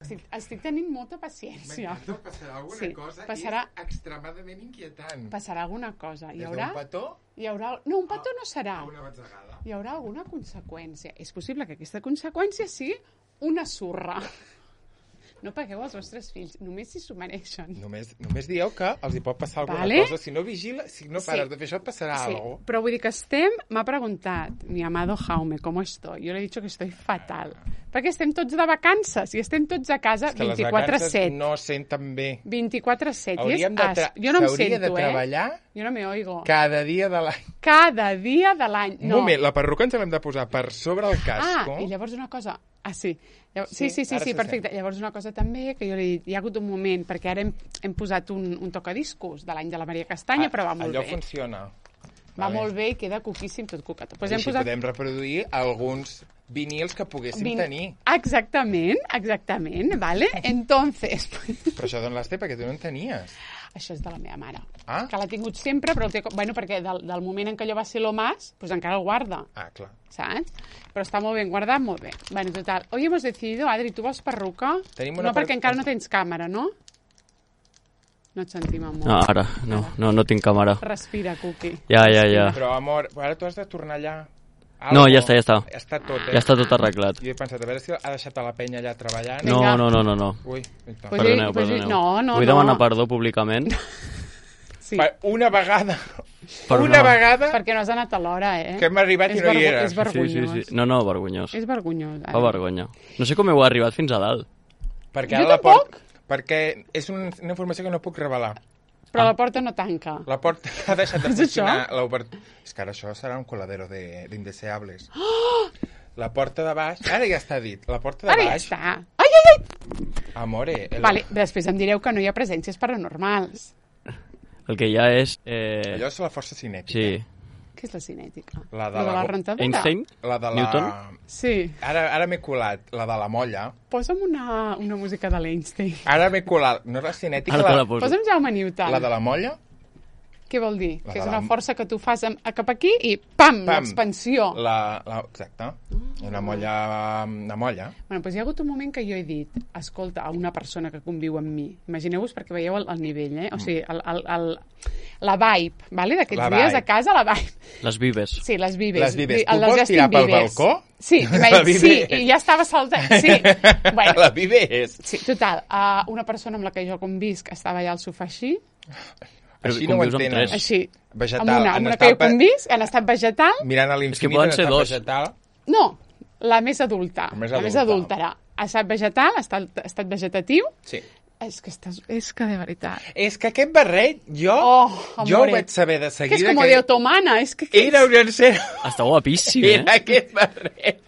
Estic tenint molta paciència. M'encanta, passarà alguna cosa i és extremadament inquietant. Passarà alguna cosa. Des d'un petó? No, un petó no serà. A una batzegada. Hi haurà alguna conseqüència. És possible que aquesta conseqüència sigui una surra. No pagueu als vostres fills, només si s'ho mereixen. Només dieu que els hi pot passar alguna cosa. Si no pares de fer això, et passarà algo. Però vull dir que m'ha preguntat, mi amado Jaume, ¿cómo estoy? Yo le he dicho que estoy fatal. Perquè estem tots de vacances i estem tots a casa 24/7. Les vacances no senten bé. 24/7. Jo no em sento, de treballar jo no me oigo. Cada dia de l'any. Cada dia de l'any. Un moment, la perruca ens l'hem de posar per sobre el casco. I llavors una cosa... sí. Sí, perfecte. Llavors una cosa també que jo li he dit, hi ha hagut un moment, perquè ara hem posat un tocadiscos de l'any de la Maria Castanya, però va molt bé. Allò funciona. Va molt bé i queda coquíssim, tot cocat. Pues així podem reproduir alguns vinils que poguéssim tenir. Exactament, vale? Entonces... Però això d'on les té? Perquè tu no en tenies. Això és de la meva mare, que l'ha tingut sempre, però perquè del moment en què allò va ser lo más, pues encara el guarda. Clar. Saps? Però està molt ben guardat, molt bé. Bueno, total, hoy hemos decidido, Adri, tu vols perruca? No, perquè encara no tens càmera, no? No et sentim, amor. No, ara, no tinc càmera. Respira, Cuqui. Ja. Però, amor, ara tu has de tornar allà. No, ja està. Ja està tot, Ja està tot arreglat. Jo he pensat, a veure si ha deixat a la penya allà treballant. No. Ui, perdoneu. Vull demanar perdó públicament. Sí. Una vegada. Vegada. Perquè no has anat a l'hora, que hem arribat i no hi eres. És vergonyós. Sí. No, vergonyós. És vergonyós. Fa vergonya. No sé com heu arribat fins a dalt. Jo tampoc. Perquè és una informació que no puc revelar. Però la porta no tanca. La porta ha deixat de funcionar. És que ara això serà un coladero d'indeseables. La porta de baix... Ara ja està dit. La porta de baix... Ara ja està. Ai! Amore... Vale, després em direu que no hi ha presències paranormals. El que hi ha és... Allò és la força cinètica. Sí. Què és la cinètica? La de la rentadora? Einstein? La de la... Newton? Sí. Ara m'he colat. La de la molla. Posa'm una música de l'Einstein. Ara m'he colat. No és la cinètica. Ara te la poso. Posa'm Jaume Newton. La de la molla? Què vol dir? Que és una força que tu fas cap aquí i pam! L'expansió. Exacte. Una molla. Bueno, doncs hi ha hagut un moment que jo he dit, escolta, a una persona que conviu amb mi, imagineu-vos perquè veieu el nivell, o sigui, la vibe, vale? D'aquests dies a casa, la vibe. Les vives. Sí, les vives. Les vives. Tu vols tirar pel balcó? Sí, i ja estava saltant. Sí. Bueno, la vives. Sí, total. Una persona amb la que jo convisc estava allà al sofà així. Així no ho entenes. Així. Vegetal. Amb una que jo convisc, han estat vegetal. Mirant a l'infinit, han estat vegetal. No, la més adulta. La més adulta. Ha estat vegetal, ha estat vegetatiu. Sí. És que de veritat. És que aquest barret, jo ho vaig saber de seguida. Que és com de otomana. Era un encert. Està guapíssim, Era aquest barret.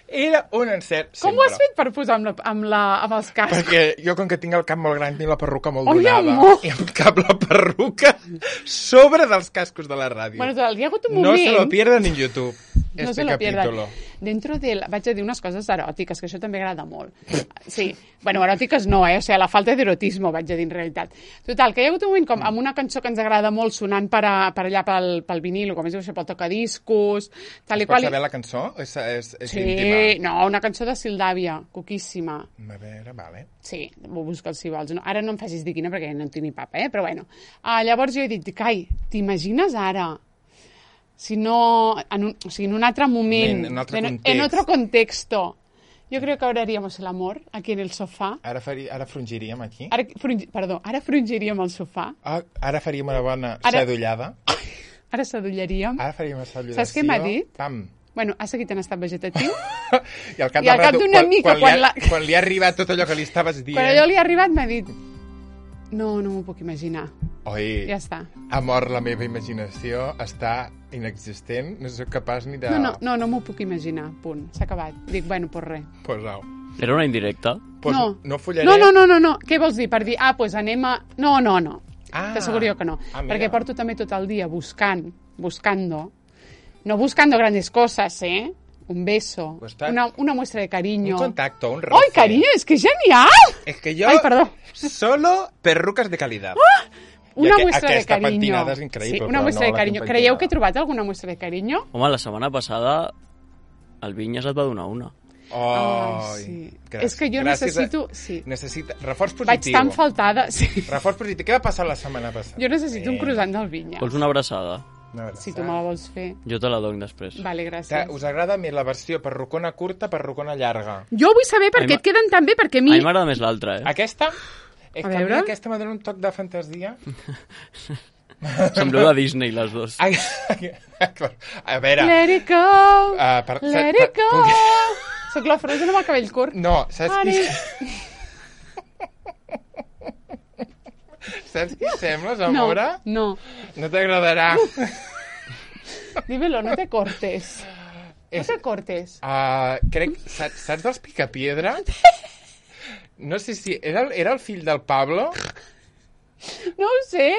Era un encert, sempre. Com ho has fet per posar amb els cascos? Perquè jo, com que tinc el cap molt gran, tinc la perruca molt donada. I em cap la perruca sobre dels cascos de la ràdio. Bueno, hi ha hagut un moment... No se lo pierdan en YouTube. No se lo pierdan. Vaig a dir unes coses eròtiques, que això també agrada molt. Sí, bueno, eròtiques no, o sigui, la falta d'erotisme, vaig a dir en realitat. Total, que hi ha hagut un moment com amb una cançó que ens agrada molt sonant per allà pel vinil, com es diu això, pel tocadiscos... Es pot saber la cançó? És íntima? Sí, no, una cançó de Sildàvia, coquíssima. A veure, vale. Sí, ho busques si vols. Ara no em facis dir quina perquè no en tinc ni papa, però bueno. Llavors jo he dit, Cai, t'imagines ara... Si no, en un altre moment, en otro contexto, yo creo que ahora haríamos el amor aquí en el sofà. Ara frongiríem aquí? Ara frongiríem al sofà. Ara faríem una bona sedullada. Ara sedullaríem. Ara faríem una sedullació. Saps què m'ha dit? Pam. Bueno, ha seguit en estat vegetatiu. I al cap d'una mica, quan li ha arribat tot allò que li estaves dient... Quan allò li ha arribat m'ha dit... No m'ho puc imaginar. Oi, ja està. Amor, la meva imaginació està inexistent, no soc capaç ni de... No m'ho puc imaginar, punt. S'ha acabat. Dic, bueno, pues res. Pues au. Era una indirecta? Pues no follaré... No. Què vols dir? Per dir, pues anem a... No. T'asseguro jo que no. Perquè porto també tot el dia buscando. No buscando grandes cosas, un beso, una muestra de cariño. Un contacto, un roce. ¡Ay, cariño, es que es genial! Es que yo... Ay, perdón. Solo perrucas de calidad. Una muestra de cariño. Aquesta patinada és increïble. Sí, una muestra de cariño. Creieu que he trobat alguna muestra de cariño? Home, la setmana passada el Vinyes et va donar una. Sí. És que jo necessito... Sí. Reforç positiu. Vaig tan faltada. Sí. Reforç positiu. Què va passar la setmana passada? Jo necessito un croissant del Vinya. Vols una abraçada? Si tu me la vols fer. Jo te la dono després. Vale, gràcies. Us agrada més la versió perrucona curta, perrucona llarga? Jo vull saber per què et queden tan bé, perquè a mi... A mi m'agrada més l'altra, Aquesta? A veure? Aquesta m'ha donat un toc de fantasia. Sembleu de Disney, les dues. A veure... Let it go, let it go. Soc la Frozen amb el cabell curt. No, saps qui... Saps qui sembles, amora? No. No t'agradarà. Dímelo, no te cortes. No te cortes. Crec... Saps dels Picapiedra? No sé si... Era el fill del Pablo? No ho sé.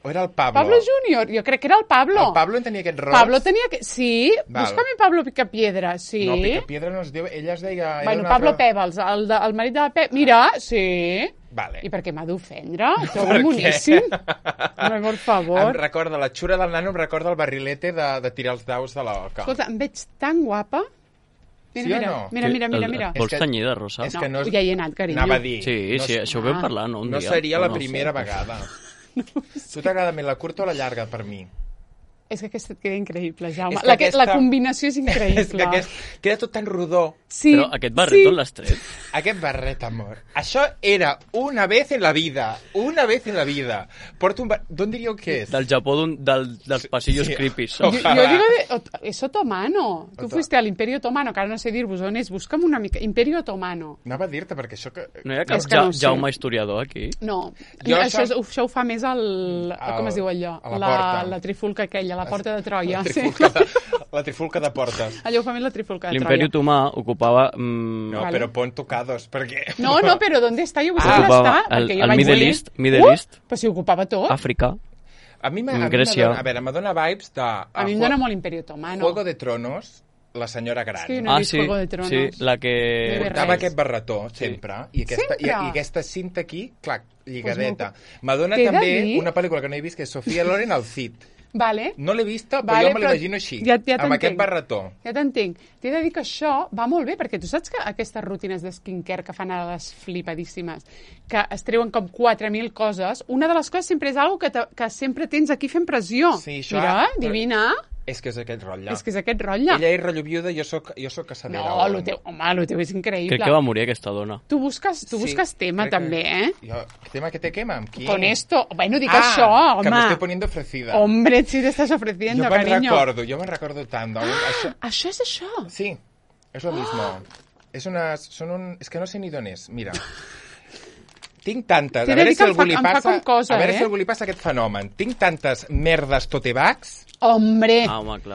O era el Pablo? Pablo Júnior, jo crec que era el Pablo. El Pablo en tenia aquest ros? Pablo tenia... Sí, busca-me Pablo Picapiedra, sí. No, Picapiedra no es diu... Ella es deia... Bueno, Pablo Pèbals, el marit de la Pep... Mira, sí. Vale. I per què m'ha d'ofendre? Sou moníssim. No, per favor. Em recorda, la xura del nano em recorda el barrilete de tirar els daus de l'oca. Escolta, em veig tan guapa... Mira, sí o no? Mira. Vols tenyida, Rosa? No, ja hi he anat, carinyo. Anava a dir. Sí, això ho vam parlar, no? No seria la primera vegada. Tu t'agrada més la curta o la llarga, per mi? És que aquesta et queda increïble, Jaume. La combinació és increïble. És que queda tot tan rodó. Sí, però aquest barret on l'has tret? Aquest barret, amor. Això era una vez en la vida. Una vez en la vida. Porto un barret... D'on diríeu que és? Del Japó, dels pasillos creepies. Jo digo es otomano. Tu fuiste al Imperio Otomano, que ara no sé dir-vos on és. Busca'm una mica. Imperio Otomano. Anava a dir-te, perquè això... No hi ha cap Jaume historiador, aquí? No. Això ho fa més com es diu allò? La trifulca aquella, la porta de Troia. La trifulca de portes. Allò ho fa més la trifulca de Troia. L'Imperi Otomà ocupava... No, però pon tocados, perquè... No, però ¿dónde està? Jo vull saber on està. El Middle East. Però si ocupava tot. Àfrica. Grècia. A veure, me dona vibes de... A mi em dona molt l'Imperi Otomano. Juego de Tronos, la senyora gran. Sí, no he vist Juego de Tronos. Sí, la que... Portava aquest barretó, sempre. I aquesta cinta aquí, clac, lligadeta. M'adona també una pel·lícula que no he vist, que és Sofia Loren al Cid. Vale. No l'he vista, però jo me l'imagino així, amb aquest barretó. Ja t'entenc. T'he de dir que això va molt bé, perquè tu saps que aquestes rutines de skincare que fan a les flipadíssimes, que es treuen com 4.000 coses, una de les coses sempre és algo que sempre tens aquí fent pressió. Sí, això... Mira, divina. És que és aquest rotlle. És que és aquest rotlle. Ella és rotllo viuda, jo soc casadera. No, el teu és increïble. Crec que va morir aquesta dona. Tu busques tema, també, Jo, tema que te quema, amb qui? Con esto. Bueno, dic això, home. Que me estoy poniendo ofrecida. Hombre, si te estás ofreciendo, cariño. Jo me'n recordo tant. Això és això? Sí, és lo mismo. És que no sé ni d'on és. Mira. Tinc tantes... A veure si algú li passa aquest fenomen. Tinc tantes merdes tote bags... Hombre,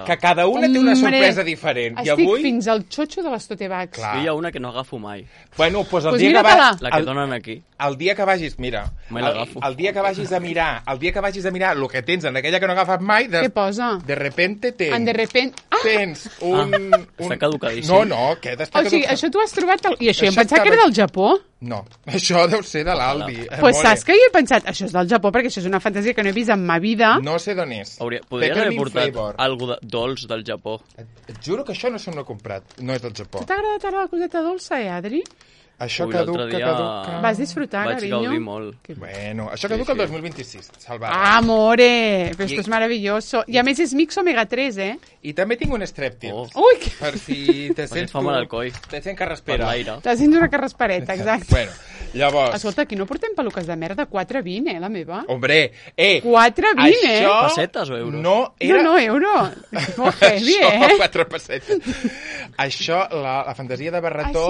que cada una té una sorpresa diferent. Estic fins al xotxo de les tote bags. Hi ha una que no agafo mai. Bueno, doncs el dia que vagis... La que donen aquí. El dia que vagis, mira, el dia que vagis a mirar el que tens en aquella que no agafes mai... Què posa? De repente tens... Tens un... Està caducadíssim. No, que està caducat. O sigui, això t'ho has trobat... I això jo em pensava que era del Japó? No, això deu ser de l'Aldi. Pues saps que jo he pensat, això és del Japó, perquè això és una fantasia que no he vist en ma vida. No sé d'on és. Podries haver portat alguna dolç del Japó. Et juro que això no s'ho he comprat. No és del Japó. T'ha agradat ara la coseta dolça, Adri? Això caduca. Vas disfrutar, carinyo? Vaig gaudir molt. Bueno, això caduca el 2026, salvat. Amore, però esto es maravilloso. I a més és mix omega 3, eh? I també tinc un streptil. Ui! Per si te sents tu... al coll. Te sents carraspera. Te sents una carraspereta, exacte. Bueno, llavors... Escolta, aquí no portem peluques de merda, 4,20, la meva. Hombre, 4,20, això... Pessetes o euros? No, era... No, euro. Molt heavy, eh? 4 pessetes. Això, la fantasia de barretó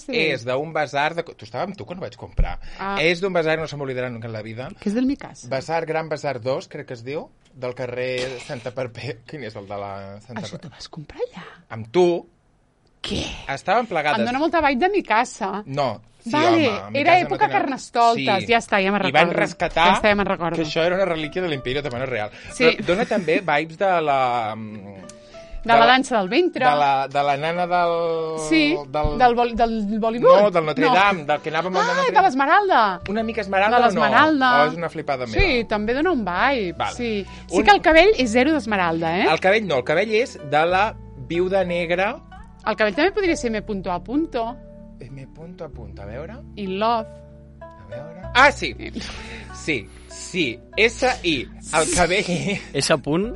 és d'un basar... Tu estava amb tu quan ho vaig comprar. És d'un basar, no se m'oblidarà nunca en la vida. Que és del Micas. Gran Basar 2, crec que es diu, del carrer Santa Perpètua. Quin és el de la Santa Perpètua? Això t'ho vas comprar allà? Amb tu. Què? Estaven plegades. Em dóna molta vibe de Micasa. No. Sí, vale, home, era època Carnestoltes, ja està, ja me'n recordo. I van rescatar que això era una relíquia de l'Imperi Otomano real. Sí. Però dona també vibes de la... De la dansa del ventre. De la nana del... Sí, del Bollywood. No, del Notre Dame, del que anàvem al Notre Dame. De l'Esmeralda. Una mica Esmeralda o no? De l'Esmeralda. O és una flipada meva? Sí, també dona un vibe. Vale. Sí que el cabell és zero d'Esmeralda, eh? El cabell no, el cabell és de la viuda negra El cabell també podria ser M. A. M. A veure... In love. A veure... Ah, sí! Sí. S-I. El cabell... S. I.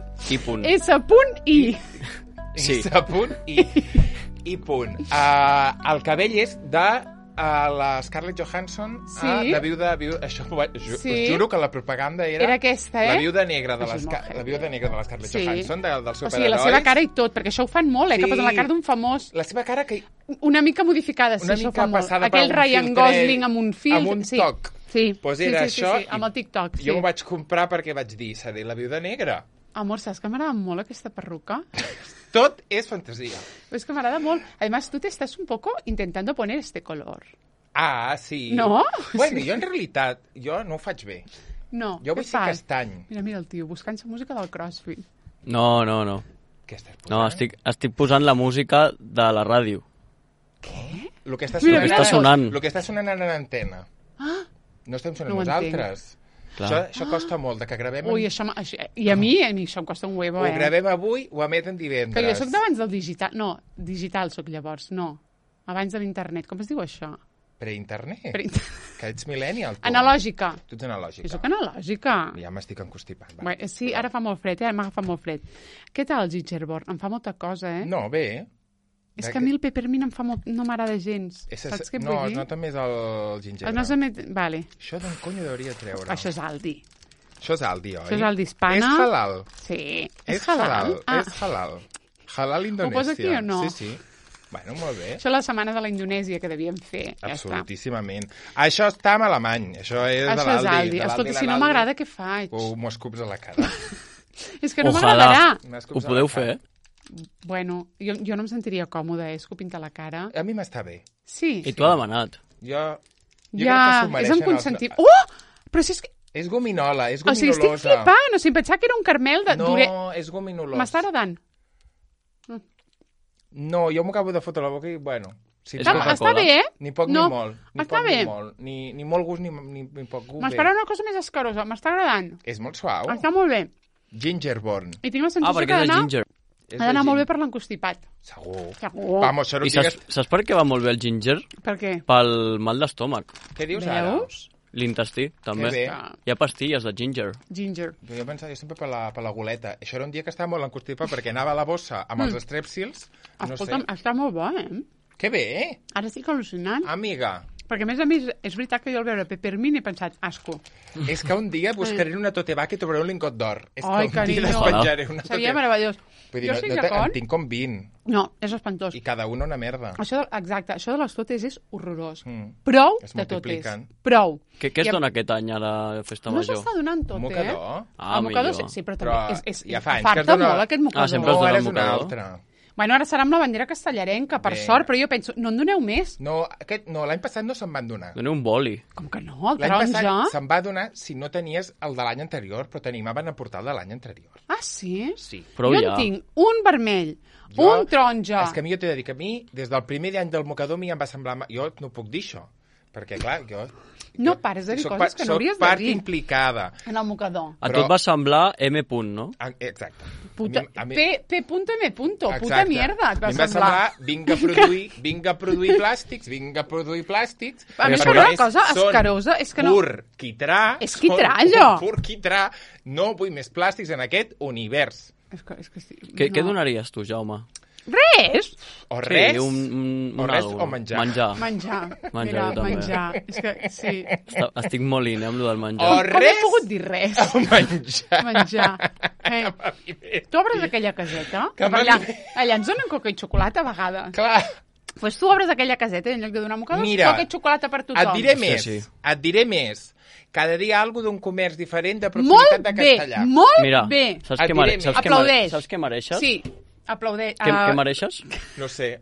S.I. Sí. S.I. I punt. El cabell és de la Scarlett Johansson a La Viuda... Això us juro que la propaganda era aquesta, La Viuda Negra de la Scarlett Johansson, dels superherois. O sigui, la seva cara i tot, perquè això ho fan molt, que posen la cara d'un famós. La seva cara que... Una mica modificada, sí, això fa molt. Aquell Ryan Gosling amb un fil. Amb un toc. Sí, això, amb el TikTok. Jo m'ho vaig comprar perquè vaig dir, seré La Viuda Negra. Amor, saps que m'agrada molt aquesta perruca? Tot és fantasia. Es que m'agrada molt. Además, tú te estás un poco intentando poner este color. Ah, sí. No? Bueno, jo en realitat, jo no ho faig bé. No, jo vull ser castany. Mira el tio, buscant-se música del CrossFit. No. Què estàs posant? No, estic posant la música de la ràdio. Què? Lo que està sonant. Lo que està sonant en l'antena. Ah! No estem sonant nosaltres. Això costa molt, que gravem... Ui, i a mi això em costa un huevo, Ho gravem avui, ho emeten divendres. Que jo soc d'abans del digital. No, digital soc llavors, no. Abans de l'internet. Com es diu això? Pre-internet? Que ets millennial, tu. Analògica. Tu ets analògica. Jo soc analògica. Ja m'estic encostipant. Bé, sí, ara fa molt fred, m'agafa molt fred. Què tal el gingerborn? Em fa molta cosa, No, bé. És que a mi el peppermint no m'agrada gens. Saps què vull dir? No, nota més el gingebre. Vale. Això d'on cony hauria de treure? Això és Aldi. Això és Aldi, oi? Això és Aldi Hispana. És halal. Sí. És halal. És halal. Halal Indonèsia. Ho posa aquí o no? Sí. Bueno, molt bé. Això és la setmana de la Indonèsia que devíem fer. Absolutíssimament. Això està en alemany. Això és de l'Aldi. Això és Aldi. Escolta, si no m'agrada, què faig? M'ho escups a la cara. És que no m'agradarà. Ho podeu fer, Bueno, jo no em sentiria còmode, escopint a la cara. A mi m'està bé. Sí. I tu ha demanat. Jo crec que s'ho mereixen. És en consentit. Però si és que... És gominola, és gominosa. O sigui, estic flipant. O sigui, pensava que era un caramel de... No, és gominolos. M'està agradant. No, jo m'ho acabo de fotre a la boca i, bueno... Està bé, Ni poc ni molt. Està bé. Ni molt gust ni poc gust. M'esperava una cosa més escarosa. M'està agradant. És molt suau. Està molt bé. Gingerborn. I tinc la sensació que ha d'anar molt bé per l'encostipat. Segur. Vamos, I saps per què va molt bé el ginger? Per què? Pel mal d'estómac. Què dius ara? L'intestí, també. Hi ha pastilles de ginger. Jo pensava, jo sempre per la goleta. Això era un dia que estava molt encostipat perquè anava a la bossa amb els strepsils. Escolta'm, està molt bo, Que bé! Ara estic al·lucinant. Amiga. Perquè, a més, és veritat que jo al veure peppermint he pensat, asco. És que un dia buscaré una tote vaca i trobaré un lingot d'or. Ai, carinyo. Seria meravellós. Jo estic d'acord. En tinc com 20. No, és espantós. I cada una merda. Exacte, això de les totes és horrorós. Prou de totes. Prou. Què es dona aquest any a la festa major? No s'està donant tot, Un mocador? El mocador sí, però també és... Ja fa anys que es dona... molt aquest mocador. Sempre es dona un mocador. Bueno, ara serà amb la bandera castellarenca, per sort, però jo penso, no en doneu més? No, l'any passat no se'n van donar. Doneu un boli. Com que no? El taronja? L'any passat se'n va donar si no tenies el de l'any anterior, però t'animaven a portar el de l'any anterior. Ah, sí? Sí. Jo en tinc un vermell, un taronja... És que a mi jo t'he de dir que a mi, des del primer any del mocador, a mi em va semblar... Jo no puc dir això, perquè, clar, jo... No pares de dir coses que no hauries de dir. Soc part implicada. En el mocador. A tot va semblar M. no? Exacte. P.M. Puta mierda, et va semblar. Em va semblar, vinga a produir plàstics. A mi sembla una cosa escarosa. És que no... Pur quitrà. És quitrà, allò. Pur quitrà. No vull més plàstics en aquest univers. Què donaries tu, Jaume? Res! O res? O menjar. Menjar. És que, sí. Estic molt in, amb lo del menjar. O res? Com he pogut dir res? O menjar. Tu obres aquella caseta? Allà ens donen coca i xocolata a vegades. Clar. Pues tu obres aquella caseta i en lloc de donar mocadors, coca i xocolata per tothom. Et diré més. Cada dia alguna d'un comerç diferent de proximitat de Castellà. Molt bé. Saps què mereixes? Sí. Aplaudeix. Què mereixes? No sé,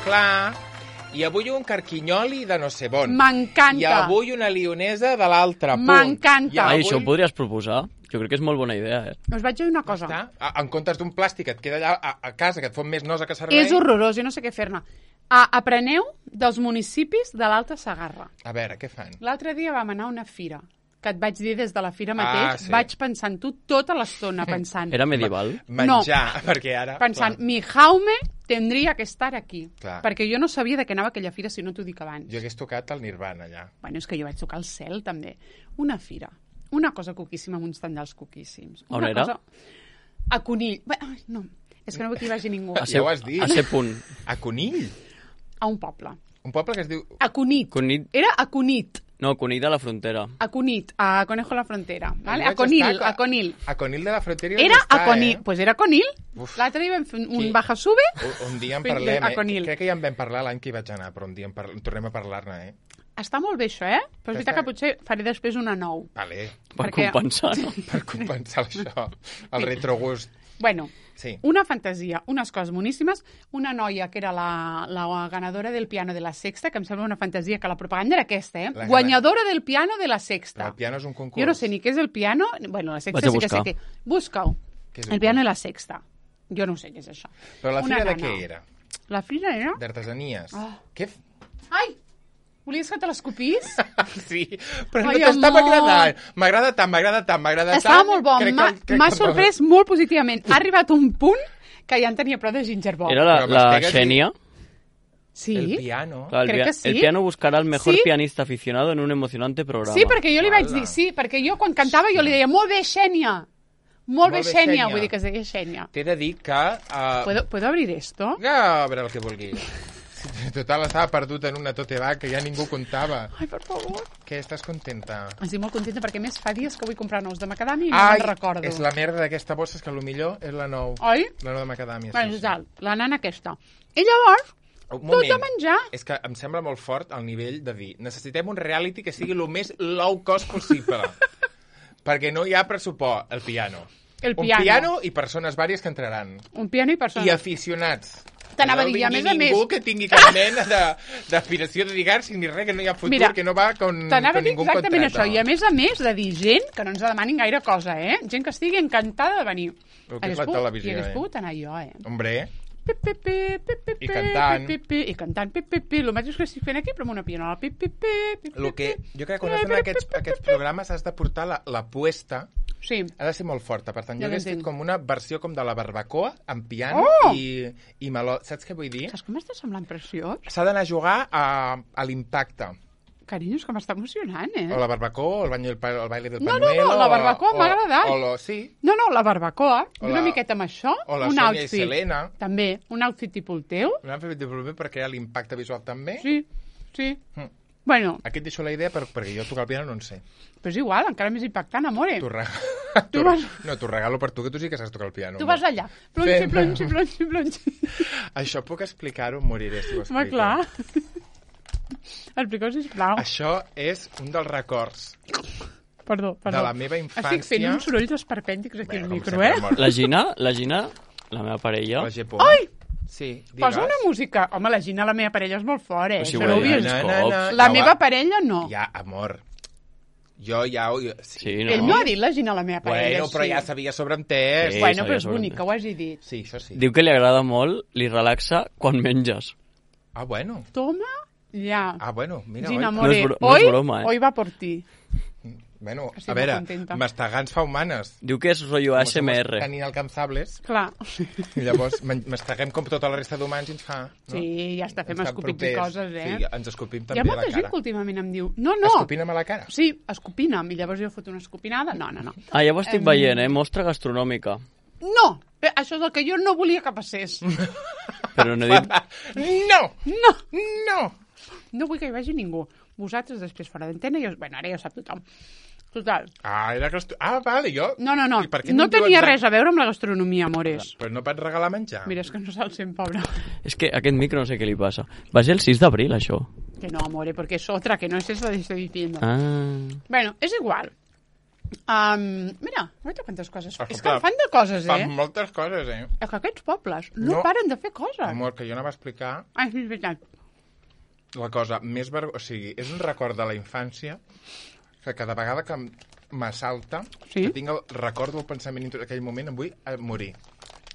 Clar, i avui un carquinyoli de no sé bon. M'encanta. I avui una lionesa de l'altre punt. M'encanta. Això ho podries proposar? Jo crec que és molt bona idea, Us vaig dir una cosa. En comptes d'un plàstic que et queda allà a casa, que et fot més nosa que servei... És horrorós, jo no sé què fer-ne. Apreneu dels municipis de l'Alta Segarra. A veure, què fan? L'altre dia vam anar a una fira que et vaig dir des de la fira mateix, vaig pensar en tu tota l'estona, pensant... Era medieval? Menjar, perquè ara... Pensant, mi jaume tendria que estar aquí. Clar. Perquè jo no sabia de què anava aquella fira, si no t'ho dic abans. Jo hagués tocat el Nirvana, allà. Bueno, és que jo vaig tocar el cel, també. Una fira. Una cosa coquíssima amb uns tendals coquíssims. On era? Cosa... A Conill. Ai, no, és que no vull que hi vagi ningú. Ja ho has dit. A ser punt. A Conill? A un poble. Un poble que es diu... A Cunit. Era a Cunit. No, Cunit de la Frontera. A Cunit, a Conejo de la Frontera. Vale? A Conill, a Conill. A Conill de la Frontera era a Conill. Pues era a Conill. L'altre dia vam fer un baja-sube. Un dia en parlem, Crec que ja en vam parlar l'any que hi vaig anar, però un dia en tornem a parlar-ne, Està molt bé això, Però és veritat que potser faré després una 9. Vale. Per compensar, no? Per compensar això, el retrogust. Bueno, una fantasia, unes coses boníssimes, una noia que era la ganadora del piano de la Sexta, que em sembla una fantasia que la propaganda era aquesta, guanyadora del piano de la Sexta. El piano és un concurs. Jo no sé ni què és el piano, bueno, la Sexta sí que sé què. Busca-ho. El piano de la Sexta. Jo no sé què és això. Però la fira de què era? La fira era... D'artesanies. Què? Ai! Volies que te l'escopís? Sí, però no t'estava agradant. M'agrada tant. Estava molt bo. M'ha sorprès molt positivament. Ha arribat un punt que ja en tenia prou de gingerbread. Era la Xènia? Sí. El piano. Crec que sí. El piano buscarà el mejor pianista aficionado en un emocionante programa. Sí, perquè jo li vaig dir, perquè jo quan cantava jo li deia, molt bé, Xènia. Molt bé, Xènia. Vull dir que es deia Xènia. T'he de dir que... ¿Puedo abrir esto? A veure el que vulguis. Total, estava perdut en una tote bag que ja ningú comptava. Ai, per favor. Què, estàs contenta? Estic molt contenta perquè més fa dies que vull comprar nous de macadàmia i no me'n recordo. És la merda d'aquesta bossa, és que millor és la 9. Oi? La 9 de macadàmia. Bueno, la nana aquesta. I llavors, tot de menjar. És que em sembla molt fort el nivell de dir necessitem un reality que sigui el més low cost possible. Perquè no hi ha pressupost, el piano. Un piano i persones vàries que entraran. Un piano i persones. I aficionats. T'anava a dir, a més a més... Ningú que tingui cap mena d'aspiració de lligar-se ni res, que no hi ha futur, mira, que no va con ningú contrato. T'anava a dir exactament això, i a més de dir gent que no ens demanin gaire cosa, Gent que estigui encantada de venir. El que és la televisió, I hagués pogut anar jo, Hombre... I cantant. I cantant, el mateix que estic fent aquí, però amb una pianola. Jo crec que quan has d'anar a aquests programes has de portar la puesta. Sí. Ha de ser molt forta, per tant, jo hagués fet com una versió com de la barbacoa, amb piano i meló. Saps què vull dir? Saps com m'està semblant preciós? S'ha d'anar a jugar a l'impacte. Carinyo, és que m'està emocionant, O la barbacoa, el baile del pañuelo... No, la barbacoa m'ha agradat. Sí. No, la barbacoa, una miqueta amb això, o la un Sònia outfit. I Selena. També, un outfit tipus el teu. Un outfit tipus el meu, perquè hi ha l'impacte visual també. Sí. Bueno. Aquí et deixo la idea perquè jo tocar el piano no en sé. Però és igual, encara més impactant, amore. No, t'ho regalo per tu, que tu sí que saps tocar el piano. Tu vas allà. Plonxi. Això puc explicar-ho? Moriré si ho explico. Home, clar. Explica-ho, sisplau. Això és un dels records. Perdó. De la meva infància. Estic fent uns sorolls esperpèntics aquí al micro, La Gina, la meva parella... La Gepó. Ai! Sí, posa una música. Home, la Gina, la meva parella, és molt fort, Si ho la meva parella, no. Ja, amor. Jo ja... Sí, no? Ell no ha dit la Gina, la meva parella. Bueno, però ja s'havia sobreentès. Sí, bueno, però és bonic que ho hagi dit. Sí, això sí. Diu que li agrada molt, li relaxa quan menges. Ah, bueno. Toma, ja. Ah, bueno, mira. Gina, amore, no és broma, hoy va por ti. Bueno, a veure, mastegants fa humanes. Diu que és rotllo ASMR. Tan inalcançables. Clar. I llavors masteguem com tota la resta d'humans i ens fa... No? Sí, ja està, fem escopins i coses, Sí, ens escopim també a la cara. Hi ha molta gent que últimament em diu... No. Escopina'm a la cara? Sí, escopina'm. I llavors jo foto una escopinada. No. Ah, ja ho estic veient, Mostra gastronòmica. No! Això és el que jo no volia que passés. Però no he dit... No! No vull que hi vagi ningú. Vosaltres després fora d'antena, bueno, ara ja ho sap tothom. Total. Vale, jo... No. No tenia res a veure amb la gastronomia, amores. Però no pots regalar menjar. Mira, és que no se'l sent, pobre. És que aquest micro no sé què li passa. Va ser el 6 d'abril, això. Que no, amore, porque es otra, que no es eso que estoy diciendo. Bueno, es igual. Mira quantes coses. És que fan de coses, Fan moltes coses, És que aquests pobles no paren de fer coses. Amor, que jo anava a explicar... Ah, sí, és veritat. La cosa més o sigui, és un record de la infància que cada vegada que m'assalta, que tinc el record del pensament en aquell moment, em vull morir.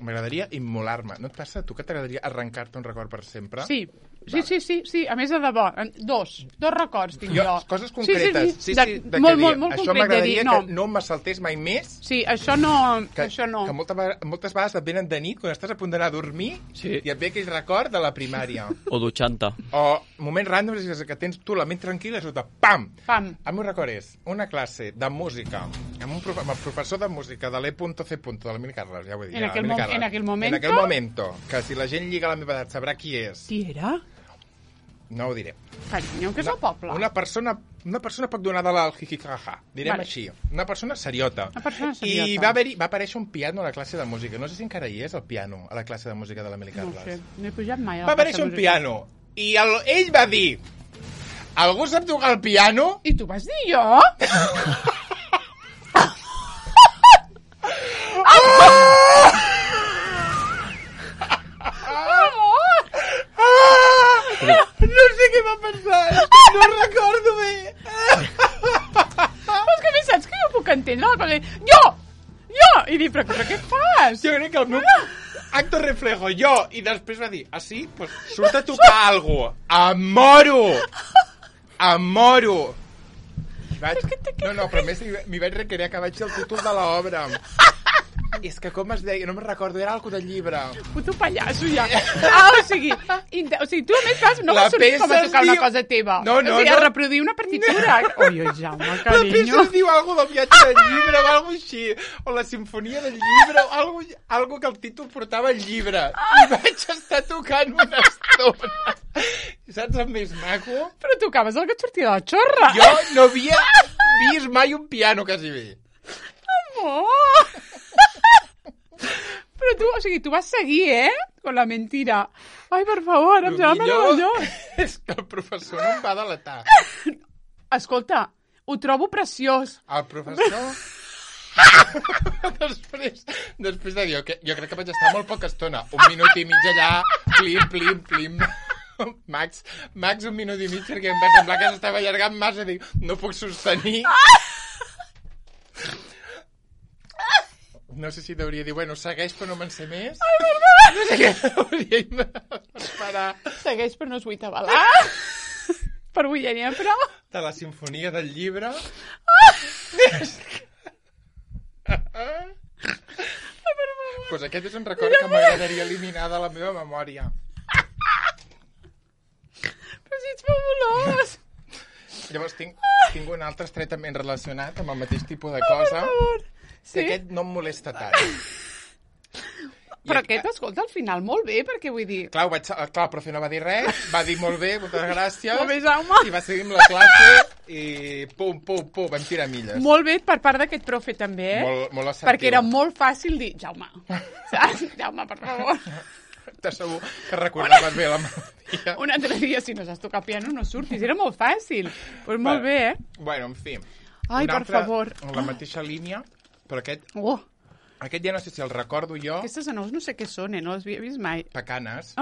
M'agradaria immolar-me. No et passa a tu que t'agradaria arrencar-te un record per sempre? Sí, Sí, a més de debò. Dos records tinc jo. Coses concretes. Sí. Molt això m'agradaria que no me saltés mai més. Sí, això no. Que moltes vegades et venen de nit, quan estàs a punt d'anar a dormir, i et ve aquell record de la primària. O dutxant-te. O moments ràndoms que tens tu la ment tranquil·la i sota, pam! El meu record és una classe de música amb el professor de música de l'E.C. de l'Emili Carles, ja ho he dit. En aquell momento, que si la gent lliga a la meva edat sabrà qui és. Qui era? No ho diré. Carinyo, que és el poble. Una persona poc donada al jijijaja, direm així. Una persona seriota. I va aparèixer un piano a la classe de música. No sé si encara hi és el piano a la classe de música de l'Emili Carles. No sé, no he pujat mai. Va aparèixer un piano i ell va dir: algú sap tocar el piano? I tu vas dir jo? No sé què va passar. No recordo bé. Però és que a més saps que jo puc entendre? Jo! I dir, però què fas? Jo crec que el meu acto reflejo, jo. I després va dir, sí? Pues surt a tocar algo. Em moro. No, però a més m'hi vaig recrear que vaig dir el títol de l'obra. És que com es deia, no me'n recordo, era algo del llibre. Puto pallasso, ja. O sigui, tu a més no vas sortir com a tocar una cosa teva. No. A reproduir una partitura. Oi, Jaume, carinyo. La peça es diu algo del viatge del llibre o algo així. O la sinfonia del llibre o algo que el títol portava el llibre. I vaig estar tocant una estona. Saps el més maco? Però tocaves el que et sortia de la xorra. Jo no havia vist mai un piano, quasi bé. Amor! Però tu, o sigui, tu vas seguir, con la mentira. Ai, per favor, em sembla meravellós. És que el professor no em va delatar. Escolta, ho trobo preciós. El professor... després de dir, jo crec que vaig estar molt poca estona. 1 minut i mig allà, plim. Max, 1 minut i mig, perquè em va semblar que s'estava allargant massa. Dic, no puc sostenir... No sé si hauria dir, bueno, segueix però no me'n sé més. Ai, verdad! No sé què hauria esperar. Segueix però no es vull tabalar. Per avui ja n'hi ha prou. De la sinfonia del llibre. Pues aquest és un record que m'agradaria eliminar de la meva memòria. Però si ets fabulós. Llavors tinc un altre estretament relacionat amb el mateix tipus de cosa. Per favor. Sí? Que aquest no em molesta tant. Però aquest, escolta, al final molt bé, perquè vull dir... Clar, el profe no va dir res, va dir molt bé, moltes gràcies, molt bé, Jaume. I va seguir amb la classe i pum, vam tirar milles. Molt bé per part d'aquest profe també, Molt assertiu. Perquè era molt fàcil dir, Jaume, saps? Jaume, per favor. T'asseguro que recordaves bé la melodia. Un altre dia, si no saps tocar piano, no surtis, era molt fàcil. Pues molt bé, Bueno, en fi. Ai, per favor. En la mateixa línia, però aquest... Aquest ja no sé si el recordo jo... Aquestes anous no sé què són, no les havia vist mai. Pecanes.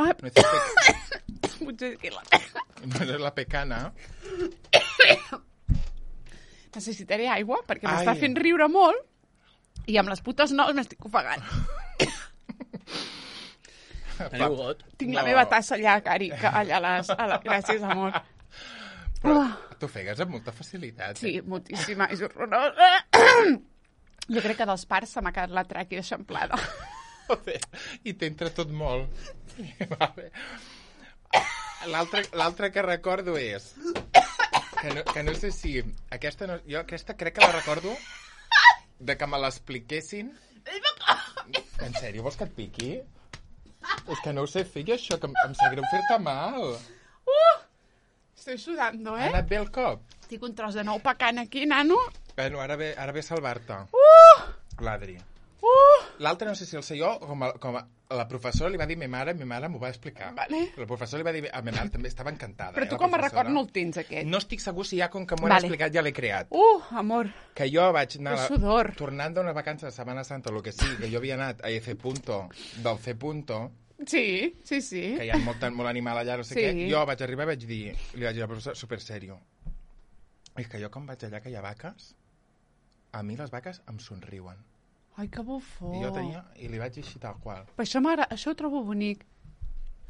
Potser que la... No és la pecana. Necessitaré aigua, perquè m'està fent riure molt i amb les putes nous m'estic ofegant. Tinc la meva tassa allà, Cari, allà gràcies, amor. Però t'ofegues amb molta facilitat. Sí, moltíssima, és horrorós. Jo crec que dels parts se m'ha quedat la tràquea eixamplada. Joder, i t'entra tot molt. L'altre que recordo és... Que no sé si... Jo aquesta crec que la recordo de que me l'expliquessin... En sèrio, vols que et piqui? És que no ho sé fer, això, que em sap greu fer-te mal. Estoy sudando, Ha anat bé el cop? Tinc un tros de nou pecant aquí, nano. Bueno, ara ve a salvar-te. L'Adri. L'altre no sé si el sé jo, com la professora li va dir a ma mare m'ho va explicar. Vale. La professora li va dir a ma mare, també estava encantada. Però tu com a record no el tens, aquest. No estic segur si ja, com que m'ho han explicat, ja l'he creat. Amor. Que jo vaig anar... sudor. Tornant d'una vacança de Setmana Santa, el que sigui, que jo havia anat a F. del C. Sí. Que hi ha molt animal allà, no sé què. Jo vaig arribar i li vaig dir a la professora, super serio. És que jo quan vaig allà que hi ha vaques, a mi les vaques em somriuen. Ai, que bufó. I li vaig dir així tal qual. Però això ho trobo bonic.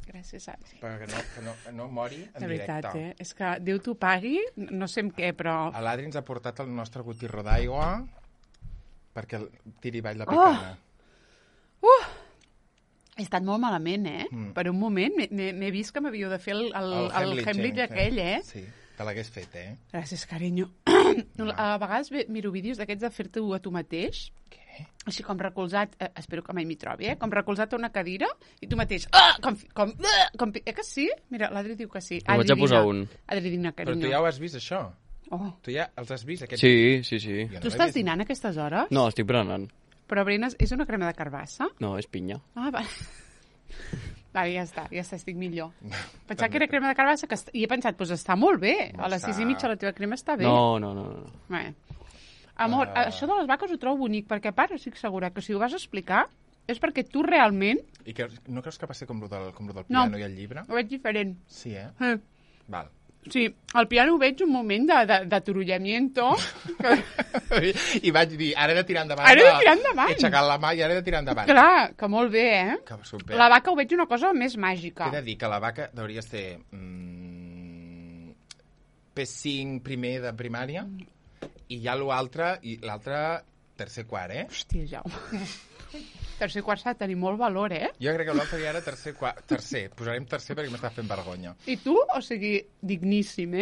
Gràcies, Adri. Perquè no mori en directe. De veritat, És que Déu t'ho pagui, no sé amb què, però... L'Adri ens ha portat el nostre gotirro d'aigua perquè tiri avall la picana. He estat molt malament, Per un moment m'he vist que m'havíeu de fer el Heimlich aquell, Sí, te l'hagués fet, Gràcies, carinyo. A vegades miro vídeos d'aquests de fer-te a tu mateix. Què? Així com recolzat, espero que mai m'hi trobi, com recolzat a una cadira i tu mateix, que sí? Mira, l'Adri diu que sí. Ho vaig a posar un. Adri, dina, carinyo. Però tu ja ho has vist, això? Tu ja els has vist, aquests? Sí. Tu estàs dinant a aquestes hores? No, estic berenant. Però berenes, és una crema de carbassa? No, és pinya. Va. Vale, ja està, estic millor. Pensava que era crema de carbassa i he pensat, doncs està molt bé. A les 6:30 la teva crema està bé. No. Bé. Amor, això de les vaques ho trobo bonic, perquè a part estic segura que si ho vas explicar és perquè tu realment... I no creus que va ser com el del piano i el llibre? No, ho veig diferent. Sí, Val. Sí, al piano ho veig un moment de turullamiento. I vaig dir, ara he de tirar endavant. Ara he de tirar endavant. He aixecat la mà i ara he de tirar endavant. Clar, que molt bé, Que super. La vaca ho veig una cosa més màgica. He de dir que la vaca hauria de ser P5 primer de primària i ja l'altre tercer quart, Hòstia, Jaume. Tercer quart s'ha de tenir molt valor, Jo crec que l'altre ja era tercer. Posarem tercer perquè m'està fent vergonya. I tu, o sigui, digníssim,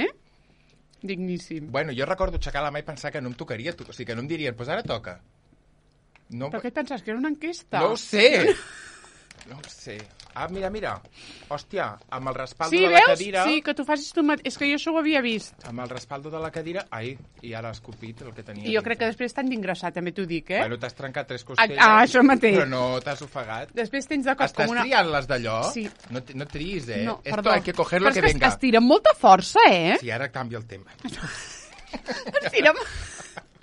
Digníssim. Bueno, jo recordo aixecar la mà i pensar que no em tocaria, o sigui, que no em dirien, doncs ara toca. No... Però què et penses, que era una enquesta? No ho sé! No ho sé. Mira. Hòstia, amb el respaldo de la cadira... Sí, que tu facis tu mateix. És que jo això ho havia vist. Amb el respaldo de la cadira... I ara ha escopit el que tenia. I jo crec que després t'han d'ingressar, també t'ho dic, Bueno, t'has trencat 3 costelles. Això mateix. Però no t'has ofegat. Després tens de cop com una... Estàs triant les d'allò? Sí. No triïs, No, Esto perdó. hay que coger lo que venga. Però és que es tira amb molta força, Sí, ara canvia el tema.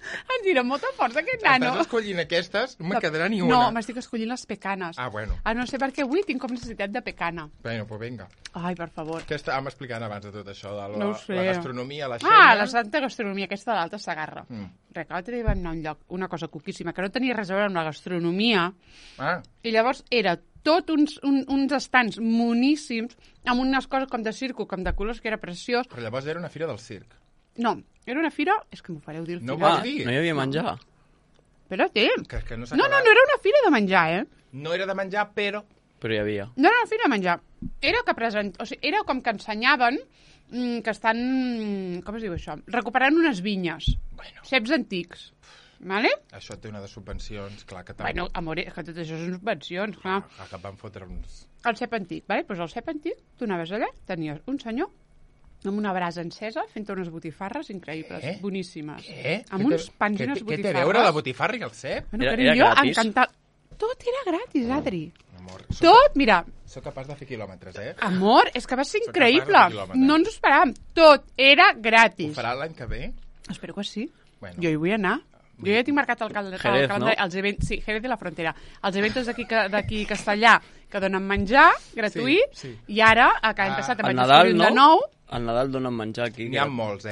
Ens tira amb molta força, aquest nano. Estàs escollint aquestes? No me'n quedarà ni una. No, m'estic escollint les pecanes. Bueno. No sé per què avui tinc com necessitat de pecana. Bueno, pues venga. Ai, per favor. Què estàvem explicant abans de tot això? De No ho sé. la gastronomia, la Xènia... La santa gastronomia, aquesta de l'Alta Segarra. Res, que l'altre dia vam anar a un lloc, una cosa cuquíssima, que no tenia res a veure amb la gastronomia. I llavors era tot uns estants moníssims, amb unes coses com de circo, com de colors, que era preciós. Però llavors era una fira del circ. No, era una fira... És que m'ho fareu dir al final. No vols dir? No hi havia menjar. Espera't. Que no, no era una fira de menjar, No era de menjar, però... Però hi havia. No era una fira de menjar. Era era com que ensenyaven que estan... Com es diu això? Recuperant unes vinyes. Ceps antics. Vale? Això té una de subvencions, clar que... Bueno, amor, que tot això són subvencions, clar. Que van fotre uns... El cep antic, vale? Pues el cep antic, tu anaves allà, tenies un senyor amb una brasa encesa fent unes botifarres increïbles, boníssimes. Què? Amb uns pans i unes botifarres. Què té a veure la botifarra i el cep? Bueno, era gratis? Encantat. Tot era gratis, Adri. Amor, tot, mira. Soc capaç de fer quilòmetres, Amor, és que va ser increïble. No ens ho esperàvem. Tot era gratis. Ho farà l'any que ve? Espero que sí. Bueno. Jo hi vull anar. Jo ja tinc marcat el calendari, els events, sí, Jerez de la Frontera, els events d'aquí Castellà, que donen menjar gratuït, i ara, que hem passat a menjar de nou. Al Nadal donen menjar aquí. N'hi ha molts,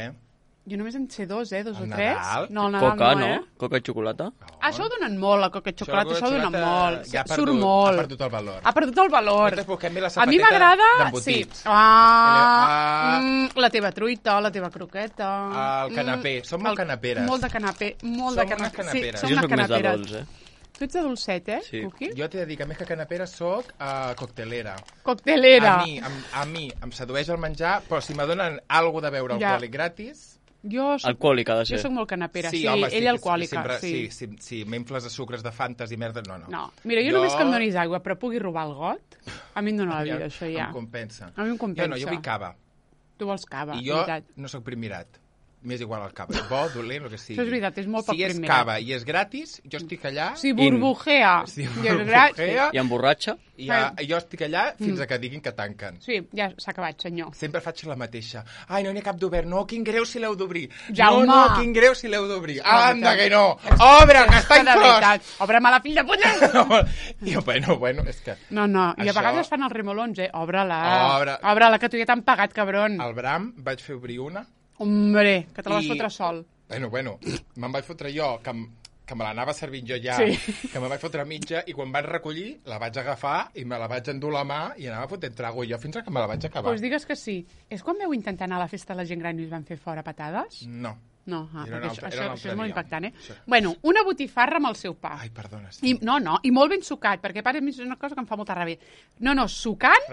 Jo només en sé 2, 2 o 3. No, al Nadal Coca, no? Coca i xocolata? Això ho donen molt, la coca i xocolata, això ho donen molt. Surt molt. Ha perdut el valor. Ha perdut el valor. A mi m'agrada... Sí. La teva truita, la teva croqueta... El canapé. Som molt canaperes. Molt de canapé. Molt de canapé. Sí, som unes canaperes. Jo soc més de dolç, Tu ets de dolcet, Sí. Cuqui? Jo t'he de dir que més que canapera soc coctelera. Coctelera. A mi em sedueix el menjar, però si me donen alguna de beure alcohòlic gratis... Alcohòlica, ha de ser. Jo soc molt canapera, sí, home, ella alcohòlica. Sí, m'infles de sucres de fantes i merda, no. Mira, jo només que em donis aigua, però pugui robar el got, a mi em dóna la vida, això ja. Em compensa. A mi em compensa. Jo vull cava. Tu vols cava, I jo no soc primirat. M'és igual el cava. Bo, dolent, el que sigui. Això és veritat, és molt poc primirat. Si és cava i és gratis, jo estic allà... Si burbujea. I emborratxa. I jo estic allà fins a que diguin que tanquen. Sí, ja s'ha acabat, senyor. Sempre faig la mateixa. Ai, no n'hi ha cap d'obert. No, quin greu si l'heu d'obrir. Jaume. No, quin greu si l'heu d'obrir. Anda, que no. Obre, que està inclòs. Obre-me la fill de puta. Bueno, és que... No, i a vegades fan els remolons, Obre-la. Obre-la, que tu ja t'han pagat, cabron. Al Bram vaig fer obrir una. Hombre, que te la vas fotre sol. Bueno, me'n vaig fotre jo, que que me l'anava servint jo ja, que me vaig fotre mitja, i quan van recollir la vaig agafar i me la vaig endur la mà i anava fotent trago jo fins que me la vaig acabar. Doncs digues que sí. És quan veu intentar anar a la festa de la gent gran i us van fer fora patades? No. No, això és molt impactant, Bueno, una botifarra amb el seu pa. Ai, perdona. Sí. I molt ben sucat, perquè a part és una cosa que em fa molta ràbia. No, sucant,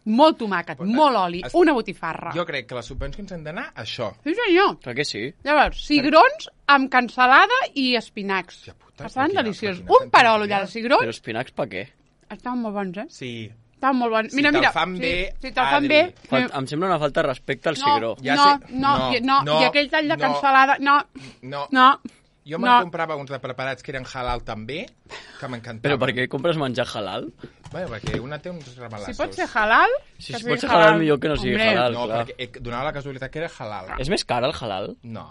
molt tomàquet, molt oli, una botifarra. Jo crec que les subvencions han d'anar a això. Sí, senyor. Clar que sí. Llavors, cigrons amb cansalada i espinacs. Estaven deliciosos. Un perol allà de cigrons. Però espinacs per què? Estaven molt bons, Sí. Estava molt bon. Si te'l fan bé, si te'l fan bé... Em sembla una falta de respecte al cigró. No, i aquell tall de cansalada... No. Jo me'n comprava uns de preparats que eren halal també, que m'encantaven. Però per què compres menjar halal? Bueno, perquè una té uns remelassos. Si pot ser halal... Si pot ser halal, millor que no sigui halal, no, clar. Perquè donava la casualitat que era halal. És més car el halal? No.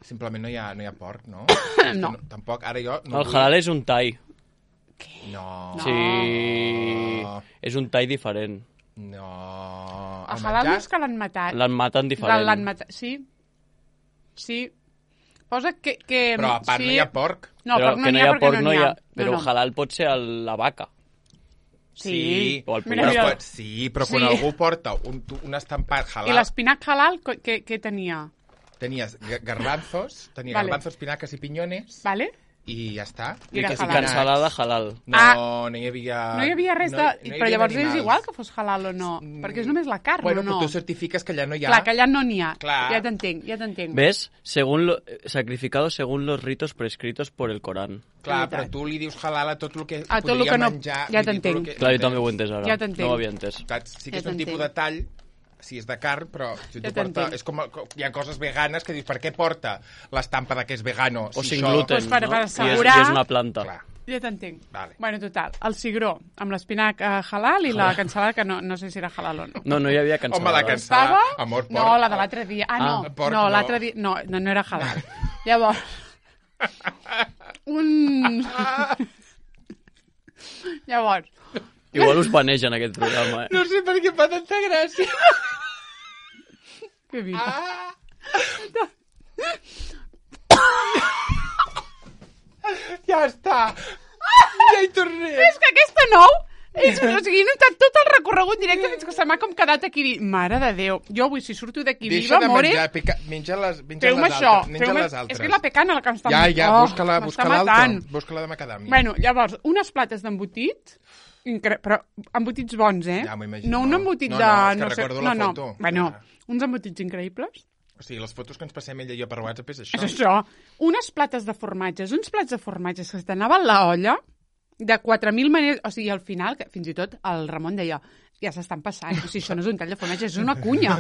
Simplement no hi ha porc, no? No. Tampoc, ara jo... El halal és un tall. No. Sí, és un tall diferent. No. El halal no és que l'han matat. L'han matat diferent. Sí. Posa que... Però a part no hi ha porc. No, però no hi ha porc, no hi ha. Però halal pot ser la vaca. Sí. O el pollastre. Sí, però quan algú porta un estampat halal... I l'espinac halal, què tenia? Tenies garbanzos, garbanzos, espinaques i piñones. Vale. I ja està. I cansalada halal. No hi havia... No hi havia res de... Però llavors és igual que fos halal o no, perquè és només la carn, bueno, o no? Bueno, tu certifiques que allà no hi ha... Clar, que allà no n'hi ha. Clar. Ja t'entenc. ¿Ves? Sacrificado según los ritos prescritos por el Corán. Clar, però tu li dius halal a tot el que podria menjar... Ja t'entenc. Clar, jo també ho he entès ara. Ja t'entenc. No ho havia entès. Sí que és un tipus de tall... Si és de carn, però si tu porta... És com... Hi ha coses veganes que dius, per què porta l'estampa de que és vegano? O sin gluten, per assegurar... I és una planta. Clar. Ja t'entenc. Vale. Bueno, total, el cigró amb l'espinac halal i la cansalada, que no sé si era halal o no. No hi havia cansalada. Home, la cansalada, amor, porc. No, la de l'altre dia. No, l'altre dia... No era halal. Llavors... Llavors... Igual us banegen aquest programa, No sé per què fa tanta gràcia. Que vida. Ja està. Ja hi tornem. És que aquesta nou... O sigui, he notat tot el recorregut directe fins que se m'ha com quedat aquí. Mare de Déu. Jo avui, si surto d'aquí viva, more... Deixa de menjar, menja les altres. És que la pecana la que em està... Ja, busca l'altra. Busca-la de macadàmia. Bueno, llavors, unes plates d'embotit... Però embotits bons, Ja m'ho imagino. No un embotit de... No, és que recordo la foto. Bueno, uns embotits increïbles. O sigui, les fotos que ens passem ella i jo per WhatsApp és això. És això. Unes plates de formatges, uns plats de formatges que t'anaven la olla de 4.000 maneres... O sigui, al final, que fins i tot el Ramon deia ja s'estan passant. O sigui, això no és un tall de formatge, és una cunya.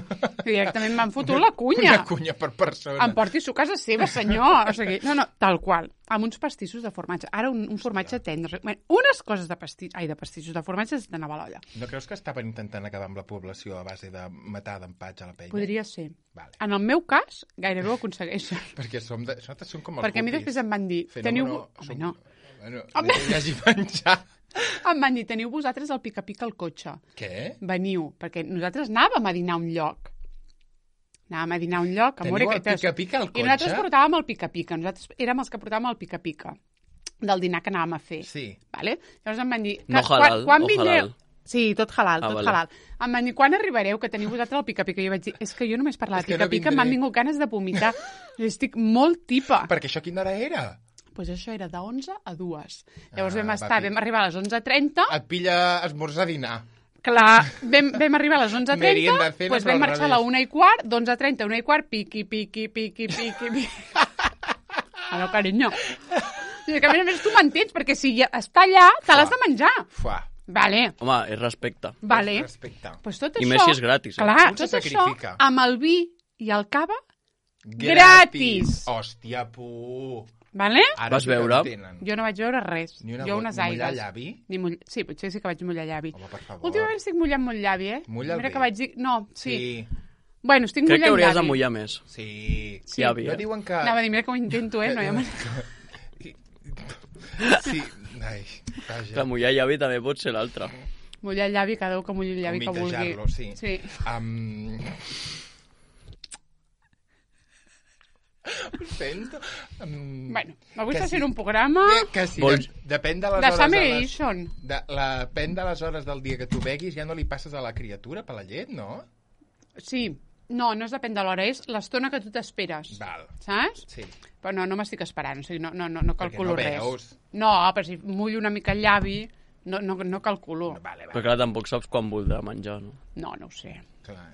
Directament m'han fotut la cunya. Una cunya per persona. Em porti a casa seva, senyor. O sigui, no, tal qual. Amb uns pastissos de formatge. Ara un formatge tendre. Bueno, unes coses de pastissos de formatge s'anava a l'olla. No creus que estaven intentant acabar amb la població a base de matar d'empatx a la penya? Podria ser. Vale. En el meu cas, gairebé ho aconsegueixen. Perquè nosaltres som com els Perquè a mi després em van dir... Teniu... Bueno, hi hagi menjar. Em van dir, teniu vosaltres el pica-pica al cotxe. Què? Veniu, perquè nosaltres anàvem a dinar a un lloc. Teniu el pica-pica al cotxe? I nosaltres portàvem el pica-pica. Nosaltres érem els que portàvem el pica-pica del dinar que anàvem a fer. Sí. Vale? Llavors em van dir... No halal, quan o halal? Sí, tot halal, halal. Em van dir, quan arribareu, que teniu vosaltres el pica-pica? I jo vaig dir, és que jo només parlar de pica-pica m'han vingut ganes de vomitar. Estic molt tipa. Perquè això quina hora era? Doncs això era de 11 a 2. Llavors vam arribar a les 11:30. Et pilla esmorzar a dinar. Clar, vam arribar a les 11:30, doncs vam marxar a la 1:15, d'11:30 a 1:15, piqui. Allò, carinyo. I que a més tu m'entens, perquè si ja està allà, te l'has de menjar. Vale. Home, és respecte. Vale. Pues tot això, i més si és gratis. Clar, tot això amb el vi i el cava gratis. Hòstia, pu. Vale? Vas veure? Jo no vaig veure res. Jo unes aigues. Mullar llavi? Sí, potser sí que vaig mullar llavi. Home, per favor. Últimament estic mullant molt llavi, Mulla el Mira vi. que vaig dir... No, sí. Crec Bueno, estic mullant llavi. que hauries de mullar més. Sí. Llavi, No diuen que... Anava a dir, mira que ho intento, no hi ha manera. Sí. Ai, vaja. Que mullar llavi també pot ser l'altre. Mullar llavi, cada un que mulli el llavi que vulgui. Sí. sento. Bueno, avui està sent un programa... Que sí, depèn de les hores... Depèn de les hores del dia que tu beguis, ja no li passes a la criatura per la llet, no? Sí. No es depèn de l'hora, és l'estona que tu t'esperes. Val. Saps? Sí. Però no m'estic esperant, o sigui, no calculo res. Perquè no veus. No, però si mullo una mica el llavi, no calculo. Vale. Però clar, tampoc saps quan voldrà menjar, no? No ho sé. Clar,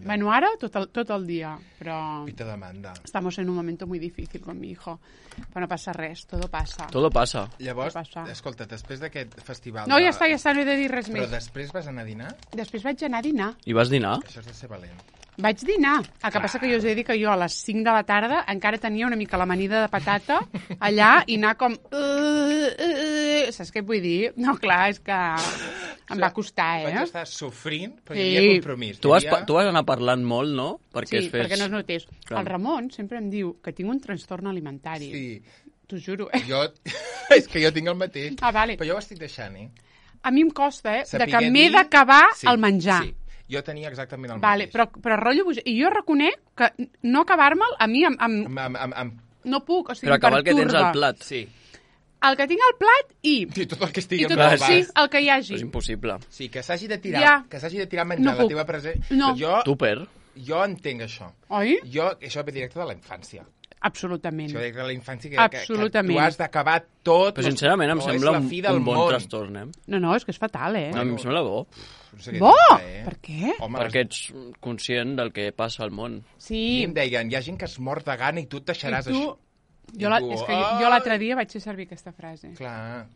bueno, ara tot el dia, però... Pita demanda. Estamos en un momento muy difícil con mi hijo. Però no passa res, todo pasa. Todo pasa. Llavors, escolta, després d'aquest festival... No, ja està, no he de dir res més. Però després vas anar a dinar? Després vaig anar a dinar. I vas dinar? Això és de ser valent. Vaig dinar. El que passa que jo us he de dir que jo a les 5 de la tarda encara tenia una mica l'amanida de patata allà i anar com... Saps què vull dir? No, clar, és que em va costar, Vaig estar sofrint, però hi havia compromís. Tu vas anar parlant molt, no? Perquè perquè no es notés. Clar. El Ramon sempre em diu que tinc un trastorn alimentari. Sí. T'ho juro. És que jo tinc el mateix. Vale. Però jo ho estic deixant, A mi em costa, de que m'he d'acabar el menjar. Sí. Jo tenia exactament el mateix. Però rotllo... I jo reconec que no acabar-me'l, a mi no puc, o sigui, però acabar el que tens al plat. Sí. El que tinc al plat i... Sí, tot el que estigui al plat. Sí, el que hi hagi. És impossible. Sí, que s'hagi de tirar menjar la teva present. No. Jo entenc això. Oi? Això ve directe de la infància. Absolutament. Això de la infància que tu has d'acabar tot. Però sincerament em sembla un bon trastorn, No, és que és fatal, No, a mi em sembla bo. Bo? Per què? Perquè ets conscient del que passa al món. Sí. I em deien, hi ha gent que es mor de gana i tu et deixaràs això. Jo l'altre dia vaig fer servir aquesta frase. Clar.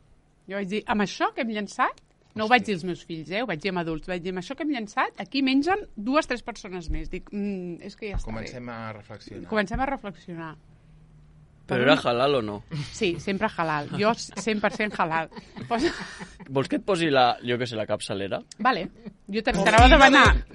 Jo vaig dir, amb això que hem llançat, no ho vaig dir als meus fills, ho vaig dir amb adults, vaig dir, amb això que hem llançat, aquí mengen 2 o 3 persones més. Dic, és que ja està bé. Comencem a reflexionar. Però era halal o no? Sí, sempre halal. Jo 100% halal. Vols que et posi la capçalera? Vale. Jo t'anava a demanar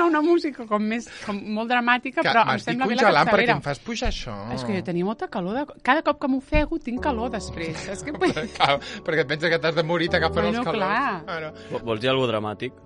una música com molt dramàtica, però em sembla bé la capçalera. Perquè em fas pujar això. És que jo tenia molta calor. Cada cop que m'ofego tinc calor després. Perquè et pensa que t'has de morir, t'agafen els calors. Clar. Vols dir alguna dràmatic?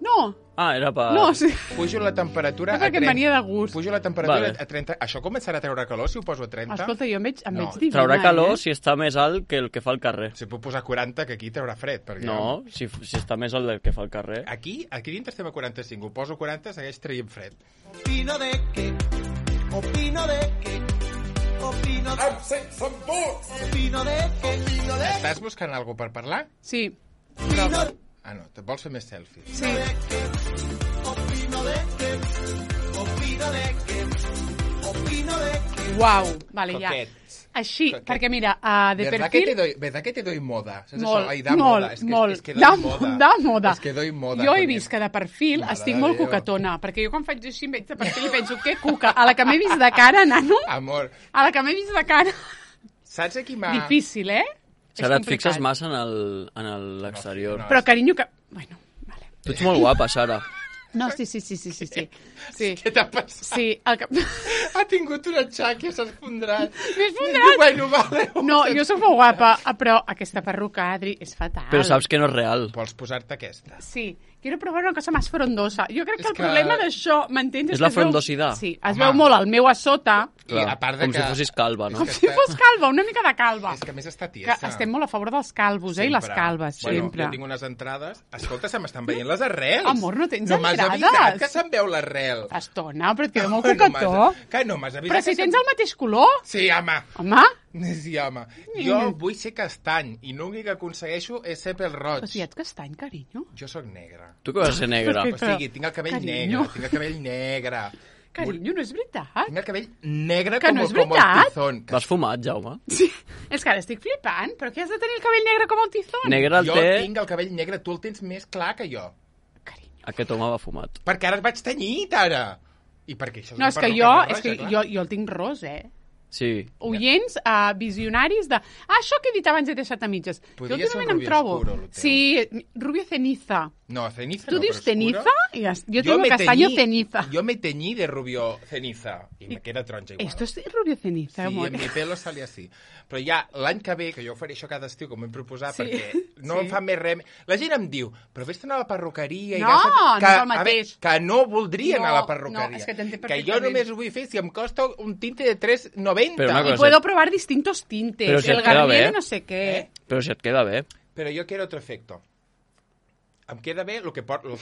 No. Era per... No, sí. Pujo la temperatura a 30. Perquè venia de gust. Pujo la temperatura a 30. Això començarà a treure calor si ho poso a 30? Escolta, jo em veig divina. Traurà calor si està més alt que el que fa al carrer. Si puc posar 40, que aquí traurà fred. No, si està més alt del que fa al carrer. Aquí dintre estem a 45. Ho poso a 40, segueix traient fred. Opino de que... Opino de que... Estàs buscant alguna per parlar? Sí. No, te vols fer més selfies? Sí. Uau, vale, ja. Així, perquè mira, de perfil... ¿Verdad que te doy moda? Molt. Da moda. És que doy moda. Jo he vist que de perfil estic molt cucatona, perquè jo quan faig així em veig de perfil i penso, que cuca? A la que m'he vist de cara, nano? Amor. A la que m'he vist de cara. Saps a qui m'ha... Difícil, Sara, et fixes massa en l'exterior. No, però, carinyo, que... Bueno, vale. Tu ets molt guapa, Sara. No, sí. Què t'ha passat? Sí, Ha tingut una xàquia, s'ha esfondrat. M'he esfondrat? Bueno, vale. No, jo soc molt guapa, però aquesta perruca, Adri, és fatal. Però saps que no és real. Vols posar-te aquesta? Sí. Quiero probar una cosa más frondosa. Jo crec que el problema d'això, m'entens? És la frondositat. Sí, es veu molt el meu a sota. Clar, a part de com si fossis calva, no? Com si fos calva, una mica de calva. És que a més està tiesa. Que estem molt a favor dels calvos, i les calves, sempre. Jo tinc unes entrades. Escolta, se m'estan veient les arrels. Amor, no tens entrades? No m'has avisat que se'n veu l'arrel. Estona, però et queda molt cocató. Que no m'has avisat. Però si tens el mateix color. Sí, home. Home? Sí, home. Jo vull ser castany i l'únic que aconsegueixo és ser pèl roig. Però si ets castany, carinyo. Jo sóc negre. Tu que vas ser negre? O sigui, tinc el cabell negre. Carinyo, no és veritat. Tinc el cabell negre com el tizón. Vas fumat, Jaume? Sí. És que ara estic flipant. Però què has de tenir el cabell negre com el tizón? Jo tinc el cabell negre, tu el tens més clar que jo. Carinyo. Aquest home va fumat. Perquè ara et vaig tenyit, ara. I per què això és no, és que jo el tinc ros, oients, visionaris de... això que he dit abans he deixat a mitges. Podria ser un Rubio Oscuro, el teu. Sí, Rubio Ceniza. No, Ceniza tu no, dius però Ceniza? Yo tengo castaño Ceniza. Yo me teñí de Rubio Ceniza y me queda taronja igual. Esto es Rubio Ceniza, sí, amor. en mi pelo sale así. Però ja l'any que ve, que jo faré això cada estiu, com m'he proposat, perquè no em fa més res... La gent em diu, però vés-te a la perruqueria... No, no és el mateix. Que no voldria anar a la perruqueria. No, és que t'entenc perfectament. Que jo només ho vull fer si em costa un tinte de 3,90. Y puedo probar distintos tintes. Pero si el Garnier de no sé qué. Pero si et queda bé. Però jo quiero otro efecto. Em queda bé el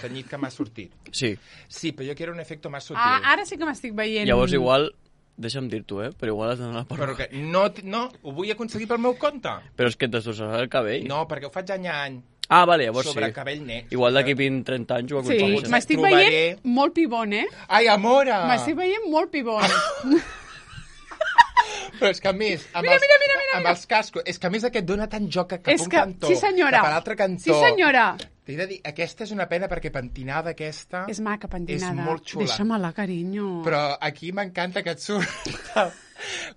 tenyit que m'ha sortit. Sí. Sí, però jo quiero un efecto más sutil. Ara sí que m'estic veient. Llavors igual, deixa'm dir-t'ho, però igual has d'anar a la perruqueria. Però que no, ho vull aconseguir pel meu compte. Però és que et destrossarà el cabell. No, perquè ho faig any a any. Ah, vale, llavors sobre sí. cabell net. Igual d'aquí 20-30 anys ho aconsegueixes. Sí, m'estic veient molt pibon, Ai, amora! M'estic veient molt pibon. Però és que a més, amb els cascos, és que a més aquest dona tant joc cap a un cantó, cap a l'altre cantó. Sí, senyora. T'he de dir, aquesta és una pena perquè pentinada aquesta... És maca, pentinada. És molt xula. Deixa-me-la, carinyo. Però aquí m'encanta que et surt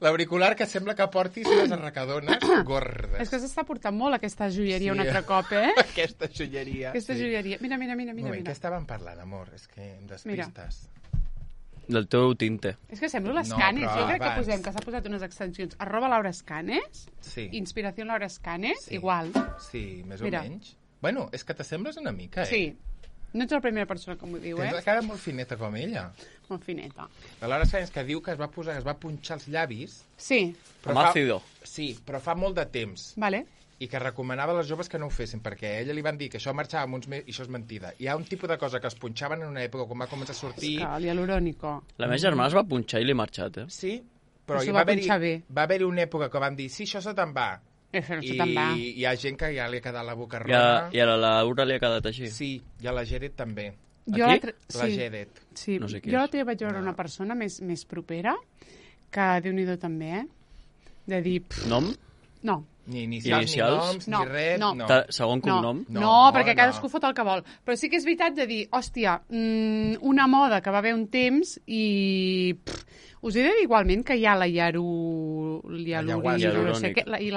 l'auricular que sembla que portis unes arracadones gordes. És que s'està portant molt aquesta joieria un altre cop, Aquesta joieria. Aquesta joieria. Mira. Què estàvem parlant, amor? És que em despistes. Del teu tinte. És que sembla l'Escanes. Jo crec que posem, que s'ha posat unes extensions. @LauraEscanes, Inspiració Laura Escanes, igual. Sí, més o menys. Bueno, és que t'assembles una mica, Sí. No ets la primera persona que m'ho diu, Tens la cara molt fineta com ella. Molt fineta. La Laura Escanes que diu que es va punxar els llavis... Sí. Amb àcido. Sí, però fa molt de temps. Vale. I que recomanava a les joves que no ho fessin, perquè a ella li van dir que això marxava amb uns mesos, i això és mentida. Hi ha un tipus de cosa que es punxaven en una època quan va començar a sortir... És que l'hialurònico. La meva germana es va punxar i li he marxat, Sí, però va haver-hi una època que van dir, sí, això se te'n va. I hi ha gent que ja li ha quedat la boca roja. I a la Laura li ha quedat així. Sí, i a la Geret també. La Geret. Sí, no sé qui jo l'altre dia vaig veure una persona més propera que, Déu-n'hi-do també, de dir... Nom? No. Ni inicials, ni noms, ni res, no. Segon cognom? No, perquè cadascú fot el que vol. Però sí que és veritat de dir, hòstia, una moda que va haver un temps i... Us he de dir igualment que hi ha la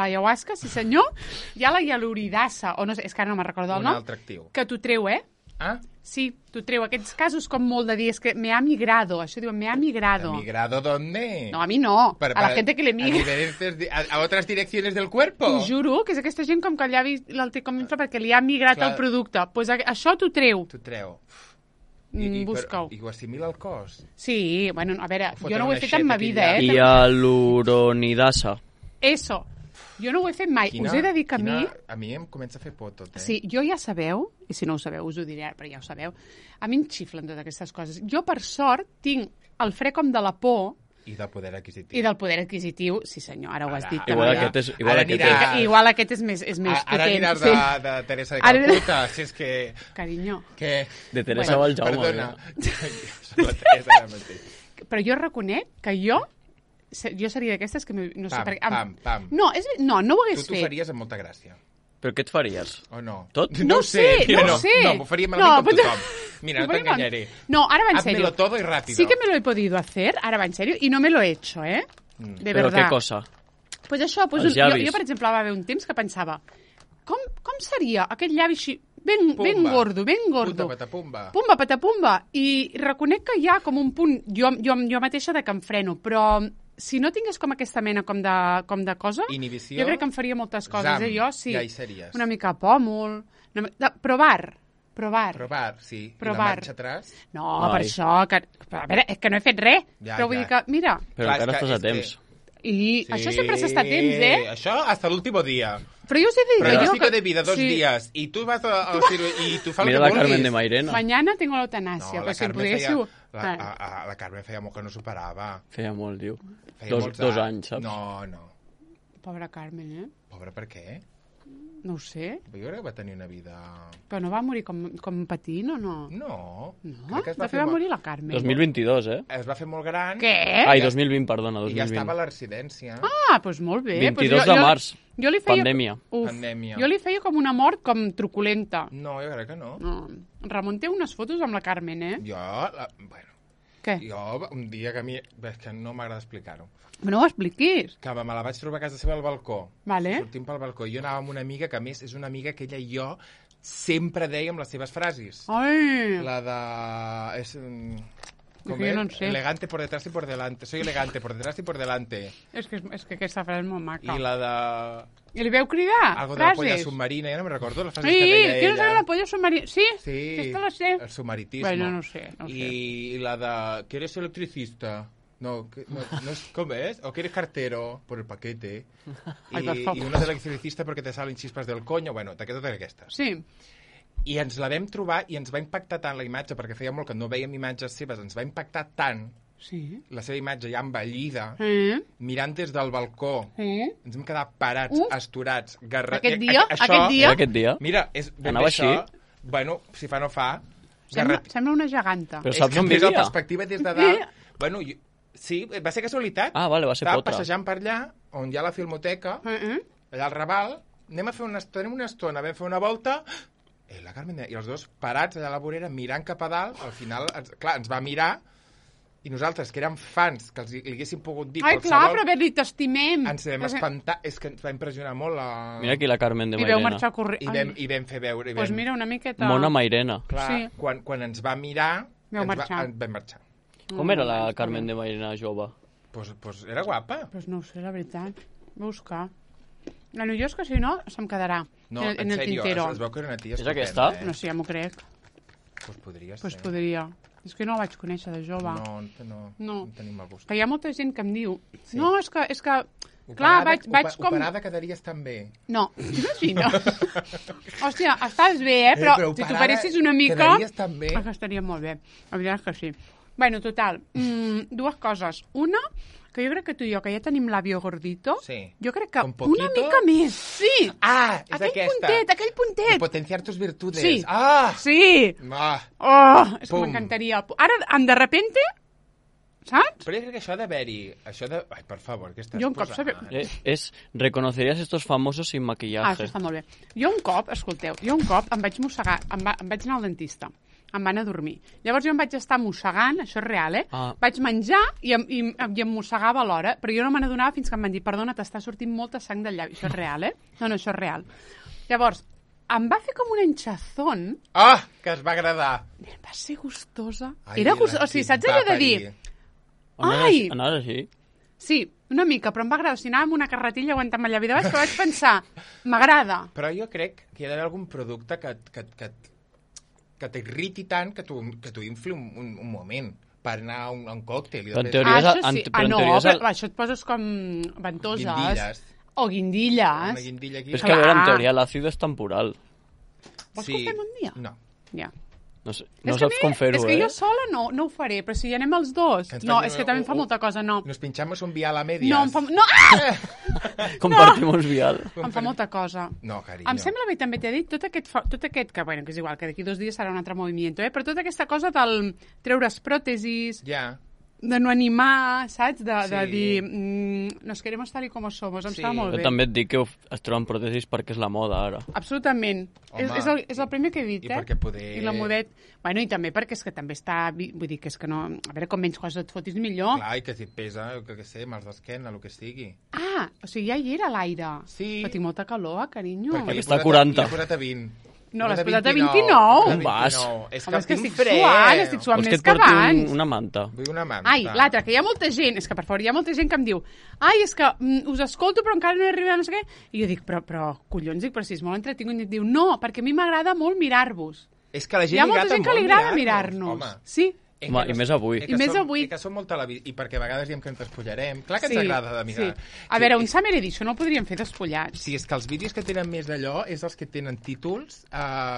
ayahuasca, sí senyor, hi ha la hialuridasa, o no sé, és que ara no me'n recordo el nom. Un altre actiu. Que t'ho treu, Ah? Sí, t'ho treu. Aquests casos com molt de dir, és que me ha migrado, això diuen, me ha migrado. ¿Migrado dónde? No, a mi no, a la gente que le migra. A otras direcciones del cuerpo? T'ho juro, que és aquesta gent com que el llavi el té com infla perquè li ha migrat el producte. Doncs pues això t'ho treu. T'ho treu. Busca-ho. I ho assimila al cos? Sí, bueno, a veure, jo no ho he fet en ma vida, Hialuronidasa. Eso. Jo no ho he fet mai. Us he de dir que a mi... A mi em comença a fer por tot, Sí, jo ja sabeu, i si no ho sabeu us ho diré, però ja ho sabeu, a mi em xiflen totes aquestes coses. Jo, per sort, tinc el fre com de la por... I del poder adquisitiu. I del poder adquisitiu, sí senyor, ara ho has dit. Igual aquest és més potent. Ara aniràs de Teresa de Calcuta, si és que... Carinyo. Què? De Teresa Valjaume. Perdona. La Teresa ara mateix. Però jo reconec que jo seria d'aquestes que no sé per què... Pam. No, no ho hagués fet. Tu t'ho faries amb molta gràcia. Però què et faries? O no? Tot? No ho sé. No, m'ho faria malament com tothom. Mira, no t'enganyaré. No, ara va en serio. Házmelo todo y rápido. Sí que me lo he podido hacer, ara va en serio, y no me lo he hecho, De verdad. ¿Pero qué cosa? Pues això, pues jo, per exemple, va haver un temps que pensava com seria aquest llavi així ben gordo. Pumba, patapumba. I reconec que hi ha com un punt, jo mateixa, de que em freno, però si no tingués com aquesta mena com de cosa, inhibició, jo crec que em faria moltes coses. Jo sí, ja hi series. Una mica pòmul, provar, sí. Provar. I la marxa atrás? No, per això, a veure, és que no he fet res, però vull dir que, mira... Però encara estàs a temps. I això sempre s'està a temps, Això hasta l'último dia. Però jo us he dit... Pronóstico de vida, 2 días. I tu vas al i tu fas el que vulguis. Mira la Carmen de Mairena. Mañana tengo la eutanasia. No, la Carmen la Carmen feia molt que no superava. Feia molt, diu. Dos anys, saps? No. Pobra Carmen, Pobra per què? No ho sé. Jo crec que va tenir una vida... Però no va morir com patint o no? No. De fet va morir la Carmen. 2022, Es va fer molt gran. Què? Ai, 2020, perdona, 2020. I ja estava a la residència. Doncs molt bé. 22 de març. Pandèmia. Pandèmia. Jo li feia com una mort com truculenta. No, jo crec que no. Ramon té unes fotos amb la Carmen, Jo, bueno... Què? Jo, un dia que a mi... És que no m'agrada explicar-ho. No ho expliquis. Que me la vaig trobar a casa seva al balcó. Vale. Sortim pel balcó. Jo anava amb una amiga, que a més és una amiga que ella i jo sempre dèiem les seves frases. Ai! La de... És... Com jo no en sé. Elegante por detrás y por delante. Soy elegante por detrás y por delante. És que aquesta frase és molt maca. I la de... I li veu cridar? Algo de la polla submarina, ja no me'n recordo les frases sí, que deia ella. Sí, no sabe la polla submarina. Sí, sí, aquesta la sé. El submaritismo. Bueno, no sé. I la de... ¿Que eres electricista? No, no es, ¿cómo es? ¿O que eres cartero? Por el paquete. I una de electricista porque te salen chispas del coño. Bueno, totes aquestes. Sí. I ens la vam trobar i ens va impactar tant la imatge, perquè feia molt que no vèiem imatges seves, ens va impactar tant la seva imatge ja envellida, mirant des del balcó. Ens vam quedar parats, asturats, garrats. Aquest dia? Mira, és ben anava això. Així? Bueno, si fa no fa. Sembla una geganta. Però saps on vivia? vivia? La perspectiva des de dalt. Bueno, sí, va ser casualitat. Ah, vale, va ser Estava potra. passejant per allà, on hi ha la filmoteca, allà al Raval, anem a fer una estona, vam fer una volta, la Carmen i els dos parats allà a la vorera, mirant cap a dalt, al final, clar, ens va mirar, i nosaltres, que érem fans, que li haguéssim pogut dir ai, clar, però bé, t'estimem. Ens vam espantar, és que ens va impressionar molt la... Mira aquí la Carmen de Mairena. I veu marxar corrent. I vam fer veure... Doncs mira, una miqueta... Mona Mairena. Clar, sí. Quan ens va mirar, vam marxar. Com era la Carmen de Mairena jove? Pues era guapa. Pues no ho sé, la veritat. Vull buscar. Bueno, jo és que si no, se'm quedarà en el tintero. Es veu que era una tia estupenda. És aquesta? No sé, ja m'ho crec. Pues podria ser. Pues podria. És que no la vaig conèixer de jove. No tenim el gust. Que hi ha molta gent que em diu... Sí. No, és que clar, vaig com... Operada quedaries també. No, t'imagines? Hòstia, estàs bé, però si t'operessis una mica... Quedaries també. Estaria molt bé. La veritat és que sí. Bueno, total, dues coses. Una, que jo crec que tu i jo, que ja tenim l'àvio gordito, jo crec que una mica més. Sí! Ah, és aquesta. Aquell puntet. I potenciar tus virtudes. Sí. Ah! Sí! Ah! Oh, és que m'encantaria. Ara, de repente, saps? Però jo crec que això d'haver-hi... Ai, per favor, què estàs posant? Reconocerías estos famosos sin maquillaje. Ah, això està molt bé. Jo un cop em vaig mossegar, em vaig anar al dentista. Em van a dormir. Llavors jo em vaig estar mossegant, això és real, Vaig menjar i em mossegava alhora, però jo no me n'adonava fins que em van dir, perdona, t'està sortint molta sang del llavi. Això és real, No, això és real. Llavors, em va fer com un hinchazón. Ah, que es va agradar. Va ser gustosa. Era gustosa. O sigui, saps allò de dir... Ai! Anaves així? Sí, una mica, però em va agradar. O sigui, anava amb una carretilla aguantant el llavi de baix, que vaig pensar, m'agrada. Però jo crec que hi ha d'haver algun producte que t'irriti tant que t'ho infli un moment per anar a un còctel. En teoria això et poses com ventoses. Guindilles. O guindilles. Una guindilla aquí. És que a veure, en teoria l'àcido és temporal. Vols que ho fem un dia? No. Ja. No saps com fer-ho, És que jo sola no ho faré, però si hi anem els dos... No, és que també em fa molta cosa, no. Nos pinchamos un vial a medias. No, em fa... No! Ah! Compartimos vial. Em fa molta cosa. No, carinyo. Em sembla bé, també t'he dit, tot aquest que, bueno, que és igual, que d'aquí 2 dies serà un altre moviment, però tota aquesta cosa del treure's pròtesis... Ja. De no animar, saps? De dir, nos queremos tal y como somos. Em està molt bé. Jo també et dic que es troben pròtesis perquè és la moda, ara. Absolutament. És el primer que he dit, I perquè poder... I la modet... Bueno, i també perquè és que també està... Vull dir que és que no... A veure, com menys coses et fotis, millor. Clar, i que si et pesa, que sé, mals d'esquena, el que sigui. Ah, o sigui, ja hi era a l'aire. Sí. Però tinc molta calor, carinyo. Perquè està a 40. L'he posat a 20. No, l'has posat a 29. Un vas. És que estic suant més que abans. Una manta. Vull una manta. Ai, l'altra, que hi ha molta gent, és que per favor, hi ha molta gent que em diu ai, és que us escolto però encara no he arribat, no sé què. I jo dic, però collons, però si és molt entretingut. I et diu, no, perquè a mi m'agrada molt mirar-vos. És que la gent hi ha molta gent que li agrada mirar-nos. Sí. Home, i més avui. I que som molt televisió, i perquè a vegades diem que ens despullarem. Clar que ens agrada de mirar. Sí. A veure, un Summer Edition no el podríem fer despullats. Sí, és que els vídeos que tenen més d'allò és els que tenen títols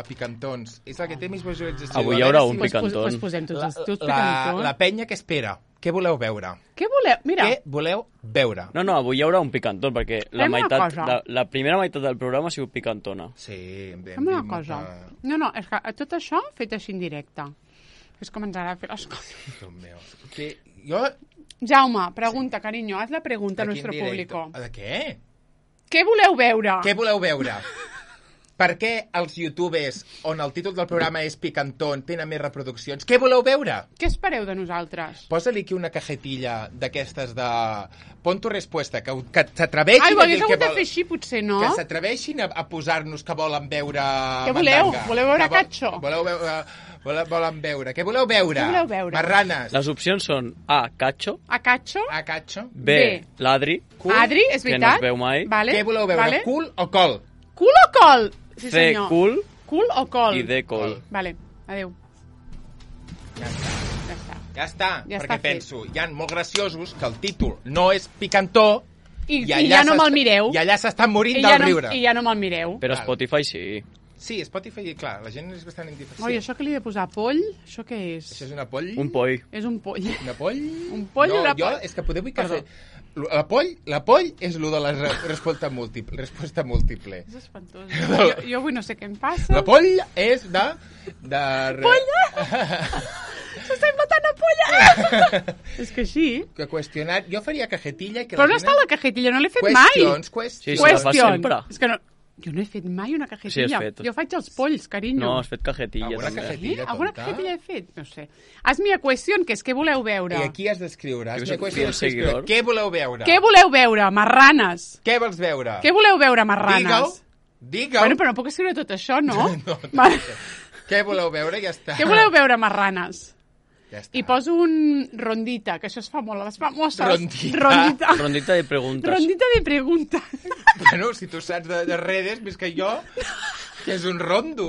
picantons. És el que té més visualització. Avui hi haurà un picantón. Pues posem tots els teus picantons. La penya que espera. Què voleu veure? Què voleu? Mira. Què voleu veure? No, avui hi haurà un picantón, perquè la primera meitat del programa ha sigut picantona. Sí, fem una cosa. No, és que tot això fet així en directe. És com ens agrada fer les coses. Déu meu. Que jo... Jaume, pregunta, carinyo, haz la pregunta a nuestro público. ¿De què? Què voleu veure? Què voleu veure? Per què els youtubers, on el títol del programa és picantón, tenen més reproduccions? Què voleu veure? Què espereu de nosaltres? Posa-li aquí una cajetilla d'aquestes de... Pon tu respuesta, que s'atreveixin a dir el que vol... de fer així, potser, no? Que s'atreveixin a posar-nos que volen veure... Què voleu? Voleu veure Cacho? Volen veure. Què voleu veure? Què voleu veure? Marranes. Les opcions són A, Cacho. A Cacho. A Cacho. B, Ladri. Adri, és veritat. Que no es veu mai. Vale. Què voleu veure? Vale. Cul o col? Cul o col? Sí, C, senyor. cul. Cul o col? I D, col. Vale, adéu. Ja està, ja perquè està penso, hi ha molt graciosos que el títol no és picantó i ja no me'l mireu. I allà s'estan morint del riure. I ja no me'l mireu. Però Spotify sí. Sí, Spotify, clar, la gent és bastant indiferent. Oi, això que li he de posar poll, això què és? Això és una poll? Un poll. És un poll. Una poll? Un poll o una poll? Jo, és que podeu dir que... La poll és el de la resposta múltiple. És espantós. Jo avui no sé què em passa. La poll és de... Polla! S'assembla tant a polla! És que així... Que qüestionar... Jo faria cajetilla... Però no està la cajetilla, no l'he fet mai. Qüestions. Sí, la fas sempre. És que no... Jo no he fet mai una cajetilla. Sí, has fet. Jo faig els polls, carinyo. No, has fet cajetilla. Alguna cajetilla he fet? No sé. Hazme a qüestió, que és què voleu veure. I aquí has d'escriure. Hazme a qüestió. Què voleu veure? Què voleu veure? Marranes. Què vols veure? Què voleu veure, marranes? Digue'l. Bueno, però no puc escriure tot això, no? No. Què voleu veure? Ja està. Què voleu veure, marranes? Ja està. I poso un rondita, que això es fa molt a les famoses. Rondita de preguntes. Rondita de preguntes. Bueno, si tu saps de redes, més que jo, que és un rondo.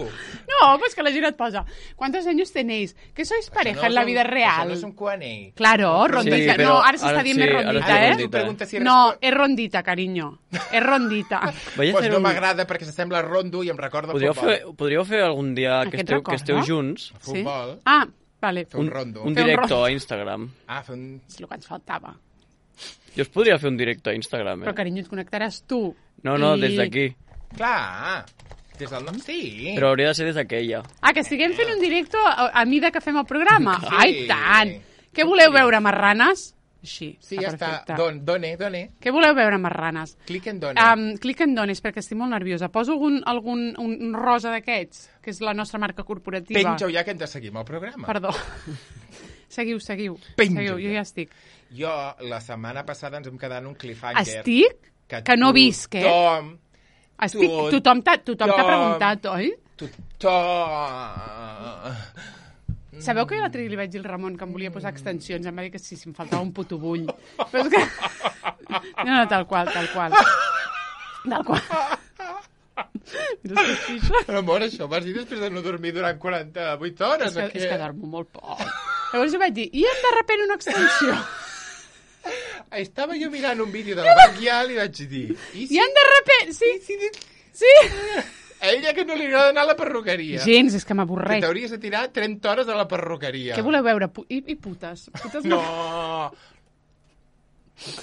No, pues que la gent et posa. ¿Cuántos años tenéis? ¿Que sois pareja en la vida real? Això no és un Q&A. Claro, rondita. Sí, no, ara s'està dient més rondita, eh? No, és rondita, carinyo. És rondita. Pues no m'agrada perquè s'assembla rondo i em recorda futbol. Podríeu fer algun dia que esteu junts? Futbol. Ah, vale. Fer un rondo. Un directe a Instagram. Fer un... És el que ens faltava. Jo es podria fer un directe a Instagram, Però, carinyo, et connectaràs tu. No, des d'aquí. Clar, des del nom sí. Però hauria de ser des d'aquella. Que estiguem fent un directe a mida que fem el programa. Sí. Ai, tant! Què voleu veure, marranes? Així. Sí, ja està. Done. Què voleu veure, marranes? Clic en done. Clic en dones, perquè estic molt nerviosa. Poso un rosa d'aquests, que és la nostra marca corporativa. Penja-ho ja que hem de seguir amb el programa. Perdó. Seguiu. Penja-ho. Jo ja estic. Jo, la setmana passada ens vam quedar en un cliffhanger. Estic? Que no visc, eh? Tothom t'ha preguntat, oi? Sabeu que l'altre dia li vaig dir al Ramon que em volia posar extensions? Em va dir que sí, si em faltava un puto bull. Però és que... No, tal qual. Mira, però, amor, això vas dir després de no dormir durant 48 hores, és que dormo molt poc. Llavors jo vaig dir, i hem de repent una extensió? Estava jo mirant un vídeo de la Bacchial i vaig dir... I hem de repent, sí. A ella que no li agrada anar a la perruqueria. Gens, és que m'avorreix. Que t'hauries de tirar 30 hores a la perruqueria. Què voleu veure? I putes? No!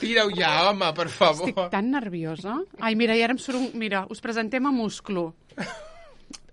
Tira-ho ja, home, per favor. Estic tan nerviosa. Ai, mira, i ara em surt un... Mira, us presentem a Musclo.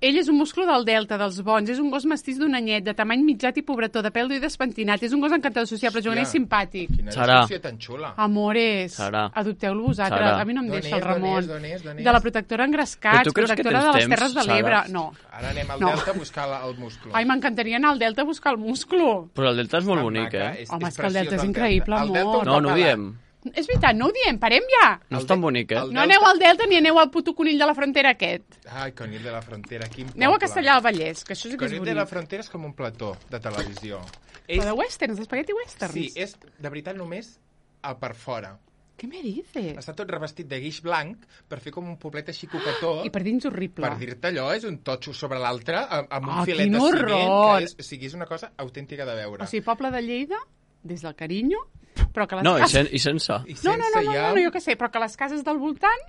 Ell és un musclo del Delta, dels bons. És un gos mestís d'un anyet, de tamany mitjat i pobretó, de pèl dur i despentinat. És un gos encantador, sociable, juganer i simpàtic. Quina descripció tan xula. Amores, adopteu-lo vosaltres. A mi no em deixa el Ramon. De la protectora Engrescats, protectora de les Terres de l'Ebre. No. Ara anem al Delta a buscar el musclo. Ai, m'encantaria anar al Delta a buscar el musclo. Però el Delta és molt bonic, eh? Home, és que el Delta és increïble, amor. No ho diem. És veritat, no ho diem, parem ja. No és tan bonic, eh? No aneu al Delta ni aneu al puto conill de la frontera aquest. Ai, conill de la frontera, quin poble. Aneu a Castellar del Vallès, que això sí que és bonic. Conill de la frontera és com un plató de televisió. Però de westerns, d'espagueti westerns. Sí, és de veritat només per fora. Què me dices? Està tot revestit de guix blanc per fer com un poblet així coquetó. I per dins horrible. Per dir-te allò, és un totxo sobre l'altre amb un filet de ciment. O sigui, és una cosa autèntica de veure. O sigui, poble de Lleida, des del carinyo, però que les cases... cases... i sense. No, jo què sé, però que les cases del voltant,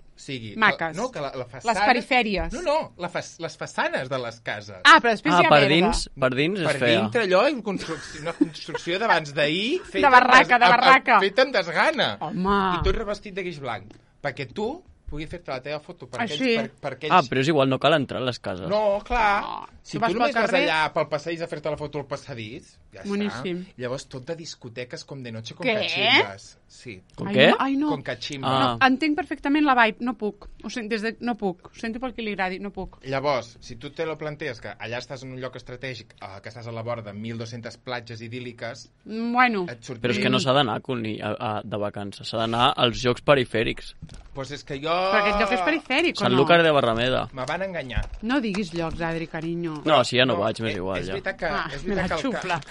maques. No, que la façana... Les perifèries. No, les façanes de les cases. Però després hi ha merda. Per dins és fea. Per dintre allò, una construcció d'abans d'ahir... De barraca. Feta amb desgana. Home. I tot revestit de guix blanc. Perquè tu pugui fer-te la teva foto per aquells... Ah, però és igual, no cal entrar a les cases. No, clar. Si tu només vas allà pel passadís a fer-te la foto al passadís, ja boníssim. està. Llavors tot de discoteques com de noche con cachimbas. Sí. Com què? Ai, no. Con cachimba. No, entenc perfectament la vibe, no puc. Ho sento, no puc. Ho sento pel que li agradi, no puc. Llavors, si tu te lo plantees que allà estàs en un lloc estratègic, que estàs a la vora de 1.200 platges idíl·liques... Bueno. Però és que no s'ha d'anar de vacances, s'ha d'anar als jocs perifèrics. Pues és que jo... Però aquest lloc és perifèric, o no? Sanlúcar de Barrameda. Me van enganyar. No diguis llocs, Adri, carinyo. No, sí, ja no vaig, m'és igual. És veritat que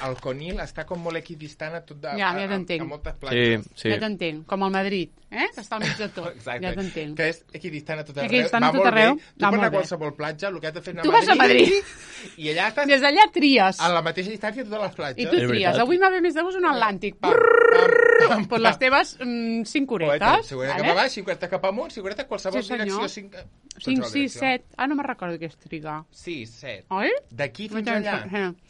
el Conil està com molt equidistant a tot de... Ja t'entenc. A moltes platges. Sí. Ja t'entenc, com el Madrid, que està al mig de tot. Exacte. Ja t'entenc. Que és equidistant a tot arreu. Equidistant a tot arreu. Tu per anar a qualsevol platja, el que has de fer és anar tu vas a Madrid. I allà estàs... Des d'allà tries. A la mateixa distància a totes les platges. I tu tries. Avui m'ha ve més de gust un Atlàntic. Per les teves 5 horetes. 5 horetes cap a baix, 5 horetes cap amunt, 5 horetes qualsevol direcció. 5, 6, 7. Ah, no me'n recordo què és trigar. 6, 7. Oi? D'aquí fins allà,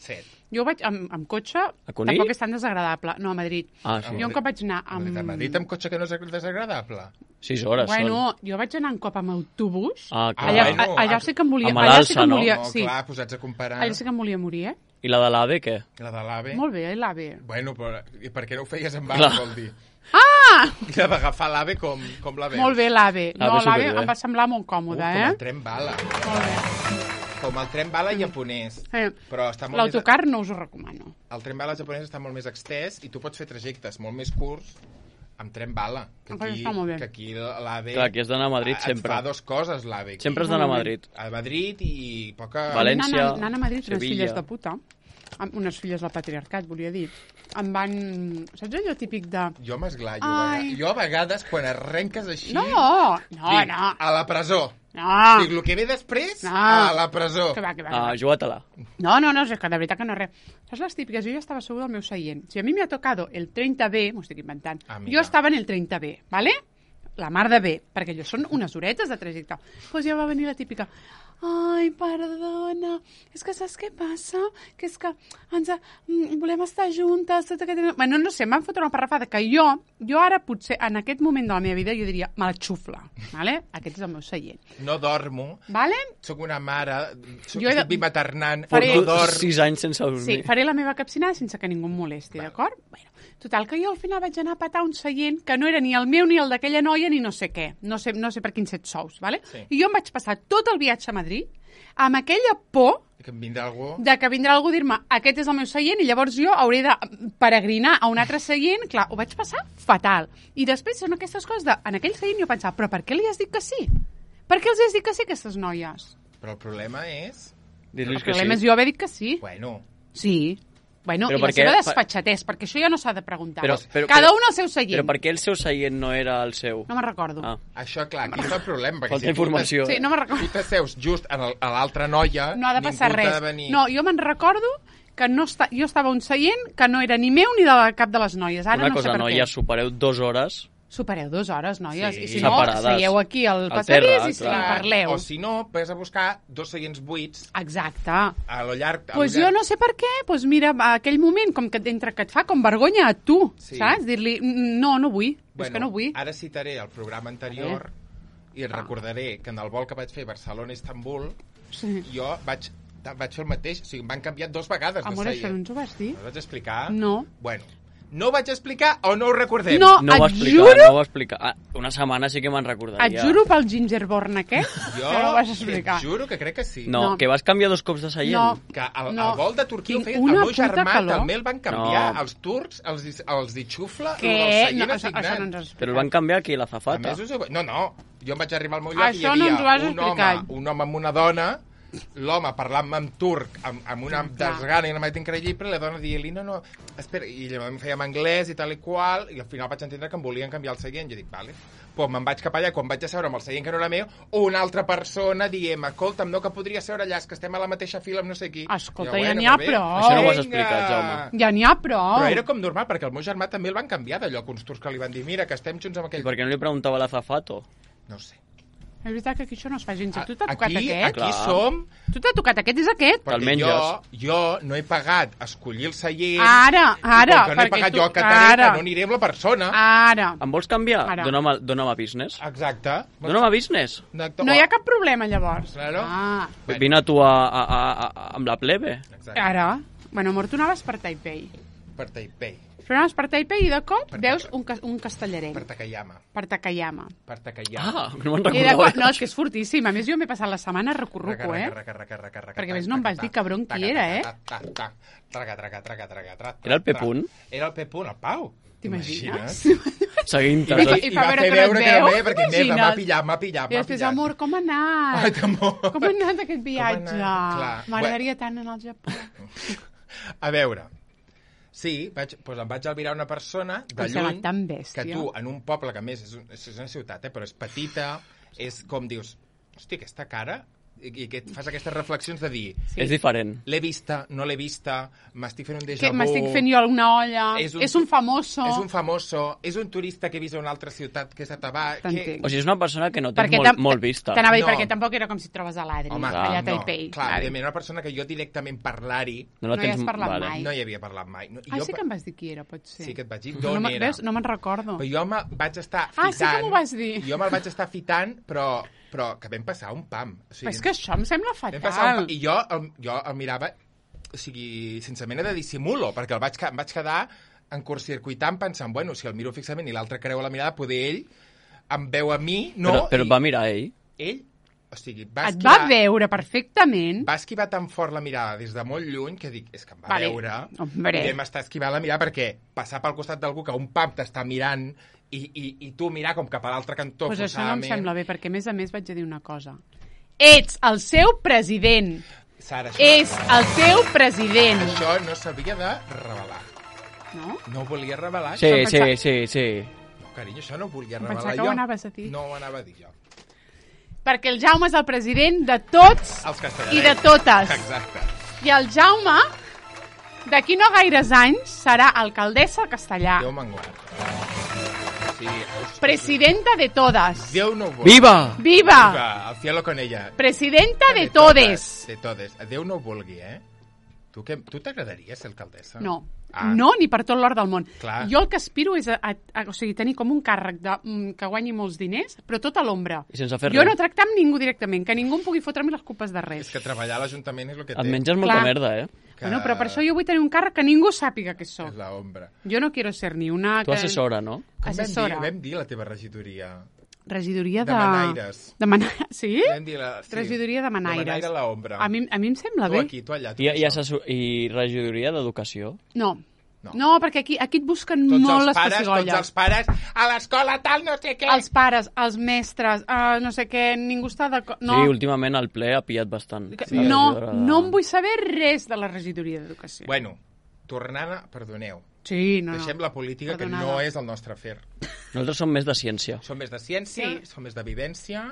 7. Jo vaig amb cotxe, tampoc és tan desagradable. No, a Madrid. Ah, sí. Jo un cop vaig anar amb... A Madrid amb cotxe que no és desagradable? 6 hores bueno, jo vaig anar un cop amb autobús. Allà sí que em volia... Amb l'alça, no? No, clar, posats a comparar... Allà sí que em volia morir, I la de l'AVE, què? La de l'AVE? Molt bé, l'AVE. Bueno, però i per què no ho feies en bala, vol dir? Ah! I la d'agafar l'AVE com la veus? Molt bé, l'AVE. No, l'AVE em va semblar molt còmode, Com el tren bala. Molt bé. Com el tren bala japonès. Però està molt l'autocar no us ho recomano. El tren bala japonès està molt més extès i tu pots fer trajectes molt més curts amb tren bala. Que aquí l'AVE... Clar, aquí has d'anar a Madrid sempre. Et fa 2 coses, l'AVE. Sempre has d'anar a Madrid. A Madrid i poca... València, anant a Madrid, Sevilla. Unes filles de puta, unes filles del patriarcat, volia dir, em van... Saps allò típic de... Jo m'esglaio. Jo a vegades, quan arrenques així... No. A la presó. No. Dic, el que ve després, a la presó. Que va. Juga-te-la. No, és que de veritat que no res. Saps les típiques? Jo ja estava asseguda al meu seient. Si a mi m'ha tocado el 30B, m'ho estic inventant, jo estava en el 30B, ¿vale? La mar de bé, perquè allò són unes horetes de trajecte. Doncs ja va venir la típica... Ai, perdona, és que saps què passa? Que és que volem estar juntes, tot aquest... Bueno, no sé, m'han fotut una parrafada que jo ara potser, en aquest moment de la meva vida, jo diria, me la xufla, ¿vale? Aquest és el meu seient. No dormo, ¿vale? Soc una mare, estic bimaternant, no dorm. 6 anys sense dormir. Sí, faré la meva capcinada sense que ningú em molesti, d'acord? Bueno, total, que jo al final vaig anar a patar un seient que no era ni el meu ni el d'aquella noia ni no sé què, no sé per quins set sous, ¿vale? Sí. I jo em vaig passar tot el viatge a Madrid amb aquella por que vindrà algú a dir-me aquest és el meu seient i llavors jo hauré de peregrinar a un altre seient. Clar, ho vaig passar fatal. I després són aquestes coses en aquell seient jo pensava, però per què li has dit que sí? Per què els has dit que sí, aquestes noies? Però el problema és... El problema és jo haver dit que sí. Bueno. Sí. Bueno, i la seva desfatxatès, perquè això ja no s'ha de preguntar. Cada un al seu seient. Però per què el seu seient no era el seu? No me'n recordo. Això, clar, aquí és el problema. Falta informació. Sí, no me'n recordo. Si t'asseus just a l'altra noia, no ha de passar res. No, jo me'n recordo que jo estava un seient que no era ni meu ni de cap de les noies. Ara no sé per què. Una cosa, noies, supereu 2 hores... Supereu 2 hores, noies. I si no, seieu aquí al passadís i parleu. O si no, vas a buscar 2 seients buits. Exacte. A lo llarg... Doncs jo no sé per què. Doncs mira, a aquell moment, com que entre que et fa com vergonya a tu, saps? Dir-li, no vull. És que no vull. Ara citaré el programa anterior i et recordaré que en el vol que vaig fer Barcelona-Istanbul jo vaig fer el mateix. O sigui, em van canviar 2 vegades de seient. Amor, això no ens ho vas dir? No vaig explicar? No. Bueno, no ho vaig explicar o no ho recordem? No ho va explicar. Una setmana sí que me'n recordaria. Et juro pel gingerborn aquest que no ho vas explicar. Et juro que crec que sí. No, que vas canviar 2 cops de seient. No. Que el vol de Turquia ho feia el meu germà, també el van canviar. Els turcs, els di xufla, el seient assignat. Però el van canviar aquí, l'azafata. No, jo em vaig arribar al meu lloc i hi havia un home amb una dona, l'home parlant-me en turc amb una desgana i una maleta increïble, la dona dient-li no, espera, i em feia en anglès i tal i qual, i al final vaig entendre que em volien canviar el seient. Jo dic, vale, pues me'n vaig cap allà, quan vaig a seure amb el seient que no era meu, una altra persona dient, escolta'm, no, que podria seure allà, és que estem a la mateixa fila amb no sé qui. Escolta, ja n'hi ha prou. Això no ho has explicat, Jaume. Ja n'hi ha prou. Però era com normal, perquè el meu germà també el van canviar d'allò, que uns turcs que li van dir, mira, que estem junts amb aquell... I per què no li preguntava a l'azafato? No sé. És veritat que aquí això no es fa gens. Tu t'ha tocat aquest? Aquí som... Tu t'ha tocat aquest? És aquest? Perquè jo no he pagat escollir el seient. Ara. Com que no he pagat jo a Catareta, no aniré amb la persona. Ara. Em vols canviar? Dóna'm a business. Exacte. Dóna'm a business. No hi ha cap problema, llavors. Claro. Vine tu amb la plebe. Exacte. Ara. Bueno, amor, tu anaves per Taipei. Per Taipei. Però anaves per Taipei i de cop veus un castellarenc. Per Takayama. Per Takayama. No me'n recordava. No, és que és fortíssim. A més, jo m'he passat la setmana recorruco, Perquè a més no em vas dir cabron qui era, Era el Pepunt? Era el Pepunt, el Pau. T'imagines? Seguint-te. I va fer veure que era bé, perquè m'ha pillat. I després, amor, com ha anat? Ai, amor. Com ha anat aquest viatge? M'agradaria tant anar al Japó. A veure, sí, em vaig albirar una persona de lluny, que tu, en un poble que a més és una ciutat, però és petita, és com dius, hòstia, aquesta cara, i que fas aquestes reflexions de dir... Sí. És diferent. L'he vista, no l'he vista, m'estic fent un déjà vu... M'estic fent jo una olla, és un famoso... És un famoso, és un turista que he vist a una altra ciutat, que és a Tabà... O sigui, és una persona que no té molt vista. T'anava a dir, perquè tampoc era com si et trobes a l'Adri, allà a Taipei. Clar, evidentment, una persona que jo directament parlar-hi... No hi has parlat mai. No hi havia parlat mai. Sí que em vas dir qui era, pot ser. Sí que et vaig dir d'on era. No me'n recordo. Però jo vaig estar fitant... sí que m'ho vas dir. Jo me'l vaig estar fitant, però que vam passar un pam. És que això em sembla fatal. I jo el mirava, o sigui, sense mena de dissimulo, perquè em vaig quedar en curtcircuitant pensant, bueno, si el miro fixament i l'altre creu la mirada, poder ell em veu a mi, no? Però va mirar ell? Ell, o sigui, et va veure perfectament. Va esquivar tan fort la mirada des de molt lluny que dic, és que em va veure i vam estar esquivant la mirada perquè passar pel costat d'algú que un pam t'està mirant i tu mirar com cap a l'altre cantó. Pues això no em sembla bé, perquè a més vaig a dir una cosa. Ets el seu president. Sara, és el seu president. Això no s'havia de revelar. No? No ho volia revelar. Sí. No, carinyo, això no ho volia revelar jo. Pensava que ho anaves a dir. No ho anava a dir jo. Perquè el Jaume és el president de tots i de totes. Exacte. I el Jaume, d'aquí no gaires anys, serà alcaldessa de Castellà. Déu me'n guard. Sí, presidenta de todas. Déu no ho vulgui. Viva! Viva! Al cielo con ella. Presidenta de todes. De todes. Déu no ho vulgui, Tu t'agradaria ser alcaldessa? No. No, ni per tot l'or del món. Clar. Jo el que aspiro és tenir com un càrrec que guanyi molts diners, però tot a l'ombra. I sense fer res. Jo no tractar amb ningú directament, que ningú em pugui fotre-me les culpes de res. És que treballar a l'Ajuntament és el que té. Et menges molta merda, Bueno, però per això jo vull tenir un càrrec que ningú sàpiga que soc. És l'ombra. Jo no quiero ser ni una... Tu assessora, no? Assessora. Vam dir la teva regidoria. Regidoria de... Manaires. Sí? Regidoria de Manaires. De Manaire a l'ombra. A mi em sembla bé. Tu aquí, tu allà. I regidoria d'educació? No, perquè aquí et busquen molt les pessigolles. Tots els pares, a l'escola tal, no sé què. Els pares, els mestres, no sé què, ningú està d'acord. No. Sí, últimament el ple ha pillat bastant. Sí. No em vull saber res de la regidoria d'educació. Bueno, tornant a... Perdoneu. Sí, no. Deixem la política, que no és el nostre afer. Nosaltres som més de ciència. Som més de ciència, som més de vivència,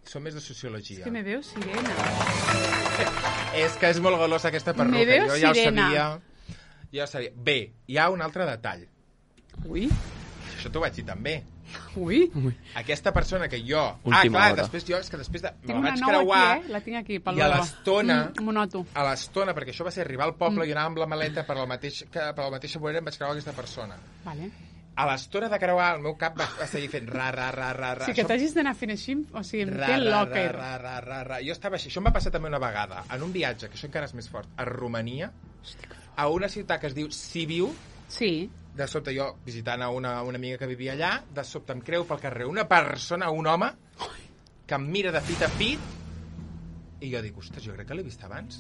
som més de sociologia. És que me veu sirena. És que és molt golosa aquesta perruca. Me veu sirena. Jo sabia. Bé, hi ha un altre detall. Ui. Això t'ho vaig dir també. Ui. Aquesta persona que jo... Última hora. Després de... Tinc una nova aquí, La tinc aquí, pel I a l'estona... M'ho noto. A l'estona, perquè això va ser arribar al poble i anava amb la maleta per la mateixa vorera em vaig creuar aquesta persona. Vale. A l'estona de creuar, el meu cap va seguir fent ra. Sí, que t'hagis d'anar fent així, o sigui, em té locker. Jo estava així. Això em va passar també una vegada, en un viatge, que això encara és més fort, a Romania, a una ciutat que es diu Sibiu. Sí. De sobte jo, visitant a una amiga que vivia allà, de sobte em creu pel carrer una persona, un home, que em mira de fit a fit, i jo dic, ostres, jo crec que l'he vist abans.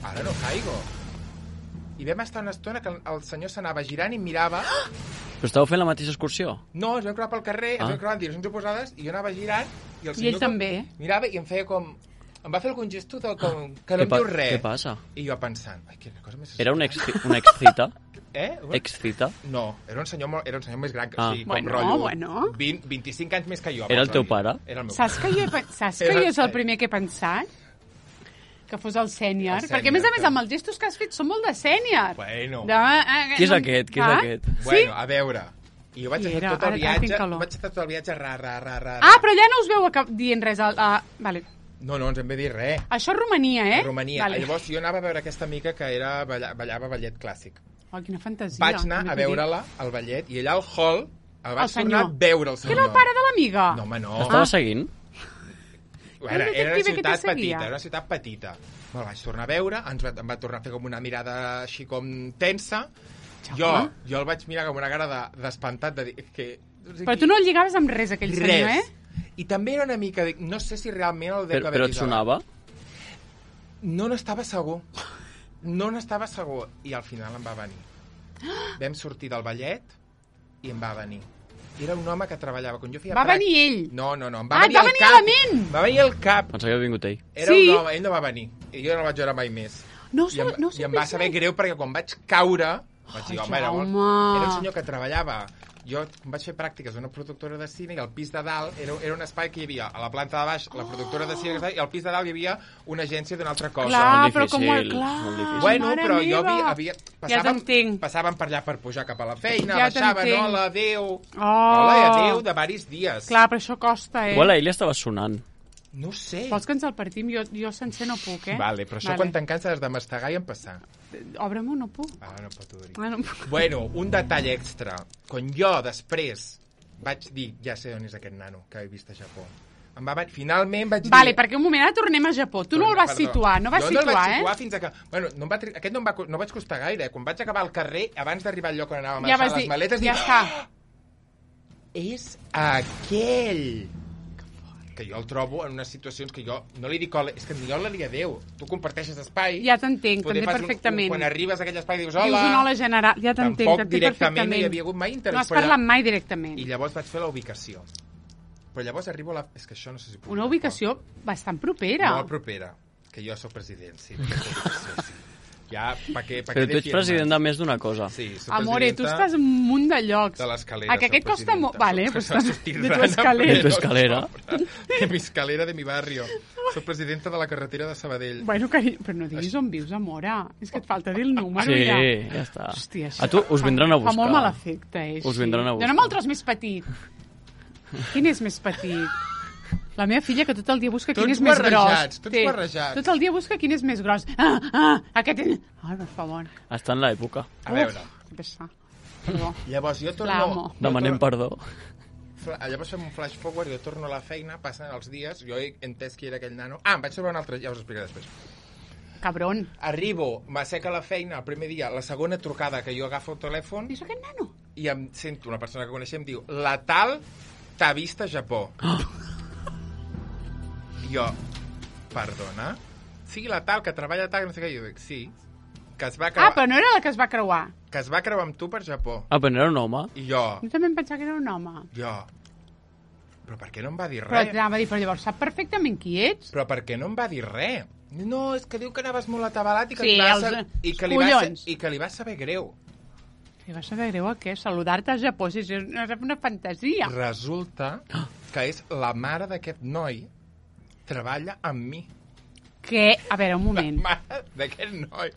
Ara no caigo. I vam estar una estona que el senyor s'anava girant i em mirava... Però estàveu fent la mateixa excursió? No, ens vam creuar pel carrer, ens vam creuar en direccions oposades, i jo anava girant, i el senyor... I ell també. Mirava i em feia com... Em va fer algun gesto que no em diu res. Què passa? I jo pensant, ai, quina cosa més... Era una excita? Excita? No, era un senyor més gran, o sigui, com rotllo... 25 anys més que jo. Era el teu pare? Era el meu Saps que jo és el primer que he pensat? Que fos el sènior. Perquè, a més, amb els gestos que has fet són molt de sènior. Bueno. Qui és aquest? Bueno, a veure, I jo vaig fer tot el viatge, ra. Però allà no us veu dient res. Vale. No ens en ve dir res. Això és Romania, eh? Romania. Vale. Llavors jo anava a veure aquesta amiga que ballava ballet clàssic. Oh, quina fantasia. Vaig anar a veure-la al ballet i allà al hall el vaig tornar a veure el senyor. Que era el pare de l'amiga? No, home, no. Estava seguint? Era una ciutat petita. Me'l vaig tornar a veure, em va tornar a fer com una mirada així com tensa. Jo el vaig mirar com una cara d'espantat de dir que... Però tu no el lligaves amb res, aquell senyor, eh? I també era una mica... No sé si realment el deu haver vist. Però et sonava? No n'estava segur. I al final em va venir. Vam sortir del ballet i em va venir. Era un home que treballava... Quan jo feia venir ell? No. Em va venir a la ment! Va venir al cap. Pensava que havia vingut ell. Era un home, ell no va venir. I jo no el vaig veure mai més. I em va saber greu perquè quan vaig caure... Vaig dir, home, era un senyor que treballava... Jo vaig fer pràctiques a una productora de cine i al pis de dalt era un espai que hi havia a la planta de baix la productora de cine i al pis de dalt hi havia una agència d'una altra cosa. Clar, molt difícil. Bueno, però jo passàvem per allà per pujar cap a la feina, baixaven, hola, adéu, hola i adéu de varis dies. Clar, però això costa, Igual a ell li estava sonant. No sé. Vols que ens el partim? Jo sencer no puc, Vale, però això quan te'n canses has de mastegar i empassar. Obre-m'ho, no puc. No pot obrir. Bueno, un detall extra. Quan jo després vaig dir, ja sé on és aquest nano que he vist a Japó. Finalment vaig dir... Vale, perquè un moment, ara tornem a Japó. Tu no el vas situar, no vas situar, Jo no el vaig situar fins a que... Bueno, aquest no vaig costar gaire. Quan vaig acabar al carrer, abans d'arribar al lloc on anàvem a deixar les maletes, ja està. És aquell... que jo el trobo en unes situacions que jo no li dic hola, és que jo no li dic adéu. Tu comparteixes espai. Ja t'entenc perfectament. Quan arribes a aquell espai dius hola. Dius un hola general, ja t'entenc perfectament. Tampoc directament no hi havia hagut mai interès. No has parlat mai directament. I llavors vaig fer la ubicació. Però llavors arribo a la... És que això no sé si puc... Una ubicació bastant propera. Molt propera. Que jo soc president, sí. Ja, però tu ets president de més d'una cosa. Sí, soc Amore, tu estàs en un munt de llocs. De l'escalera. Que aquest costa molt... Vale, pues de tu escalera. De mi escalera de mi barrio. Soc presidenta de la carretera de Sabadell. Bueno, però no diguis on vius, amora. És que et falta dir el número, ja. Sí, ja està. Hòstia, a tu us vindran a buscar. Fa molt mal efecte, Us vindran a buscar. Dóna'm el tros més petit. Quin és més petit? La meva filla, que tot el dia busca quin és més gros. Tots barrejats. Tot el dia busca quin és més gros. Aquest és... Ai, per favor. Està en l'època. A veure. Perdó. Llavors jo torno... Demanem perdó. Llavors fem un flash forward, jo torno a la feina, passen els dies, jo he entès qui era aquell nano. Em vaig trobar un altre, ja us ho explicaré després. Cabron. Arribo, m'asseca la feina el primer dia, la segona trucada que jo agafo el telèfon... És aquest nano? I em sento una persona que coneixem, diu, la tal t'ha vist a Japó. Jo, perdona? Sí, la tal que treballa tal, no sé què, jo dic, sí, que es va creuar... però no era la que es va creuar. Que es va creuar amb tu per Japó. Però no era un home. I jo... Jo també em pensava que era un home. Jo... Però per què no em va dir res? Però llavors sap perfectament qui ets. Però per què no em va dir res? No, és que diu que anaves molt atabalat i que, sí, que li va saber greu. Li va saber greu a què? Saludar-te a Japó, si és una fantasia. Resulta que és la mare d'aquest noi treballa amb mi. Què? A veure, un moment. La mare d'aquest noi.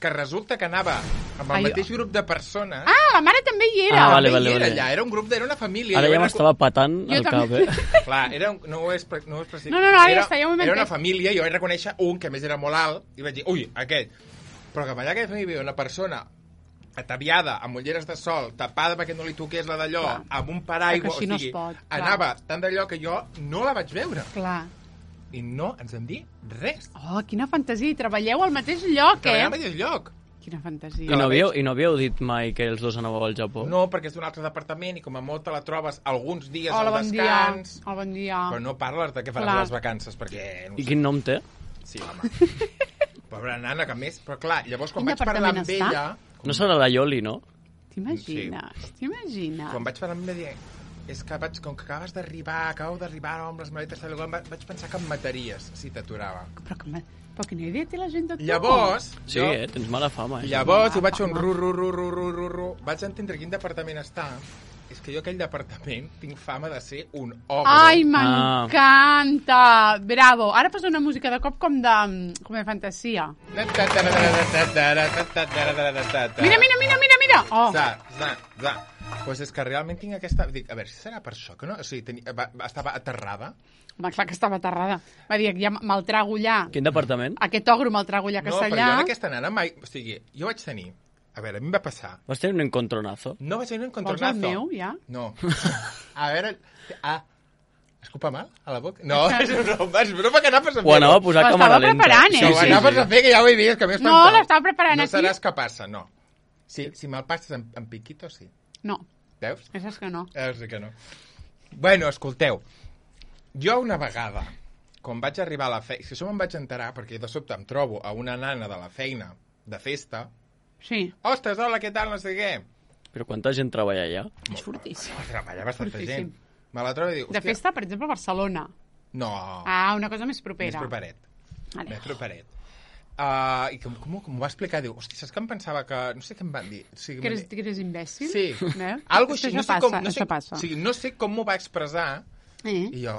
Que resulta que anava amb el mateix grup de persones. La mare també hi era. Vale. Allà, era un grup, era una família. Ara ja m'estava patant el cap, Clar, no ho és precis. No, ara ja està, ja ho he Era una família, jo vaig reconèixer un que més era molt alt, i vaig dir, ui, aquest. Però que allà que hi havia una persona ataviada, amb ulleres de sol, tapada perquè no li toqués la d'allò, amb un paraigua, o sigui, anava tant d'allò que jo no la vaig veure. Clar. I no ens en dir res. Oh, quina fantasia. I treballeu al mateix lloc, Treballem al mateix lloc. Quina fantasia. I no havíeu dit mai que els dos anàveu al Japó? No, perquè és d'un altre departament i com a molt te la trobes alguns dies al descans. Hola, bon dia. Però no parles de què faràs les vacances, perquè... I quin nom té? Sí, home. Pobra nana, que més... Però clar, llavors quan vaig parlar amb ella... No serà la Ioli, no? T'imagines? Quan vaig parlar amb ella, és que com que acabo d'arribar amb les maletes, vaig pensar que em mataries si t'aturava. Però quina idea té la gent de tu? Llavors... Sí, tens mala fama. Llavors ho vaig fer un ru. Vaig entendre quin departament està. És que jo aquell departament tinc fama de ser un ogre. Ai, m'encanta! Bravo! Ara posa una música de cop com de fantasia. Mira! mira! Oh. Pues és que realment tinc aquesta... Dic, a veure, si serà per això, que no? O sigui, estava aterrada. Home, clar que estava aterrada. Va dir, ja me'l trago allà. Quin departament? Aquest ogro me'l trago allà castellà. No, però jo en aquesta nana mai... O sigui, jo vaig tenir... A veure, a mi em va passar... Vas tenir un encontronazo? No vaig tenir un encontronazo. Vols el meu, ja? No. A veure... Escupa mal a la boca? No, és broma que anaves a fer. Ho anava a posar a càmera lenta. Preparant, Sí, ho anaves a fer, que ja ho he vist, que m'he espantat. No, l'estava preparant aquí. No seràs capaç, no. Si me'l passes en piquito, sí. No. Veus? És que no. Sí que no. Bueno, escolteu, jo una vegada, quan vaig arribar a la feina, si això me'n vaig enterar, perquè de sobte em trobo a una nana de la feina, de festa, sí. Ostres, hola, què tal, no sé què. Però quanta gent treballa allà? És fortíssim. Treballa bastanta gent. Me la trobo i dic, de festa, per exemple, a Barcelona. No. Una cosa més propera. Més properet. Vale. Més properet. I com m'ho va explicar? Diu, hosti, saps que em pensava que... No sé què em van dir. O sigui, que eres imbècil? Sí. Algo així. Això passa. O sigui, no sé com m'ho va expressar. I jo...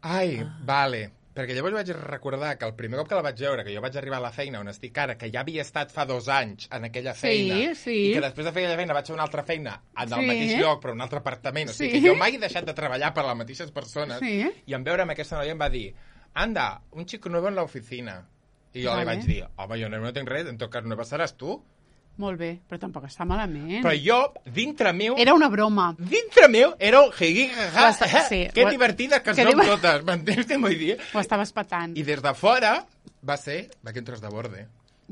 Ai, vale. Perquè llavors vaig recordar que el primer cop que la vaig veure, que jo vaig arribar a la feina on estic ara, que ja havia estat fa 2 anys en aquella feina, i que després de fer aquella feina vaig fer una altra feina en el mateix lloc, però en un altre apartament. O sigui, que jo mai he deixat de treballar per les mateixes persones. I en veure amb aquesta noia em va dir, anda, un chico nuevo en la oficina. I jo li vaig dir, home, jo no tinc res, en tot cas nueva seràs tu. Molt bé, però tampoc està malament. Però jo, dintre meu... Era una broma. Dintre meu era un que divertides que som totes, m'entens què vull dir? Ho estaves patant. I des de fora va ser que entres de borde.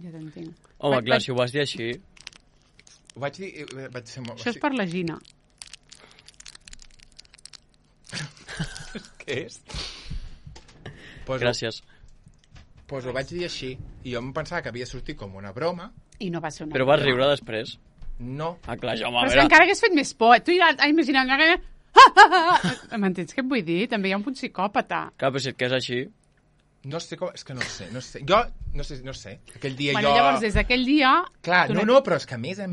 Ja t'entenc. Home, clar, si ho vas dir així... Ho vaig dir... Això és per la Gina. Què és? Gràcies. Doncs ho vaig dir així, i jo em pensava que havia sortit com una broma. I no va ser una Però vas riure després? No. Ah, clar, jo, home, però és que encara hagués fet més por. Tu ja imaginant que... M'entens què et vull dir? També hi ha un punt psicòpata. Clar, però si et quedes així... No sé com... És que no sé. Jo, no sé. Aquell dia jo... Llavors, des d'aquell dia... Clar, no, però és que a més,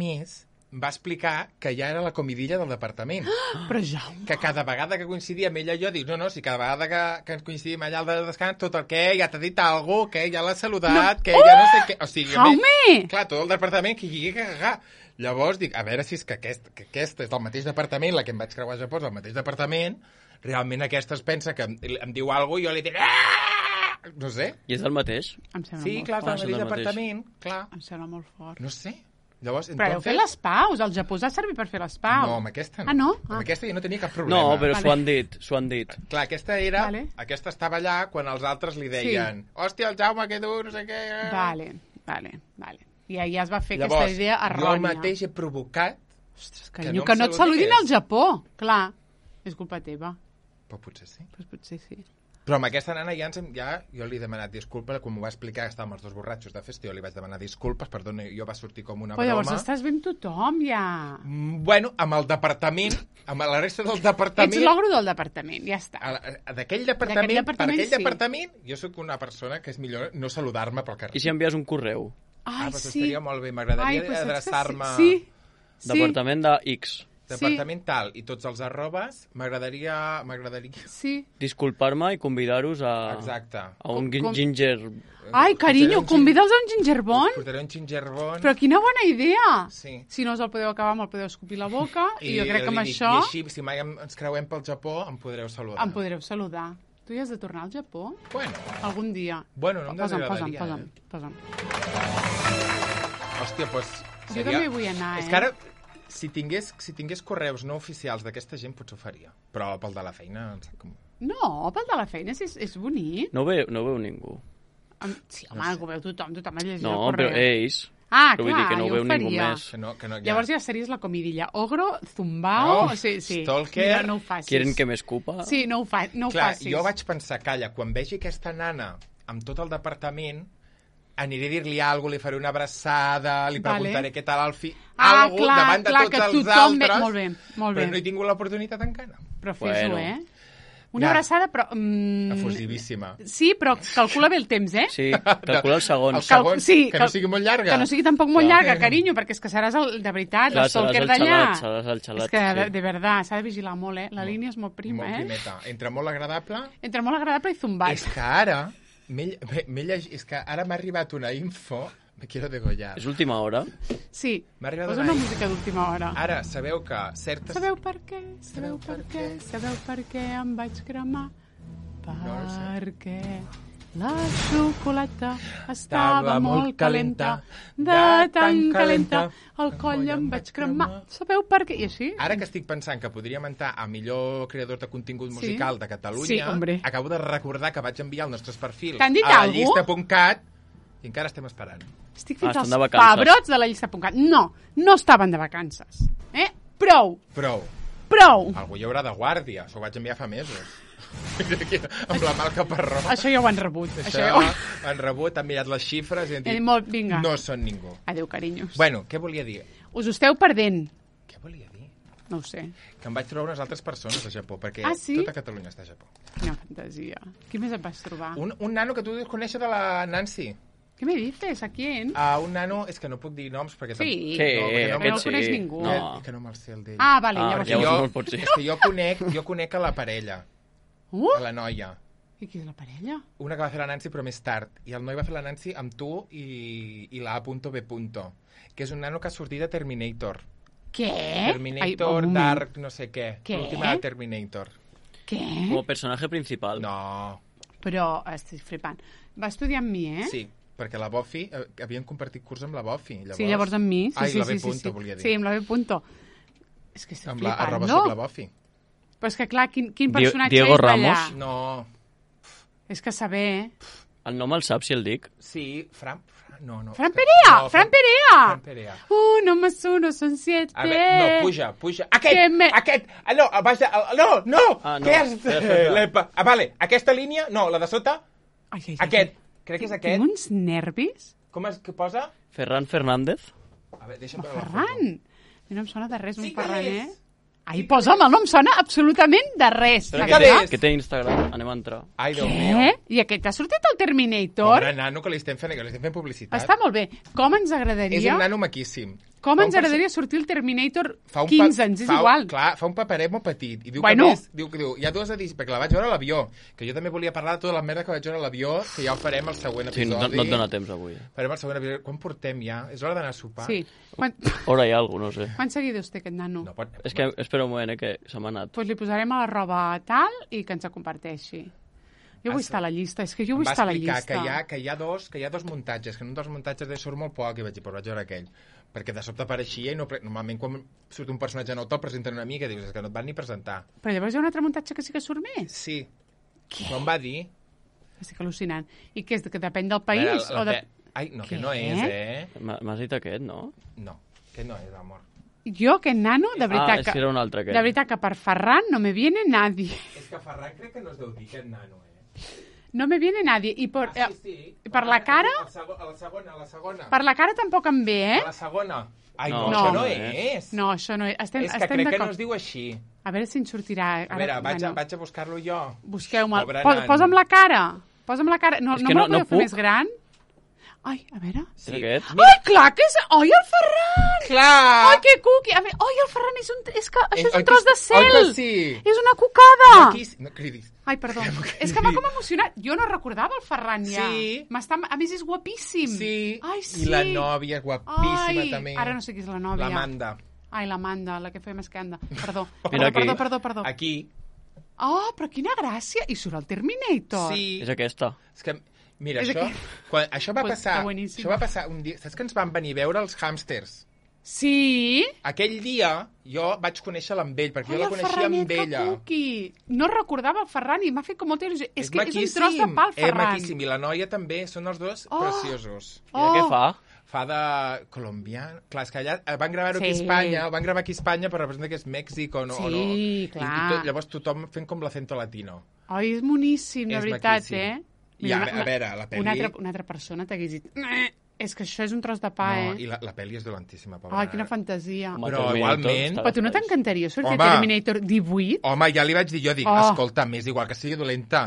va explicar que ja era la comidilla del departament. Però Jaume... Que cada vegada que coincidia amb ella jo dic, no, si cada vegada que coincidim allà al descans, tot el que ja t'ha dit alguna cosa, que ja l'ha saludat, que ja no sé què... O sigui, Jaume! Clar, tot el departament que hi ha cagar. Llavors dic, a veure si és que aquesta és del mateix departament, la que em vaig creuar a Japó és del mateix departament, realment aquesta es pensa que em diu alguna cosa i jo li diré... No sé. I és el mateix? Sí, clar, és del mateix departament, clar. Em sembla molt fort. No sé. Llavors, però heu fet les paus, al Japó us ha servit per fer les paus. No, amb aquesta no. Ah, no? Amb aquesta jo no tenia cap problema. No, però s'ho han dit. Clar, aquesta era... Aquesta estava allà quan els altres li deien hòstia, el Jaume, que dur, no sé què... Vale. I ahí es va fer aquesta idea errònia. Llavors, jo mateix he provocat... Ostres, carinyo, que no et saludin al Japó. Clar, és culpa teva. Però potser sí. Potser sí. Però amb aquesta nana jo li he demanat disculpes, quan m'ho va explicar que estàvem els 2 borratxos de festa, jo li vaig demanar disculpes, perdona, jo va sortir com una broma. Però llavors estàs bé amb tothom, ja. Bueno, amb el departament, amb la resta del departament... Ets l'ogro del departament, ja està. D'aquell departament, per aquell departament, jo sóc una persona que és millor no saludar-me pel carrer. I si envies un correu? Ai, sí. Estaria molt bé, m'agradaria adreçar-me... Sí. Departament de X. Departament tal, i tots els arrobes, m'agradaria... Sí. Disculpar-me i convidar-vos a... Exacte. A un ginger... Ai, carinyo, convida'ls a un gingerbon. Portaré un gingerbon. Però quina bona idea. Sí. Si no us el podeu acabar, me'l podeu escopir la boca, i jo crec que amb això... I així, si mai ens creuem pel Japó, em podreu saludar. Em podreu saludar. Tu hi has de tornar al Japó? Bueno. Algun dia. Bueno, no em desagradaria. Posa'm. Hòstia, doncs... Jo també vull anar, És que ara... Si tingués correus no oficials d'aquesta gent, potser ho faria. Però pel de la feina... No, pel de la feina és bonic. No ho veu ningú. Sí, home, ho veu tothom ha llegit el correu. No, però ells... Ah, però vull dir que no ho veu ningú més. Llavors ja series la comidilla. Ogro, zumbao... Sí. Stalker... Mira, no ho facis. Quieren que m'escupa? Sí, no ho facis. Clar, jo vaig pensar, calla, quan vegi aquesta nana amb tot el departament... aniré a dir-li alguna cosa, li faré una abraçada, li preguntaré què tal el fill... Algo davant de tots els altres, molt bé. Però no he tingut l'oportunitat encara. Però fes-ho, Una abraçada, però... Efusivíssima. Sí, però calcula bé el temps, Sí, calcula els segons. Els segons, que no sigui molt llarga. Que no sigui tampoc molt llarga, carinyo, perquè és que seràs de veritat, el stalker d'allà. Seràs el xalat, és que, de veritat, s'ha de vigilar molt, La línia és molt prima, Molt primeta. Entre molt agradable... Entre molt agradable i zumbat. És que ara... és que ara m'ha arribat una info Me quiero degollar. És última hora? Sí, posa una música d'última hora. Ara, sabeu que certes... Sabeu per què? Sabeu per què em vaig cremar? Perquè la xocolata estava molt calenta, de tan calenta, el coll em vaig cremar. Sabeu per què? I així? Ara que estic pensant que podríem entrar a millor creador de contingut musical de Catalunya, acabo de recordar que vaig enviar els nostres perfils a la llista.cat i encara estem esperant. Estic fent els pebrots de la llista.cat. No estaven de vacances. Prou. Algú hi haurà de guàrdia. S'ho vaig enviar fa mesos. Amb la mà al caparró. Això ja ho han rebut. Això ho han rebut, han mirat les xifres i han dit, vinga. No són ningú. Adéu, carinyos. Bueno, què volia dir? Us ho esteu perdent. Què volia dir? No ho sé. Que em vaig trobar unes altres persones a Japó, perquè sí? tota Catalunya està a Japó. Quina fantasia. Qui més et vas trobar? Un nano que tu deus conèixer de la Nancy. Què me dices? ¿A quién? Un nano, és que no puc dir noms perquè... Sí, no el coneix ningú. Que no me'l sé el d'ell. Vale, llavors és que jo conec a la parella. A la noia. I qui és la parella? Una que va fer la Nancy però més tard. I el noi va fer la Nancy amb tu i la A.B. Que és un nano que ha sortit de Terminator. Què? Terminator, Dark, no sé què. L'última de Terminator. Què? Com a personatge principal. No. Però estic flipant. Va estudiar amb mi, Sí, perquè la Buffy, havien compartit curs amb la Buffy. Sí, llavors amb mi. La B. volia dir. Sí, amb la B. És que estic flipant, no? Amb la Buffy. Però és que, clar, quin personatge Diego és Ramos? d'allà? No. És que saber... El nom el saps, si el dic? Sí, Fran Perea! No, Fran Perea! Fran Perea. 1 más 1 son 7. A veure, no, puja. Aquest! No, no! Què és? Vale, aquesta línia, no, la de sota. Aquest. Crec que és aquest. Tinc uns nervis. Com és que posa? Ferran Fernández? A veure, deixa'm veure la foto. Ferran! No em sona de res, un Ferran, Ai, posa'm, no em sona absolutament de res. Que té Instagram, anem a entrar. Ai, Déu meu. I aquest ha sortit al Terminator? Pobre nano, que li estem fent publicitat. Està molt bé. Com ens agradaria... És un nano maquíssim. Com ens agradaria sortir el Terminator 15 anys, és igual. Clar, fa un paperet molt petit. I diu que més, diu, hi ha dues edicions, perquè la vaig veure a l'avió, que jo també volia parlar de tota la merda que vaig veure a l'avió, que ja ho farem el següent episodi. Sí, no et dona temps avui. Farem el següent episodi. Quan portem ja? És hora d'anar a sopar? Sí. Hora hi ha alguna, no sé. Quants seguidors té aquest nano? És que espera un moment, que se m'ha anat. Doncs li posarem a la roba tal i que ens la comparteixi. Jo vull estar a la llista, és que jo vull estar a la llista. Em va explicar que hi ha dos muntatges, que en un dels muntatges surt molt poc i vaig dir, però vaig veure aquell. Perquè de sobte apareixia i normalment quan surt un personatge nou te'l presenten una mica i dius, és que no et van ni presentar. Però llavors hi ha un altre muntatge que sí que surt més? Sí. Què? M'ho va dir. Estic al·lucinant. I què és, que depèn del país? Ai, no, que no és, M'has dit aquest, no? No, aquest no és, amor. Jo, aquest nano, de veritat és que era un altre, de veritat que per Ferran no me viene nadie. És que Ferran crec que no es deu dir aquest nano, No me viene nadie. I sí. Per la cara... A la segona. Per la cara tampoc em ve, A la segona. Ai, no, això no és. No, això no és. És que crec que no es diu així. A veure si en sortirà. A veure, vaig a buscar-lo jo. Busqueu-me'l. Posa'm la cara. Posa'm la cara. No me la podeu fer més gran? Ai, a veure... Sí. Ai, clar que és... Ai, el Ferran! Clar! Ai, que cuqui! Ai, el Ferran és un... És que això és un tros de cel! Oi que sí? És una cucada! No cridis. Ai, perdó. És que m'ha com emocionat. Jo no recordava el Ferran ja. Sí. A més, és guapíssim. Sí. Ai, sí. I la nòvia és guapíssima, també. Ara no sé qui és la nòvia. L'Amanda. Ai, l'Amanda, la que feia més que anda. Perdó. Perdó. Aquí. Oh, però quina gràcia. I surt el Terminator. Sí. És aquesta. És que... Mira, això va passar un dia... Saps que ens van venir a veure els hàmsters? Sí? Aquell dia jo vaig conèixer-la amb ell, perquè jo la coneixia amb ella. No recordava el Ferran i m'ha fet com molta il·lusió. És que és un tros de pa, el Ferran. És maquíssim, i la noia també, són els dos preciosos. I què fa? Fa de colombià. Clar, és que allà van gravar-ho aquí a Espanya, però representa que és Mèxic o no. Sí, clar. I llavors tothom fent com l'acento latino. Ai, és moníssim, de veritat, I a veure, la pel·li... Una altra persona t'hagués dit... És que això és un tros de pa, I la pel·li és dolentíssima, pobra. Ai, quina fantasia. Però igualment... Però tu no t'encantaria sortir Terminator 18? Home, ja li vaig dir, escolta, m'és igual que sigui dolenta.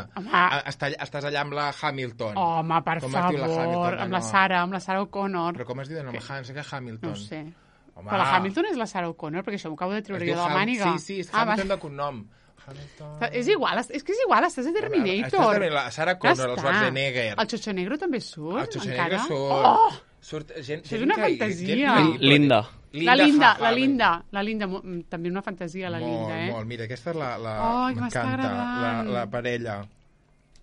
Estàs allà amb la Hamilton. Home, per favor, amb la Sarah O'Connor. Però com es diu de nom? No sé què Hamilton. No sé. Però la Hamilton és la Sarah O'Connor, perquè això m'ho acabo de treure jo de la màniga. Sí, és Hamilton de cognom. És igual, estàs a Terminator. La Sarah Connor, el Schwarzenegger. El Xocho Negro també surt, encara? El Xocho Negro Surt gent... Això és una fantasia. Linda. La Linda. També una fantasia, la Linda, eh? Molt. Mira, aquesta és la... m'està agradant. La parella.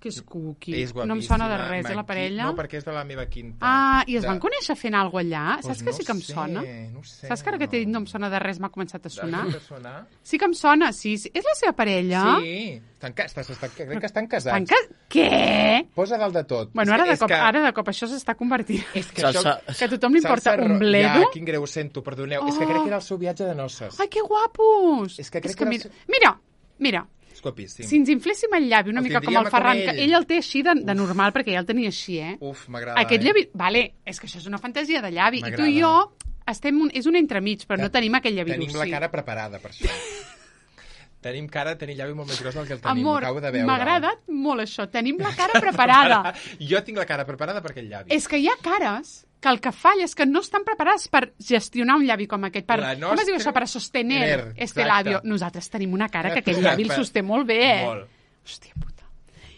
Que és cookie. És guapíssima. No em sona de res, la parella. No, perquè és de la meva quinta. I es van conèixer fent alguna cosa allà? Saps que sí que em sona? No sé. Saps que ara que t'he dit no em sona de res, m'ha començat a sonar? Sonar? Sí que em sona, sí. És la seva parella? Sí. Crec que estan casats. Què? Posa dalt de tot. Bueno, ara de cop això s'està convertint. És que a tothom li importa un bledo. Ja, quin greu sento, perdoneu. És que crec que era el seu viatge de noces. Ai, que guapos! És que crec que Mira. És guapíssim. Si ens infléssim el llavi una mica com el Ferran, que ell el té així de normal, perquè ja el tenia així, eh? Uf, m'agrada. Aquest llavi... Vale, és que això és una fantasia de llavi. I tu i jo és un entremig, però no tenim aquell llavi Tenim la cara preparada per això. Tenim cara de tenir llavi molt més gros del que el tenim. Amor, acabo de veure. m'ha agradat molt això. Tenim la cara preparada. Jo tinc la cara preparada per aquell llavi. És que hi ha cares que el que falla és que no estan preparades per gestionar un llavi com aquest. Com es diu això? Per sostener este labio. Nosaltres tenim una cara que aquell llavi el sosté molt bé, eh? Molt. Hòstia puta.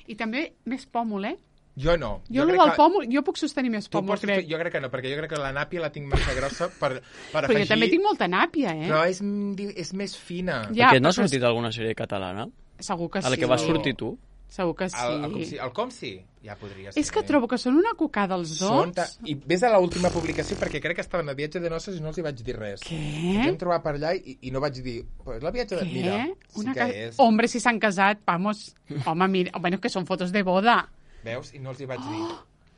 I també més pòmul, eh? Jo no. Jo puc sostenir més pòmul, crec. Jo crec que no, perquè jo crec que la nàpia la tinc massa grossa per afegir... Però jo també tinc molta nàpia, eh? Però és més fina. Perquè no ha sortit alguna sèrie catalana? Segur que sí. A la que vas sortir tu? Segur que sí. El com sí? Ja podria ser. És que trobo que són una cocada els dos. I ves a l'última publicació, perquè crec que estaven a viatge de noces i no els hi vaig dir res. Què? Ens vam trobar per allà i no vaig dir... Pues la viatge de... Mira, sí que és... Hombre, si s'han casat, vamos. Home, mira, bueno, que són fotos de boda. Veus? I no els hi vaig dir.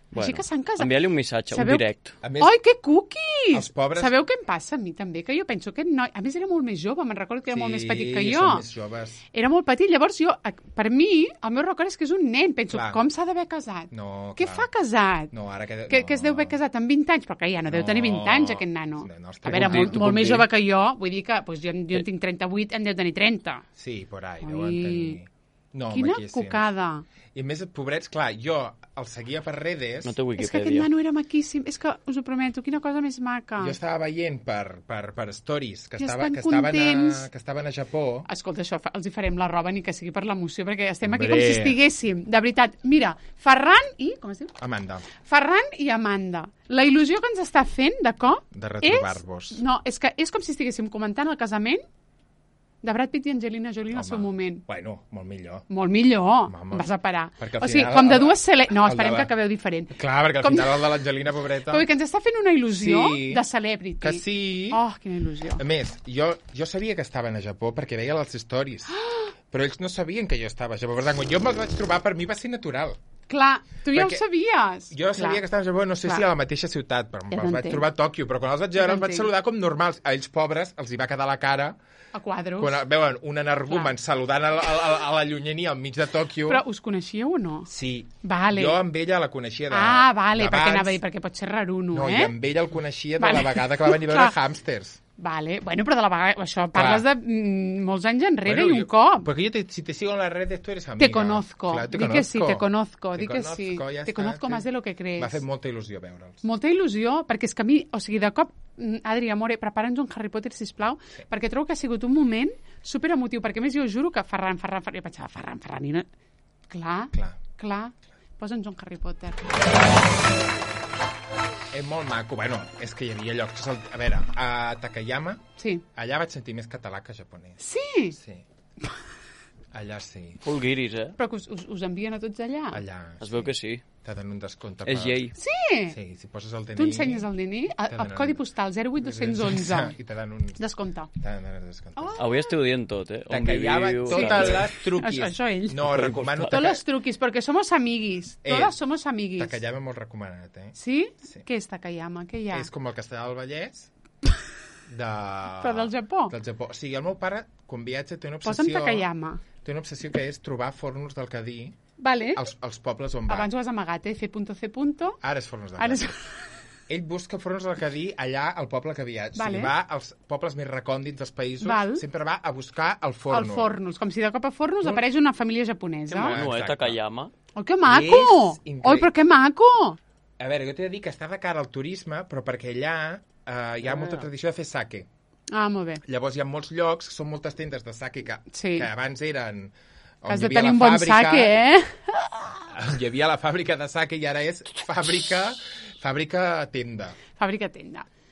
Bueno, així que s'han casat. Envia-li un missatge, un direct. Més, ai, que cookies! Els pobres... Sabeu què em passa a mi també? Que jo penso que noi... A més, era molt més jove, me'n recordo que era molt més petit que jo. Sí, són més joves. Era molt petit, llavors jo, per mi, el meu record és que és un nen. Penso, clar. Com s'ha d'haver casat? No, què fa casat? No, ara que... Que es deu haver casat amb 20 anys, però que ja no deu tenir 20 anys, aquest nano. No, a veure, molt més jove que jo, vull dir que jo en tinc 38, en deu tenir 30. Sí, por ahí, deuen tenir... No, quina cocada. I a més, pobrets, clar, jo el seguia per redes... No té Wikipedia. És que aquest nano era maquíssim. És que, us ho prometo, quina cosa més maca. Jo estava veient per stories que estaven a Japó. Escolta, això els hi farem la roba ni que sigui per l'emoció, perquè estem aquí com si estiguéssim. De veritat, mira, Ferran i... Com es diu? Amanda. Ferran i Amanda. La il·lusió que ens està fent, de cop... De retrobar-vos. No, és que és com si estiguéssim comentant el casament de Brad Pitt i Angelina Jolie en el seu moment. Bueno, molt millor. Molt millor. Vas a parar. Perquè o sigui, com de dues... No, esperem que acabeu diferent. Clar, perquè al final el de l'Angelina, pobreta... Que ens està fent una il·lusió de celebrity. Que sí. Oh, quina il·lusió. A més, jo sabia que estaven a Japó perquè veia les stories. Però ells no sabien que jo estava a Japó. Per tant, quan jo me'ls vaig trobar, per mi va ser natural. Clar, tu ja ho sabies. Jo sabia que estava a Japó, no sé si a la mateixa ciutat, però els vaig trobar a Tòquio, però quan els vaig veure els vaig saludar com normals. A ells, pobres, els hi va quedar la cara... A quadros. Quan veuen un energumen saludant a la llunyania al mig de Tòquio... Però us coneixíeu o no? Sí. Vale. Jo amb ella la coneixia vale, perquè anava a dir, perquè pot ser raruno, No, i amb ella el coneixia de la vegada que va venir a veure Hàmsters. Vale, bueno, però de la vegada, això parles de molts anys enrere i un cop. Porque yo si te sigo en las redes, tú eres amiga. Te conozco. Claro, di que sí, te conozco. Di que sí. Te conozco más de lo que crees. M'ha fet molta il·lusió veure'ls. Molta il·lusió, perquè és que a mi, o sigui, de cop, Adri, amore, prepara'ns un Harry Potter, sisplau, perquè trobo que ha sigut un moment super emotiu, perquè més jo juro que Ferran, jo pensava, Ferran, i no... Clar. Posa'ns un Harry Potter. És molt maco. Bueno, és que hi havia llocs... A veure, a Takayama, allà vaig sentir més català que japonès. Sí? Sí. Allà sí. Full guiris, eh? Però que us envien a tots allà? Allà. Es veu que sí. Te donen un descompte. És llei. Sí? Sí, si poses el DNI... Tu ensenyes el DNI? El codi postal 08211. I te dan un... Descompte. Te dan un descompte. Avui esteu dient tot, eh? Takayama, totes les truquis. Això ell. No, recomano... Totes les truquis, perquè somos amiguis. Totes somos amiguis. Takayama molt recomanat, eh? Sí? Què és Takayama? Què hi ha? És com el Castellà del Vallès... Però del Japó? Del Japó. O sigui, el meu pare, quan viatja, té una obsessió... Posa'm Takayama. Té una obsessió que és trobar fornos del Cadí als pobles on va. Abans ho has amagat, C. Ara és fornos del Cadí. Ell busca fornos del Cadí allà al poble que viatja. O sigui, va als pobles més recòndits dels països, sempre va a buscar el forno. El fornos, com si de cop a fornos apareix una família japonesa. Que mono, Takayama. Oh, que maco! Oi, però que maco! A veure, jo t'he de dir que està de cara al turisme, però perquè allà hi ha molta tradició de fer sake. Ah, molt bé. Llavors hi ha molts llocs, són moltes tendes de sake que abans eren... Has de tenir un bon sake, eh? Hi havia la fàbrica de sake i ara és fàbrica Fàbrica tenda.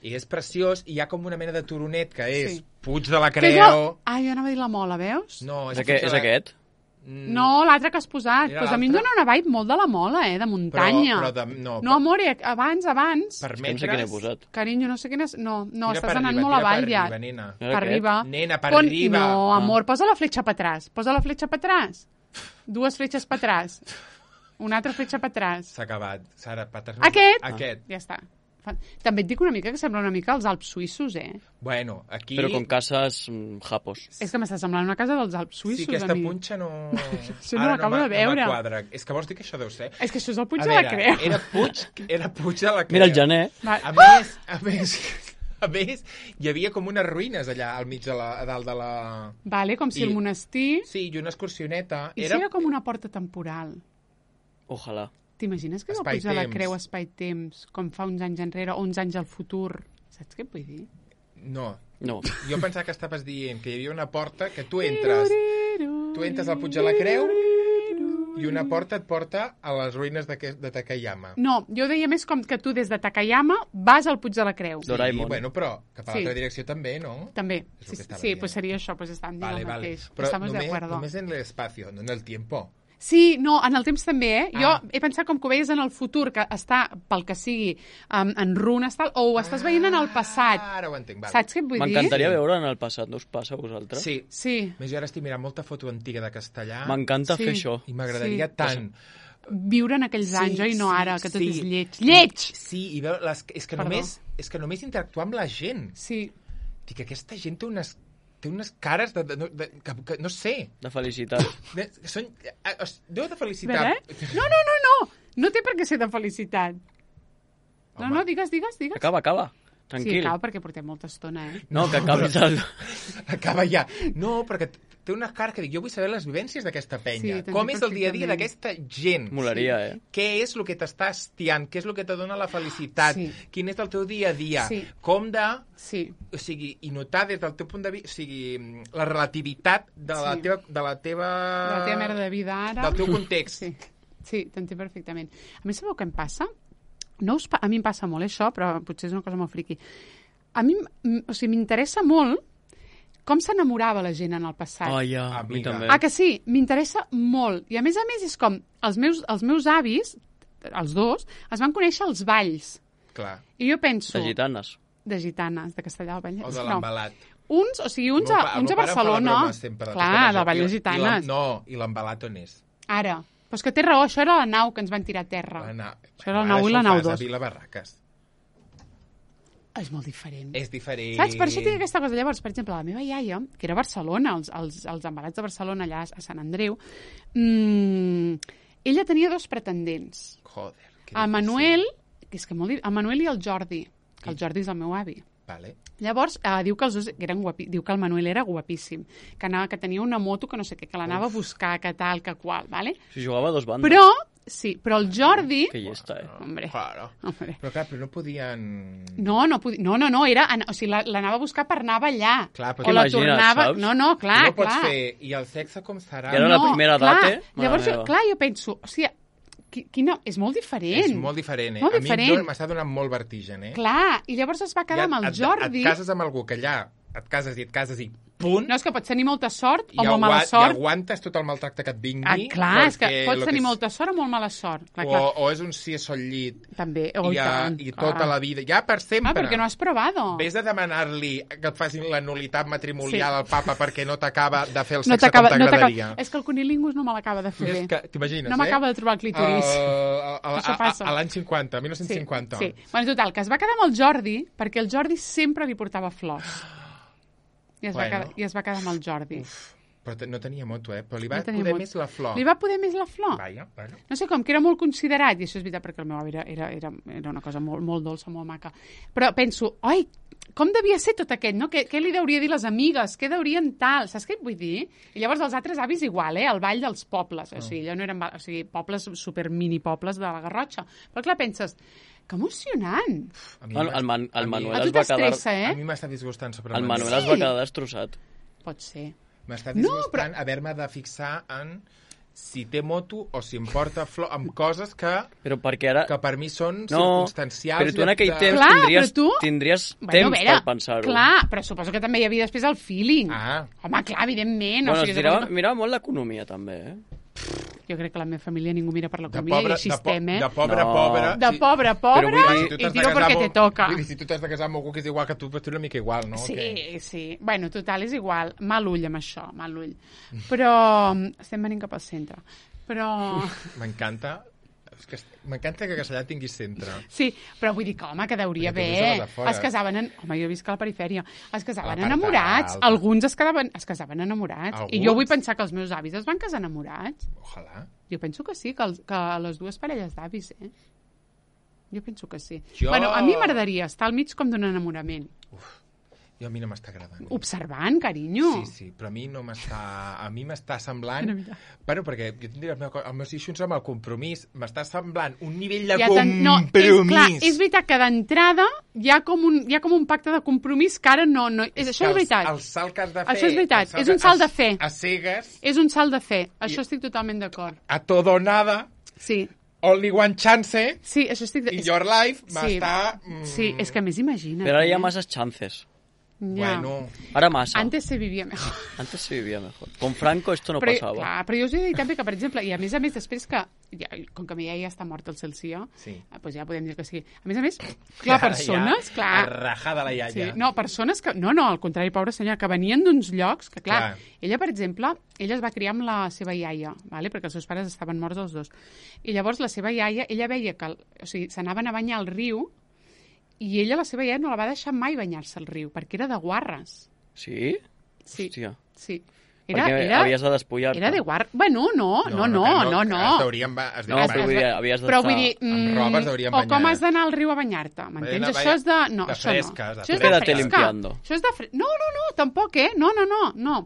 I és preciós, i hi ha com una mena de turonet que és Puig de la Creu... Ah, jo anava a dir la Mola, veus? No, és aquest? No, l'altre que has posat. Pues a mi em dona una vibe molt de la Mola, de muntanya. No, amor, abans. Per metres... No sé quin he posat. Carinyo, no sé quin és... No, estàs anant molt avall ja. Per arriba. Nena, per arriba. No, amor, posa la fletxa per atrás. Posa la fletxa per atrás. 2 fletxes per atrás. Una altra fletxa per atrás. S'ha acabat. Sara, Aquest? Ja està. També et dic una mica que sembla una mica els Alps suïssos, Bueno, aquí... Però con cases japos. És que m'està semblant una casa dels Alps suïssos, Sí, aquesta punxa no... Això no l'acabo de veure. No m'quadra. És que vols dir que això deu ser? És que això és el Puig de la Creu. Era Puig de la Creu. Mira el gener. A més, hi havia com unes ruïnes allà al mig a dalt de la... Vale, com si el monestir... Sí, i una excursioneta. I si era com una porta temporal? Ojalà. T'imagines que és el Puig de la Creu espai-temps, com fa uns anys enrere, o uns anys al futur? Saps què et vull dir? No. Jo pensava que estaves dient que hi havia una porta que tu entres al Puig de la Creu i una porta et porta a les ruïnes de Takayama. No, jo deia més com que tu des de Takayama vas al Puig de la Creu. Sí, bueno, però cap a l'altra direcció també, no? També. Sí, pues seria això, pues estàvem dient el mateix. Però només en l'espacio, no en el tiempo. Sí, no, en el temps també, Jo he pensat com que ho veies en el futur, que està, pel que sigui, en runes, tal, o ho estàs veient en el passat. Ara ho entenc, Saps què et vull dir? M'encantaria veure en el passat, no us passa a vosaltres? Sí. Més jo ara estic mirant molta foto antiga de castellà. M'encanta fer això. I m'agradaria tant... Viure en aquells anys, oi? No ara, que tot és lleig. Lleig! Sí, i veure... És que només interactuar amb la gent. Sí. Dic, aquesta gent té unes cares que no sé. De felicitat. Déu de felicitat. No. No té per què ser de felicitat. No, digues. Acaba. Tranquil. Sí, acaba perquè portem molta estona, No, que acabi tal. Acaba ja. No, perquè té unes cares que dic, jo vull saber les vivències d'aquesta penya. Com és el dia a dia d'aquesta gent? Molaria, Què és el que t'està hastiant? Què és el que te dona la felicitat? Quin és el teu dia a dia? Com de... O sigui, i notar des del teu punt de vista... O sigui, la relativitat de la teva... De la teva merda de vida ara. Del teu context. Sí, t'entenc perfectament. A més, sabeu què em passa? A mi em passa molt això, però potser és una cosa molt friqui. A mi, m'interessa molt com s'enamorava la gent en el passat. A mi també. Que sí? M'interessa molt. I a més és com els meus avis, els dos, es van conèixer als balls. Clar. I jo penso... De gitanes. De Castellà del Vallès. O de l'embalat. Uns a Barcelona. Clar, del Vallès Gitanes. I l'embalat on és? Ara. Però és que té raó, això era la nau que ens van tirar a terra. Això era la nau i la nau 2. Això ho fas a Vila Barraques. És molt diferent. És diferent. Saps? Per això tinc aquesta cosa. Llavors, per exemple, la meva iaia, que era a Barcelona, els embalats de Barcelona, allà a Sant Andreu, ella tenia 2 pretendents. Joder, que a Manuel, que és que molt... A Manuel i el Jordi, que el Jordi és el meu avi. Vale. Llavors, diu que els dos eren diu que el Manuel era guapíssim, que tenia una moto que no sé què, que l'anava a buscar, que tal, que qual, ¿vale? Si jugava a 2 bandes. Però el Jordi... Que llesta, Hombre. Però clar, però no podien... No, era... O sigui, l'anava a buscar per anar a ballar. Clar, o la tornava... Saps? No, clar, no pots fer, i el sexe com serà? I era la primera data. Llavors, jo penso, o sigui, és molt diferent. És molt diferent, Molt a mi m'està donant molt vertigen, Clar, i llavors es va quedar amb el Jordi... Et cases amb algú que allà et cases i punt... No, és que pots tenir molta sort o molt mala sort. I aguantes tot el maltracte que et vingui. Clar, és que pots tenir molta sort o molt mala sort. O és un sí a sol llit. També, i tota la vida. Ja per sempre. Perquè no has probado. Vés a demanar-li que et facin la nulitat matrimonial al papa perquè no t'acaba de fer el sexe com t'agradaria. És que el cunilingus no me l'acaba de fer bé. T'imagines, no m'acaba de trobar el clítoris. Això passa. A l'any 50, 1950. Sí. Bueno, total, que es va quedar amb el Jordi perquè el Jordi sempre li portava flors. I es va quedar amb el Jordi. Però no tenia moto, però li va poder més la flor. Li va poder més la flor? Vaja. No sé, com que era molt considerat, i això és veritat perquè el meu avi era una cosa molt, molt dolça, molt maca. Però penso, com devia ser tot aquest, no? Què li deuria dir les amigues? Què deurien tal? Saps què et vull dir? I llavors els altres avis igual, el ball dels pobles. O sigui, allò no eren pobles, super mini pobles de la Garrotxa. Però clar, penses... Que emocionant! El Manuel es va quedar... A mi m'està disgustant sobre el Manuel es va quedar destrossat. Pot ser. M'està disgustant haver-me de fixar en si té moto o si em porta flor amb coses que per mi són circumstancials. Però tu en aquell temps tindries temps per pensar-ho. Clar, però suposo que també hi havia després el feeling. Home, clar, evidentment. Bueno, mirava molt l'economia, també, Jo crec que la meva família ningú mira per l'economia i així estem, De pobre, De pobre, i tiro perquè te toca. Si tu t'has de casar amb algú que és igual que tu, però tu una mica igual, no? Sí. Bueno, total, és igual. Mal ull amb això, mal ull. Però estem venint cap al centre. Però... M'encanta que Castellà tingui centre. Sí, però vull dir que, home, que deuria haver... Es casaven... Home, jo visc a la perifèria. Es casaven enamorats. Alguns es casaven enamorats. I jo vull pensar que els meus avis es van casar enamorats. Ojalà. Jo penso que sí, que les dues parelles d'avis, Jo penso que sí. Bueno, a mi m'agradaria estar al mig com d'un enamorament. A mi no m'està agradant. Observant, carinyo. Sí, però a mi no m'està... A mi m'està semblant... Bueno, perquè jo tindria els meus eixos amb el compromís. M'està semblant un nivell de compromís. Clar, és veritat que d'entrada hi ha com un pacte de compromís que ara no... Això és veritat. El salt que has de fer... Això és veritat. És un salt de fe. A cegues. És un salt de fe. Això estic totalment d'acord. A todo nada. Sí. Only one chance. Sí, això estic... In your life m'està... Sí, és que a més imagina't. Però ara hi ha masses chances. Ya. Bueno. Ahora masa. Antes se vivía mejor. Con Franco esto no pasaba. Clar, però jo us he dit també que, per exemple, i a més després que, com que ja està mort el Celsió, doncs ja podem dir que sí. A més, clar, persones... Clar, rajada la iaia. Sí, no, persones que... No, al contrari, pobra senyora, que venien d'uns llocs que, clar, ella, per exemple, ella es va criar amb la seva iaia, ¿vale? Perquè els seus pares estaven morts els dos. I llavors la seva iaia, ella veia que... O sigui, s'anaven a banyar al riu i ella, la seva iaia, no la va deixar mai banyar-se al riu, perquè era de guarres. Sí? Sí. Hòstia. Sí. Perquè havies de despullar-te. Era de guarres. Bueno, no. Es havies però vull dir... amb roba es deurien banyar. O com has d'anar al riu a banyar-te, m'entens? Això és de... No, de fresca. Això és de fresca. Això és de fresca. No, tampoc, No.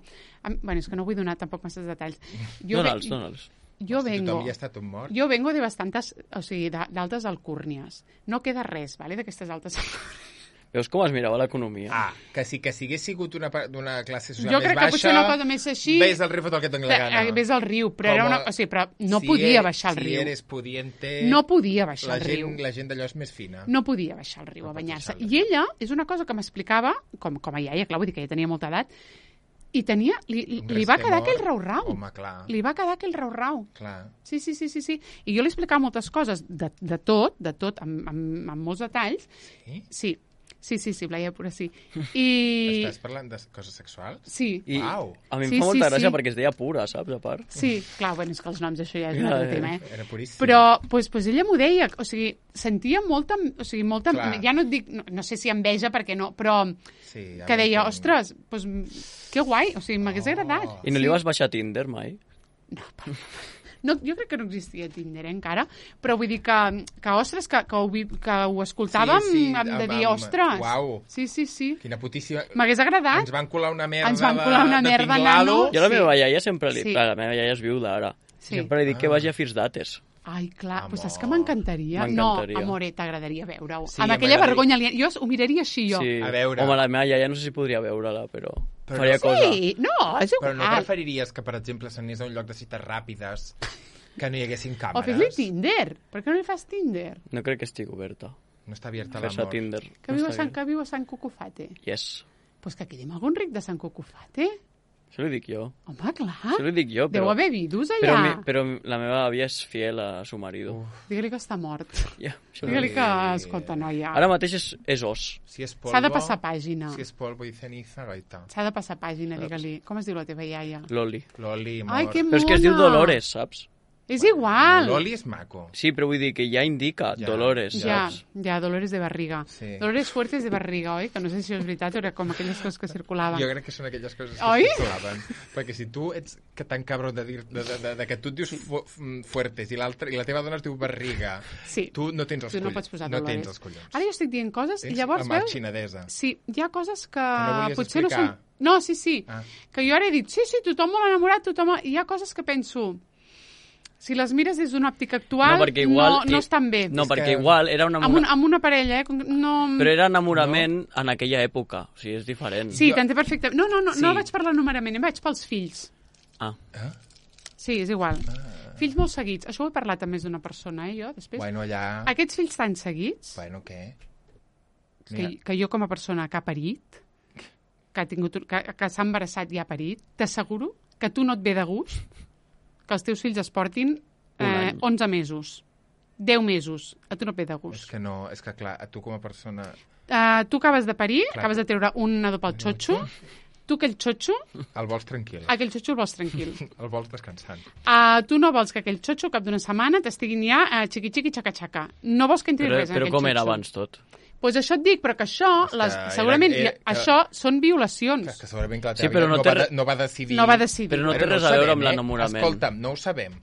Bueno, és que no vull donar tampoc masses detalls. Dóna'ls. Jo vengo de bastantes, o sigui, d'altes alcúrnies. No queda res, ¿vale?, d'aquestes altes alcúrnies. Veus com es mirava l'economia? Que si hagués sigut d'una classe social jo més baixa... Jo crec que potser una cosa més així... Ves al riu, fot el que et doni la gana. Ves al riu, però però no podia baixar al riu. Si eres pudiente... No podia baixar al riu. La gent d'allò és més fina. No podia baixar al riu a banyar-se. I ella, és una cosa que m'explicava, com a iaia, clar, vull dir que ja tenia molta edat, i tenia... Li va quedar aquell rau-rau. Home, clar. Li va quedar aquell rau-rau. Clar. Sí. I jo li explicava moltes coses, de tot, amb molts detalls. Sí? Sí, Blaia, pura sí. Estàs parlant de coses sexuals? Sí. Uau. A mi em fa molta gràcia perquè es deia pura, saps, a part? Sí, clar, bueno, és que els noms això ja és un altre tema, Era puríssim. Però, doncs ella m'ho deia, o sigui, sentia molta, ja no et dic, no sé si enveja perquè no, però que deia, ostres, doncs que guai, o sigui, m'hagués agradat. I no li vas baixar a Tinder mai? No, jo crec que no existia Tinder encara, però vull dir que ostres, que ho escoltàvem de dir, ostres. Uau. Sí. Quina putíssima... M'hagués agradat. Ens van colar una merda de tinglado. Jo a la meva iaia sempre li... La meva iaia és viuda ara. Sempre li dic que vagi a First Dates. Ai, clar, doncs és que m'encantaria. No, amore, t'agradaria veure-ho. Sí, amb aquella vergonya, jo ho miraria així, jo. Sí. A veure. Home, la meva iaia no sé si podria veure-la, però faria cosa. Sí, no, és igual. Però no preferiries que, per exemple, s'anés a un lloc de cites ràpides que no hi haguessin càmeres? O fes-li Tinder. Per què no li fas Tinder? No crec que estigui oberta. No està abierta l'amor. Tinder. Que viu a Sant Cucufate. Yes. Pues que quedi algun ric de Sant Cucufate. Això li dic jo. Home, clar. Això li dic jo, però... Deu haver vidus allà. Però la meva àvia és fiel a su marido. Digue-li que està mort. Yeah, digue-li que, escolta, noia... Ara mateix és os. Si és polvo... S'ha de passar pàgina. Si és polvo i ceniza, gaita. S'ha de passar pàgina, digue-li. Com es diu la teva iaia? Loli, amor. Ai, que mona! Però és que es diu Dolores, saps? És igual. Loli és maco. Sí, però vull dir que ja indica Dolores, saps? Ja, Dolores de barriga. Sí. Dolores fuertes de barriga, oi? Que no sé si és veritat o era com aquelles coses que circulaven. Jo crec que són aquelles coses que circulaven. Perquè si tu ets tan cabró de que tu et dius fuertes i la teva dona es diu barriga, tu no tens els collons. Tu no pots posar Dolores. No tens els collons. Ara jo estic dient coses i llavors veus... xinadesa. Sí, hi ha coses que no potser explicar. no són... No, sí. Que jo ara he dit, sí, tothom molt enamorat, tothom... Hi ha coses que penso... Si les mires des d'una òptica actual, no estan bé. No, perquè igual era un enamorament... Amb una parella, no... Però era enamorament en aquella època, o sigui, és diferent. Sí, t'entén perfectament. No vaig per l'enamorament, vaig pels fills. Sí, és igual. Fills molt seguits. Això ho he parlat amb més d'una persona, jo, després. Bueno, ja... Aquests fills tan seguits... Bueno, què? Que jo com a persona que ha parit, que s'ha embarassat i ha parit, t'asseguro que tu no et ve de gust que els teus fills es portin 11 mesos. 10 mesos. A tu no et ve de gust. És que no, és que clar, a tu com a persona... Tu acabes de parir, acabes de treure un nadó pel xotxo, tu aquell xotxo... El vols tranquil. Aquell xotxo el vols tranquil. El vols descansant. Tu no vols que aquell xotxo, cap d'una setmana, t'estiguin ja xiqui-xiqui, xaca-xaca. No vols que entri res en aquell xotxo. Però com era abans tot? Doncs això et dic, però que això, segurament, això són violacions. Que segurament que la teva vida no va decidir... No va decidir. Però no té res a veure amb l'enamorament. Escolta'm, no ho sabem.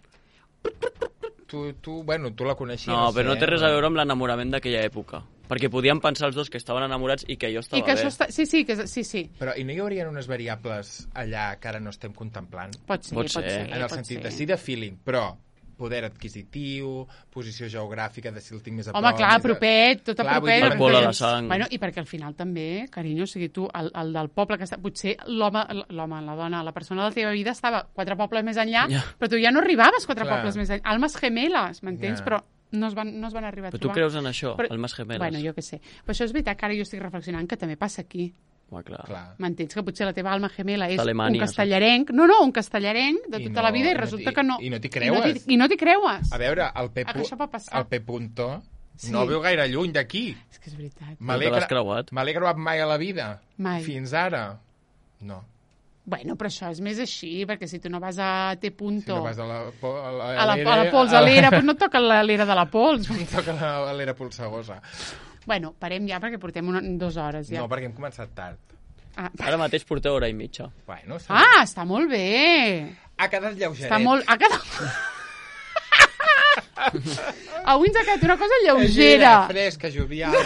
Tu la coneixies. No, però no té res a veure amb l'enamorament d'aquella època. Perquè podien pensar els dos que estaven enamorats i que allò estava bé. Sí. Però i no hi haurien unes variables allà que ara no estem contemplant? Pot ser. En el sentit de sí de feeling, però poder adquisitiu, posició geogràfica, de si el tinc més a prop... Home, clar, propet, tot a propet. Alcohol a la sang... Bueno, i perquè al final també, carinyo, o sigui, tu, el del poble que està... Potser l'home, la dona, la persona de la teva vida estava 4 pobles més enllà, però tu ja no arribaves 4 pobles més enllà. Almes gemeles, m'entens? Però no es van arribar a trobar. Però tu creus en això, almes gemeles? Bueno, jo què sé. Però això és veritat que ara jo estic reflexionant que també passa aquí. Clar. M'entens que potser la teva alma gemela és Alemanya, un castellarenc, un castellarenc de tota la vida i resulta que no... I no t'hi creues. I no t'hi creues. A veure, el P. Punto no veu gaire lluny d'aquí. És que és veritat. Me l'he creuat mai a la vida. Mai. Fins ara. No. Bueno, però això és més així, perquè si tu no vas a T. Si no vas a la Pols, a l'era, doncs no et toca l'era de la Pols. No toca l'era polsegosa. Bueno, parem ja perquè portem 2 hores ja. No, perquè hem començat tard. Ara mateix porteu 1 hora i mitja. Bueno, està molt bé. Ha quedat lleugeret. Ha quedat... Avui ens ha quedat una cosa lleugera. Fresca, joviala.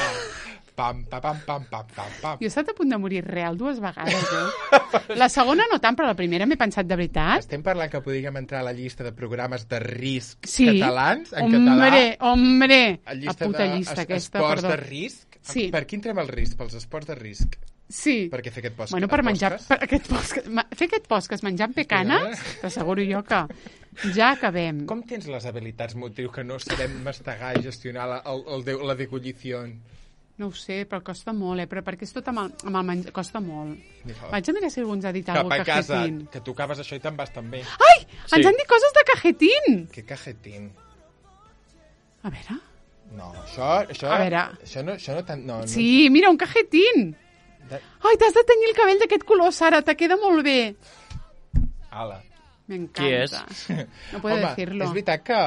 Pam, pam, pam, pam, pam, pam. Jo he estat a punt de morir real 2 vegades, La segona no tant, però la primera m'he pensat de veritat. Estem parlant que podríem entrar a la llista de programes de risc catalans, en català. Hombre, la puta llista aquesta, perdó. Esports de risc? Sí. Per qui entrem al risc? Pels esports de risc? Sí. Per què fer aquest podcast? Bueno, per menjar... Fer aquest podcast menjant pecanes, t'asseguro jo que ja acabem. Com tens les habilitats motrius que no sabem mastegar i gestionar la decollició? No ho sé, però costa molt, Però perquè és tot amb el menjar... Costa molt. Vaig a mirar si algú ens ha dit alguna cosa de cajetín. Que tu acabes això i te'n vas també. Ai! Sí. Ens han dit coses de cajetín! Què cajetín? A veure... No, això... A veure... Això no tant... No, sí, mira, un cajetín! Ai, t'has de tenyir el cabell d'aquest color, Sara, te queda molt bé. Ala. M'encanta. Qui és? No puedo decirlo. És veritat que...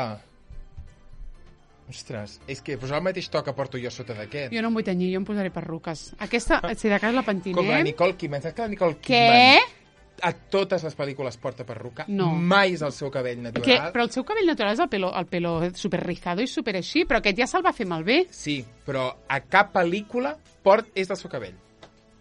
Ostres, és que posar el mateix to que porto jo sota d'aquest. Jo no em vull tenyir, jo em posaré perruques. Aquesta, si de cas la pentinem... Com la Nicole Kidman. Saps que la Nicole Què? Kidman a totes les pel·lícules porta perruca? No. Mai és el seu cabell natural. Però el seu cabell natural és el pelo super rizado i super així, però aquest ja se'l va fer malbé. Sí, però a cap pel·lícula és del seu cabell.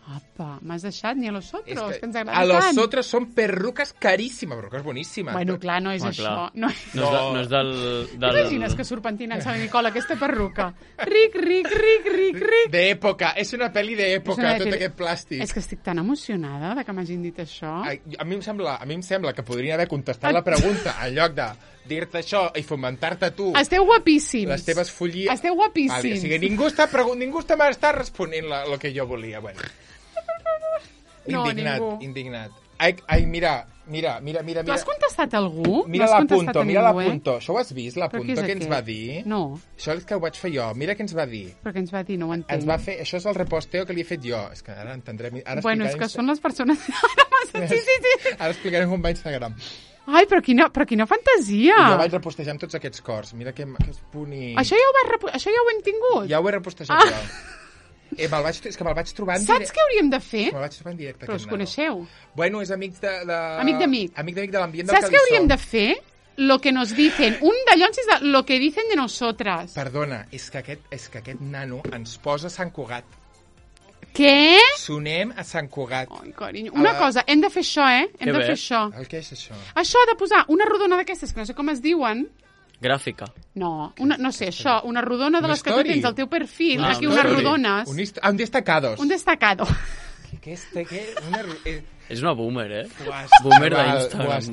Apa, m'has deixat ni a los otros, que ens agrada tant. A los tant. otros són perruques caríssimes, perruques boníssimes. Bueno, clar, no és això. No és del... T'imagines que surt pentinant Sant Nicola aquesta perruca? Ric, ric, ric, ric, ric. D'època, és una pel·li d'època, tot aquest plàstic. És que estic tan emocionada de que m'hagin dit això. A mi em sembla que podrien haver contestat la pregunta en lloc de dir-te això i fomentar-te tu. Esteu guapíssims. Les teves follies. Esteu guapíssims. Vale, o sigui, ningú està responent el que jo volia. Bueno. Indignat. Ai, mira. Tu has contestat a algú? Mira l'Apunto. Això ho has vist, l'Apunto, que ens va dir? No. Això és que ho vaig fer jo. Mira què ens va dir. Però què ens va dir? No ho entenc. Ens va fer... Això és el reposteo que li he fet jo. És que ara entendrem... Bueno, és que són les persones... Sí. Ara explicarem com va Instagram. Ai, però quina fantasia! Jo vaig repostejar amb tots aquests cors. Mira que bonic. Això ja ho hem tingut? Ja ho he repostejat jo. És que me'l vaig trobar en directe. Saps què hauríem de fer? Me'l vaig trobar en directe. Però us coneixeu? Bueno, és amic de... Amic d'amic. Amic d'amic de l'ambient del Saps què hauríem de fer? Lo que nos dicen. Un d'allons és lo que dicen de nosotras. Perdona, és que aquest nano ens posa a Sant Cugat. Què? Sonem a Sant Cugat. Ai, carinyo. Una cosa, hem de fer això, Hem de fer això. Què és això? Això de posar una rodona d'aquestes, que no sé com es diuen... Gràfica. No sé, això, una rodona de les que tu tens al teu perfil, aquí unes rodones. Un destacados. Un destacado. És una boomer, Boomer d'Instagram.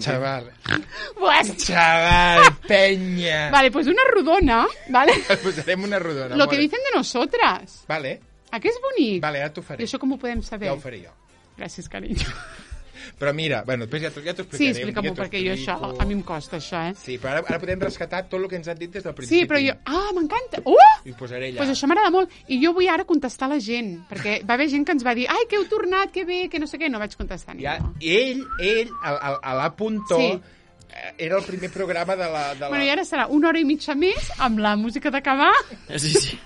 Chaval, penya. Vale, pues una rodona, ¿vale? Posarem una rodona. Lo que dicen de nosotras. Vale. ¿A què és bonic? Vale, ara t'ho faré. I això com ho podem saber? Ja ho faré jo. Gràcies, carinyo. Però mira, bueno, després ja t'ho explicaré. Sí, explica-m'ho, perquè jo això, a mi em costa això, Sí, però ara podem rescatar tot el que ens han dit des del principi. Sí, però jo... Ah, m'encanta! I ho posaré allà. Pues això m'agrada molt. I jo vull ara contestar a la gent, perquè va haver gent que ens va dir ai, que heu tornat, que bé, que no sé què, no vaig contestar ni no. I ell, a l'Apuntó, era el primer programa de la... Bueno, i ara serà 1 hora i mitja més amb la música d'acabar. Sí.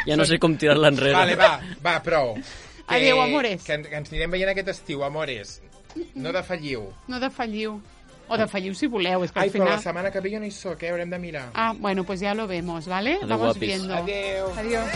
Ja no sé com tirar-la enrere. Vale, va, prou. Adéu, amores. Que ens anirem veient aquest estiu, amores. No defalliu. No defalliu. O defalliu si voleu, és que al final... Però la setmana que ve jo no hi soc, haurem de mirar. Bueno, pues ya lo vemos, ¿vale? Adéu, Vamos guapis. viendo. Adéu. Adiós.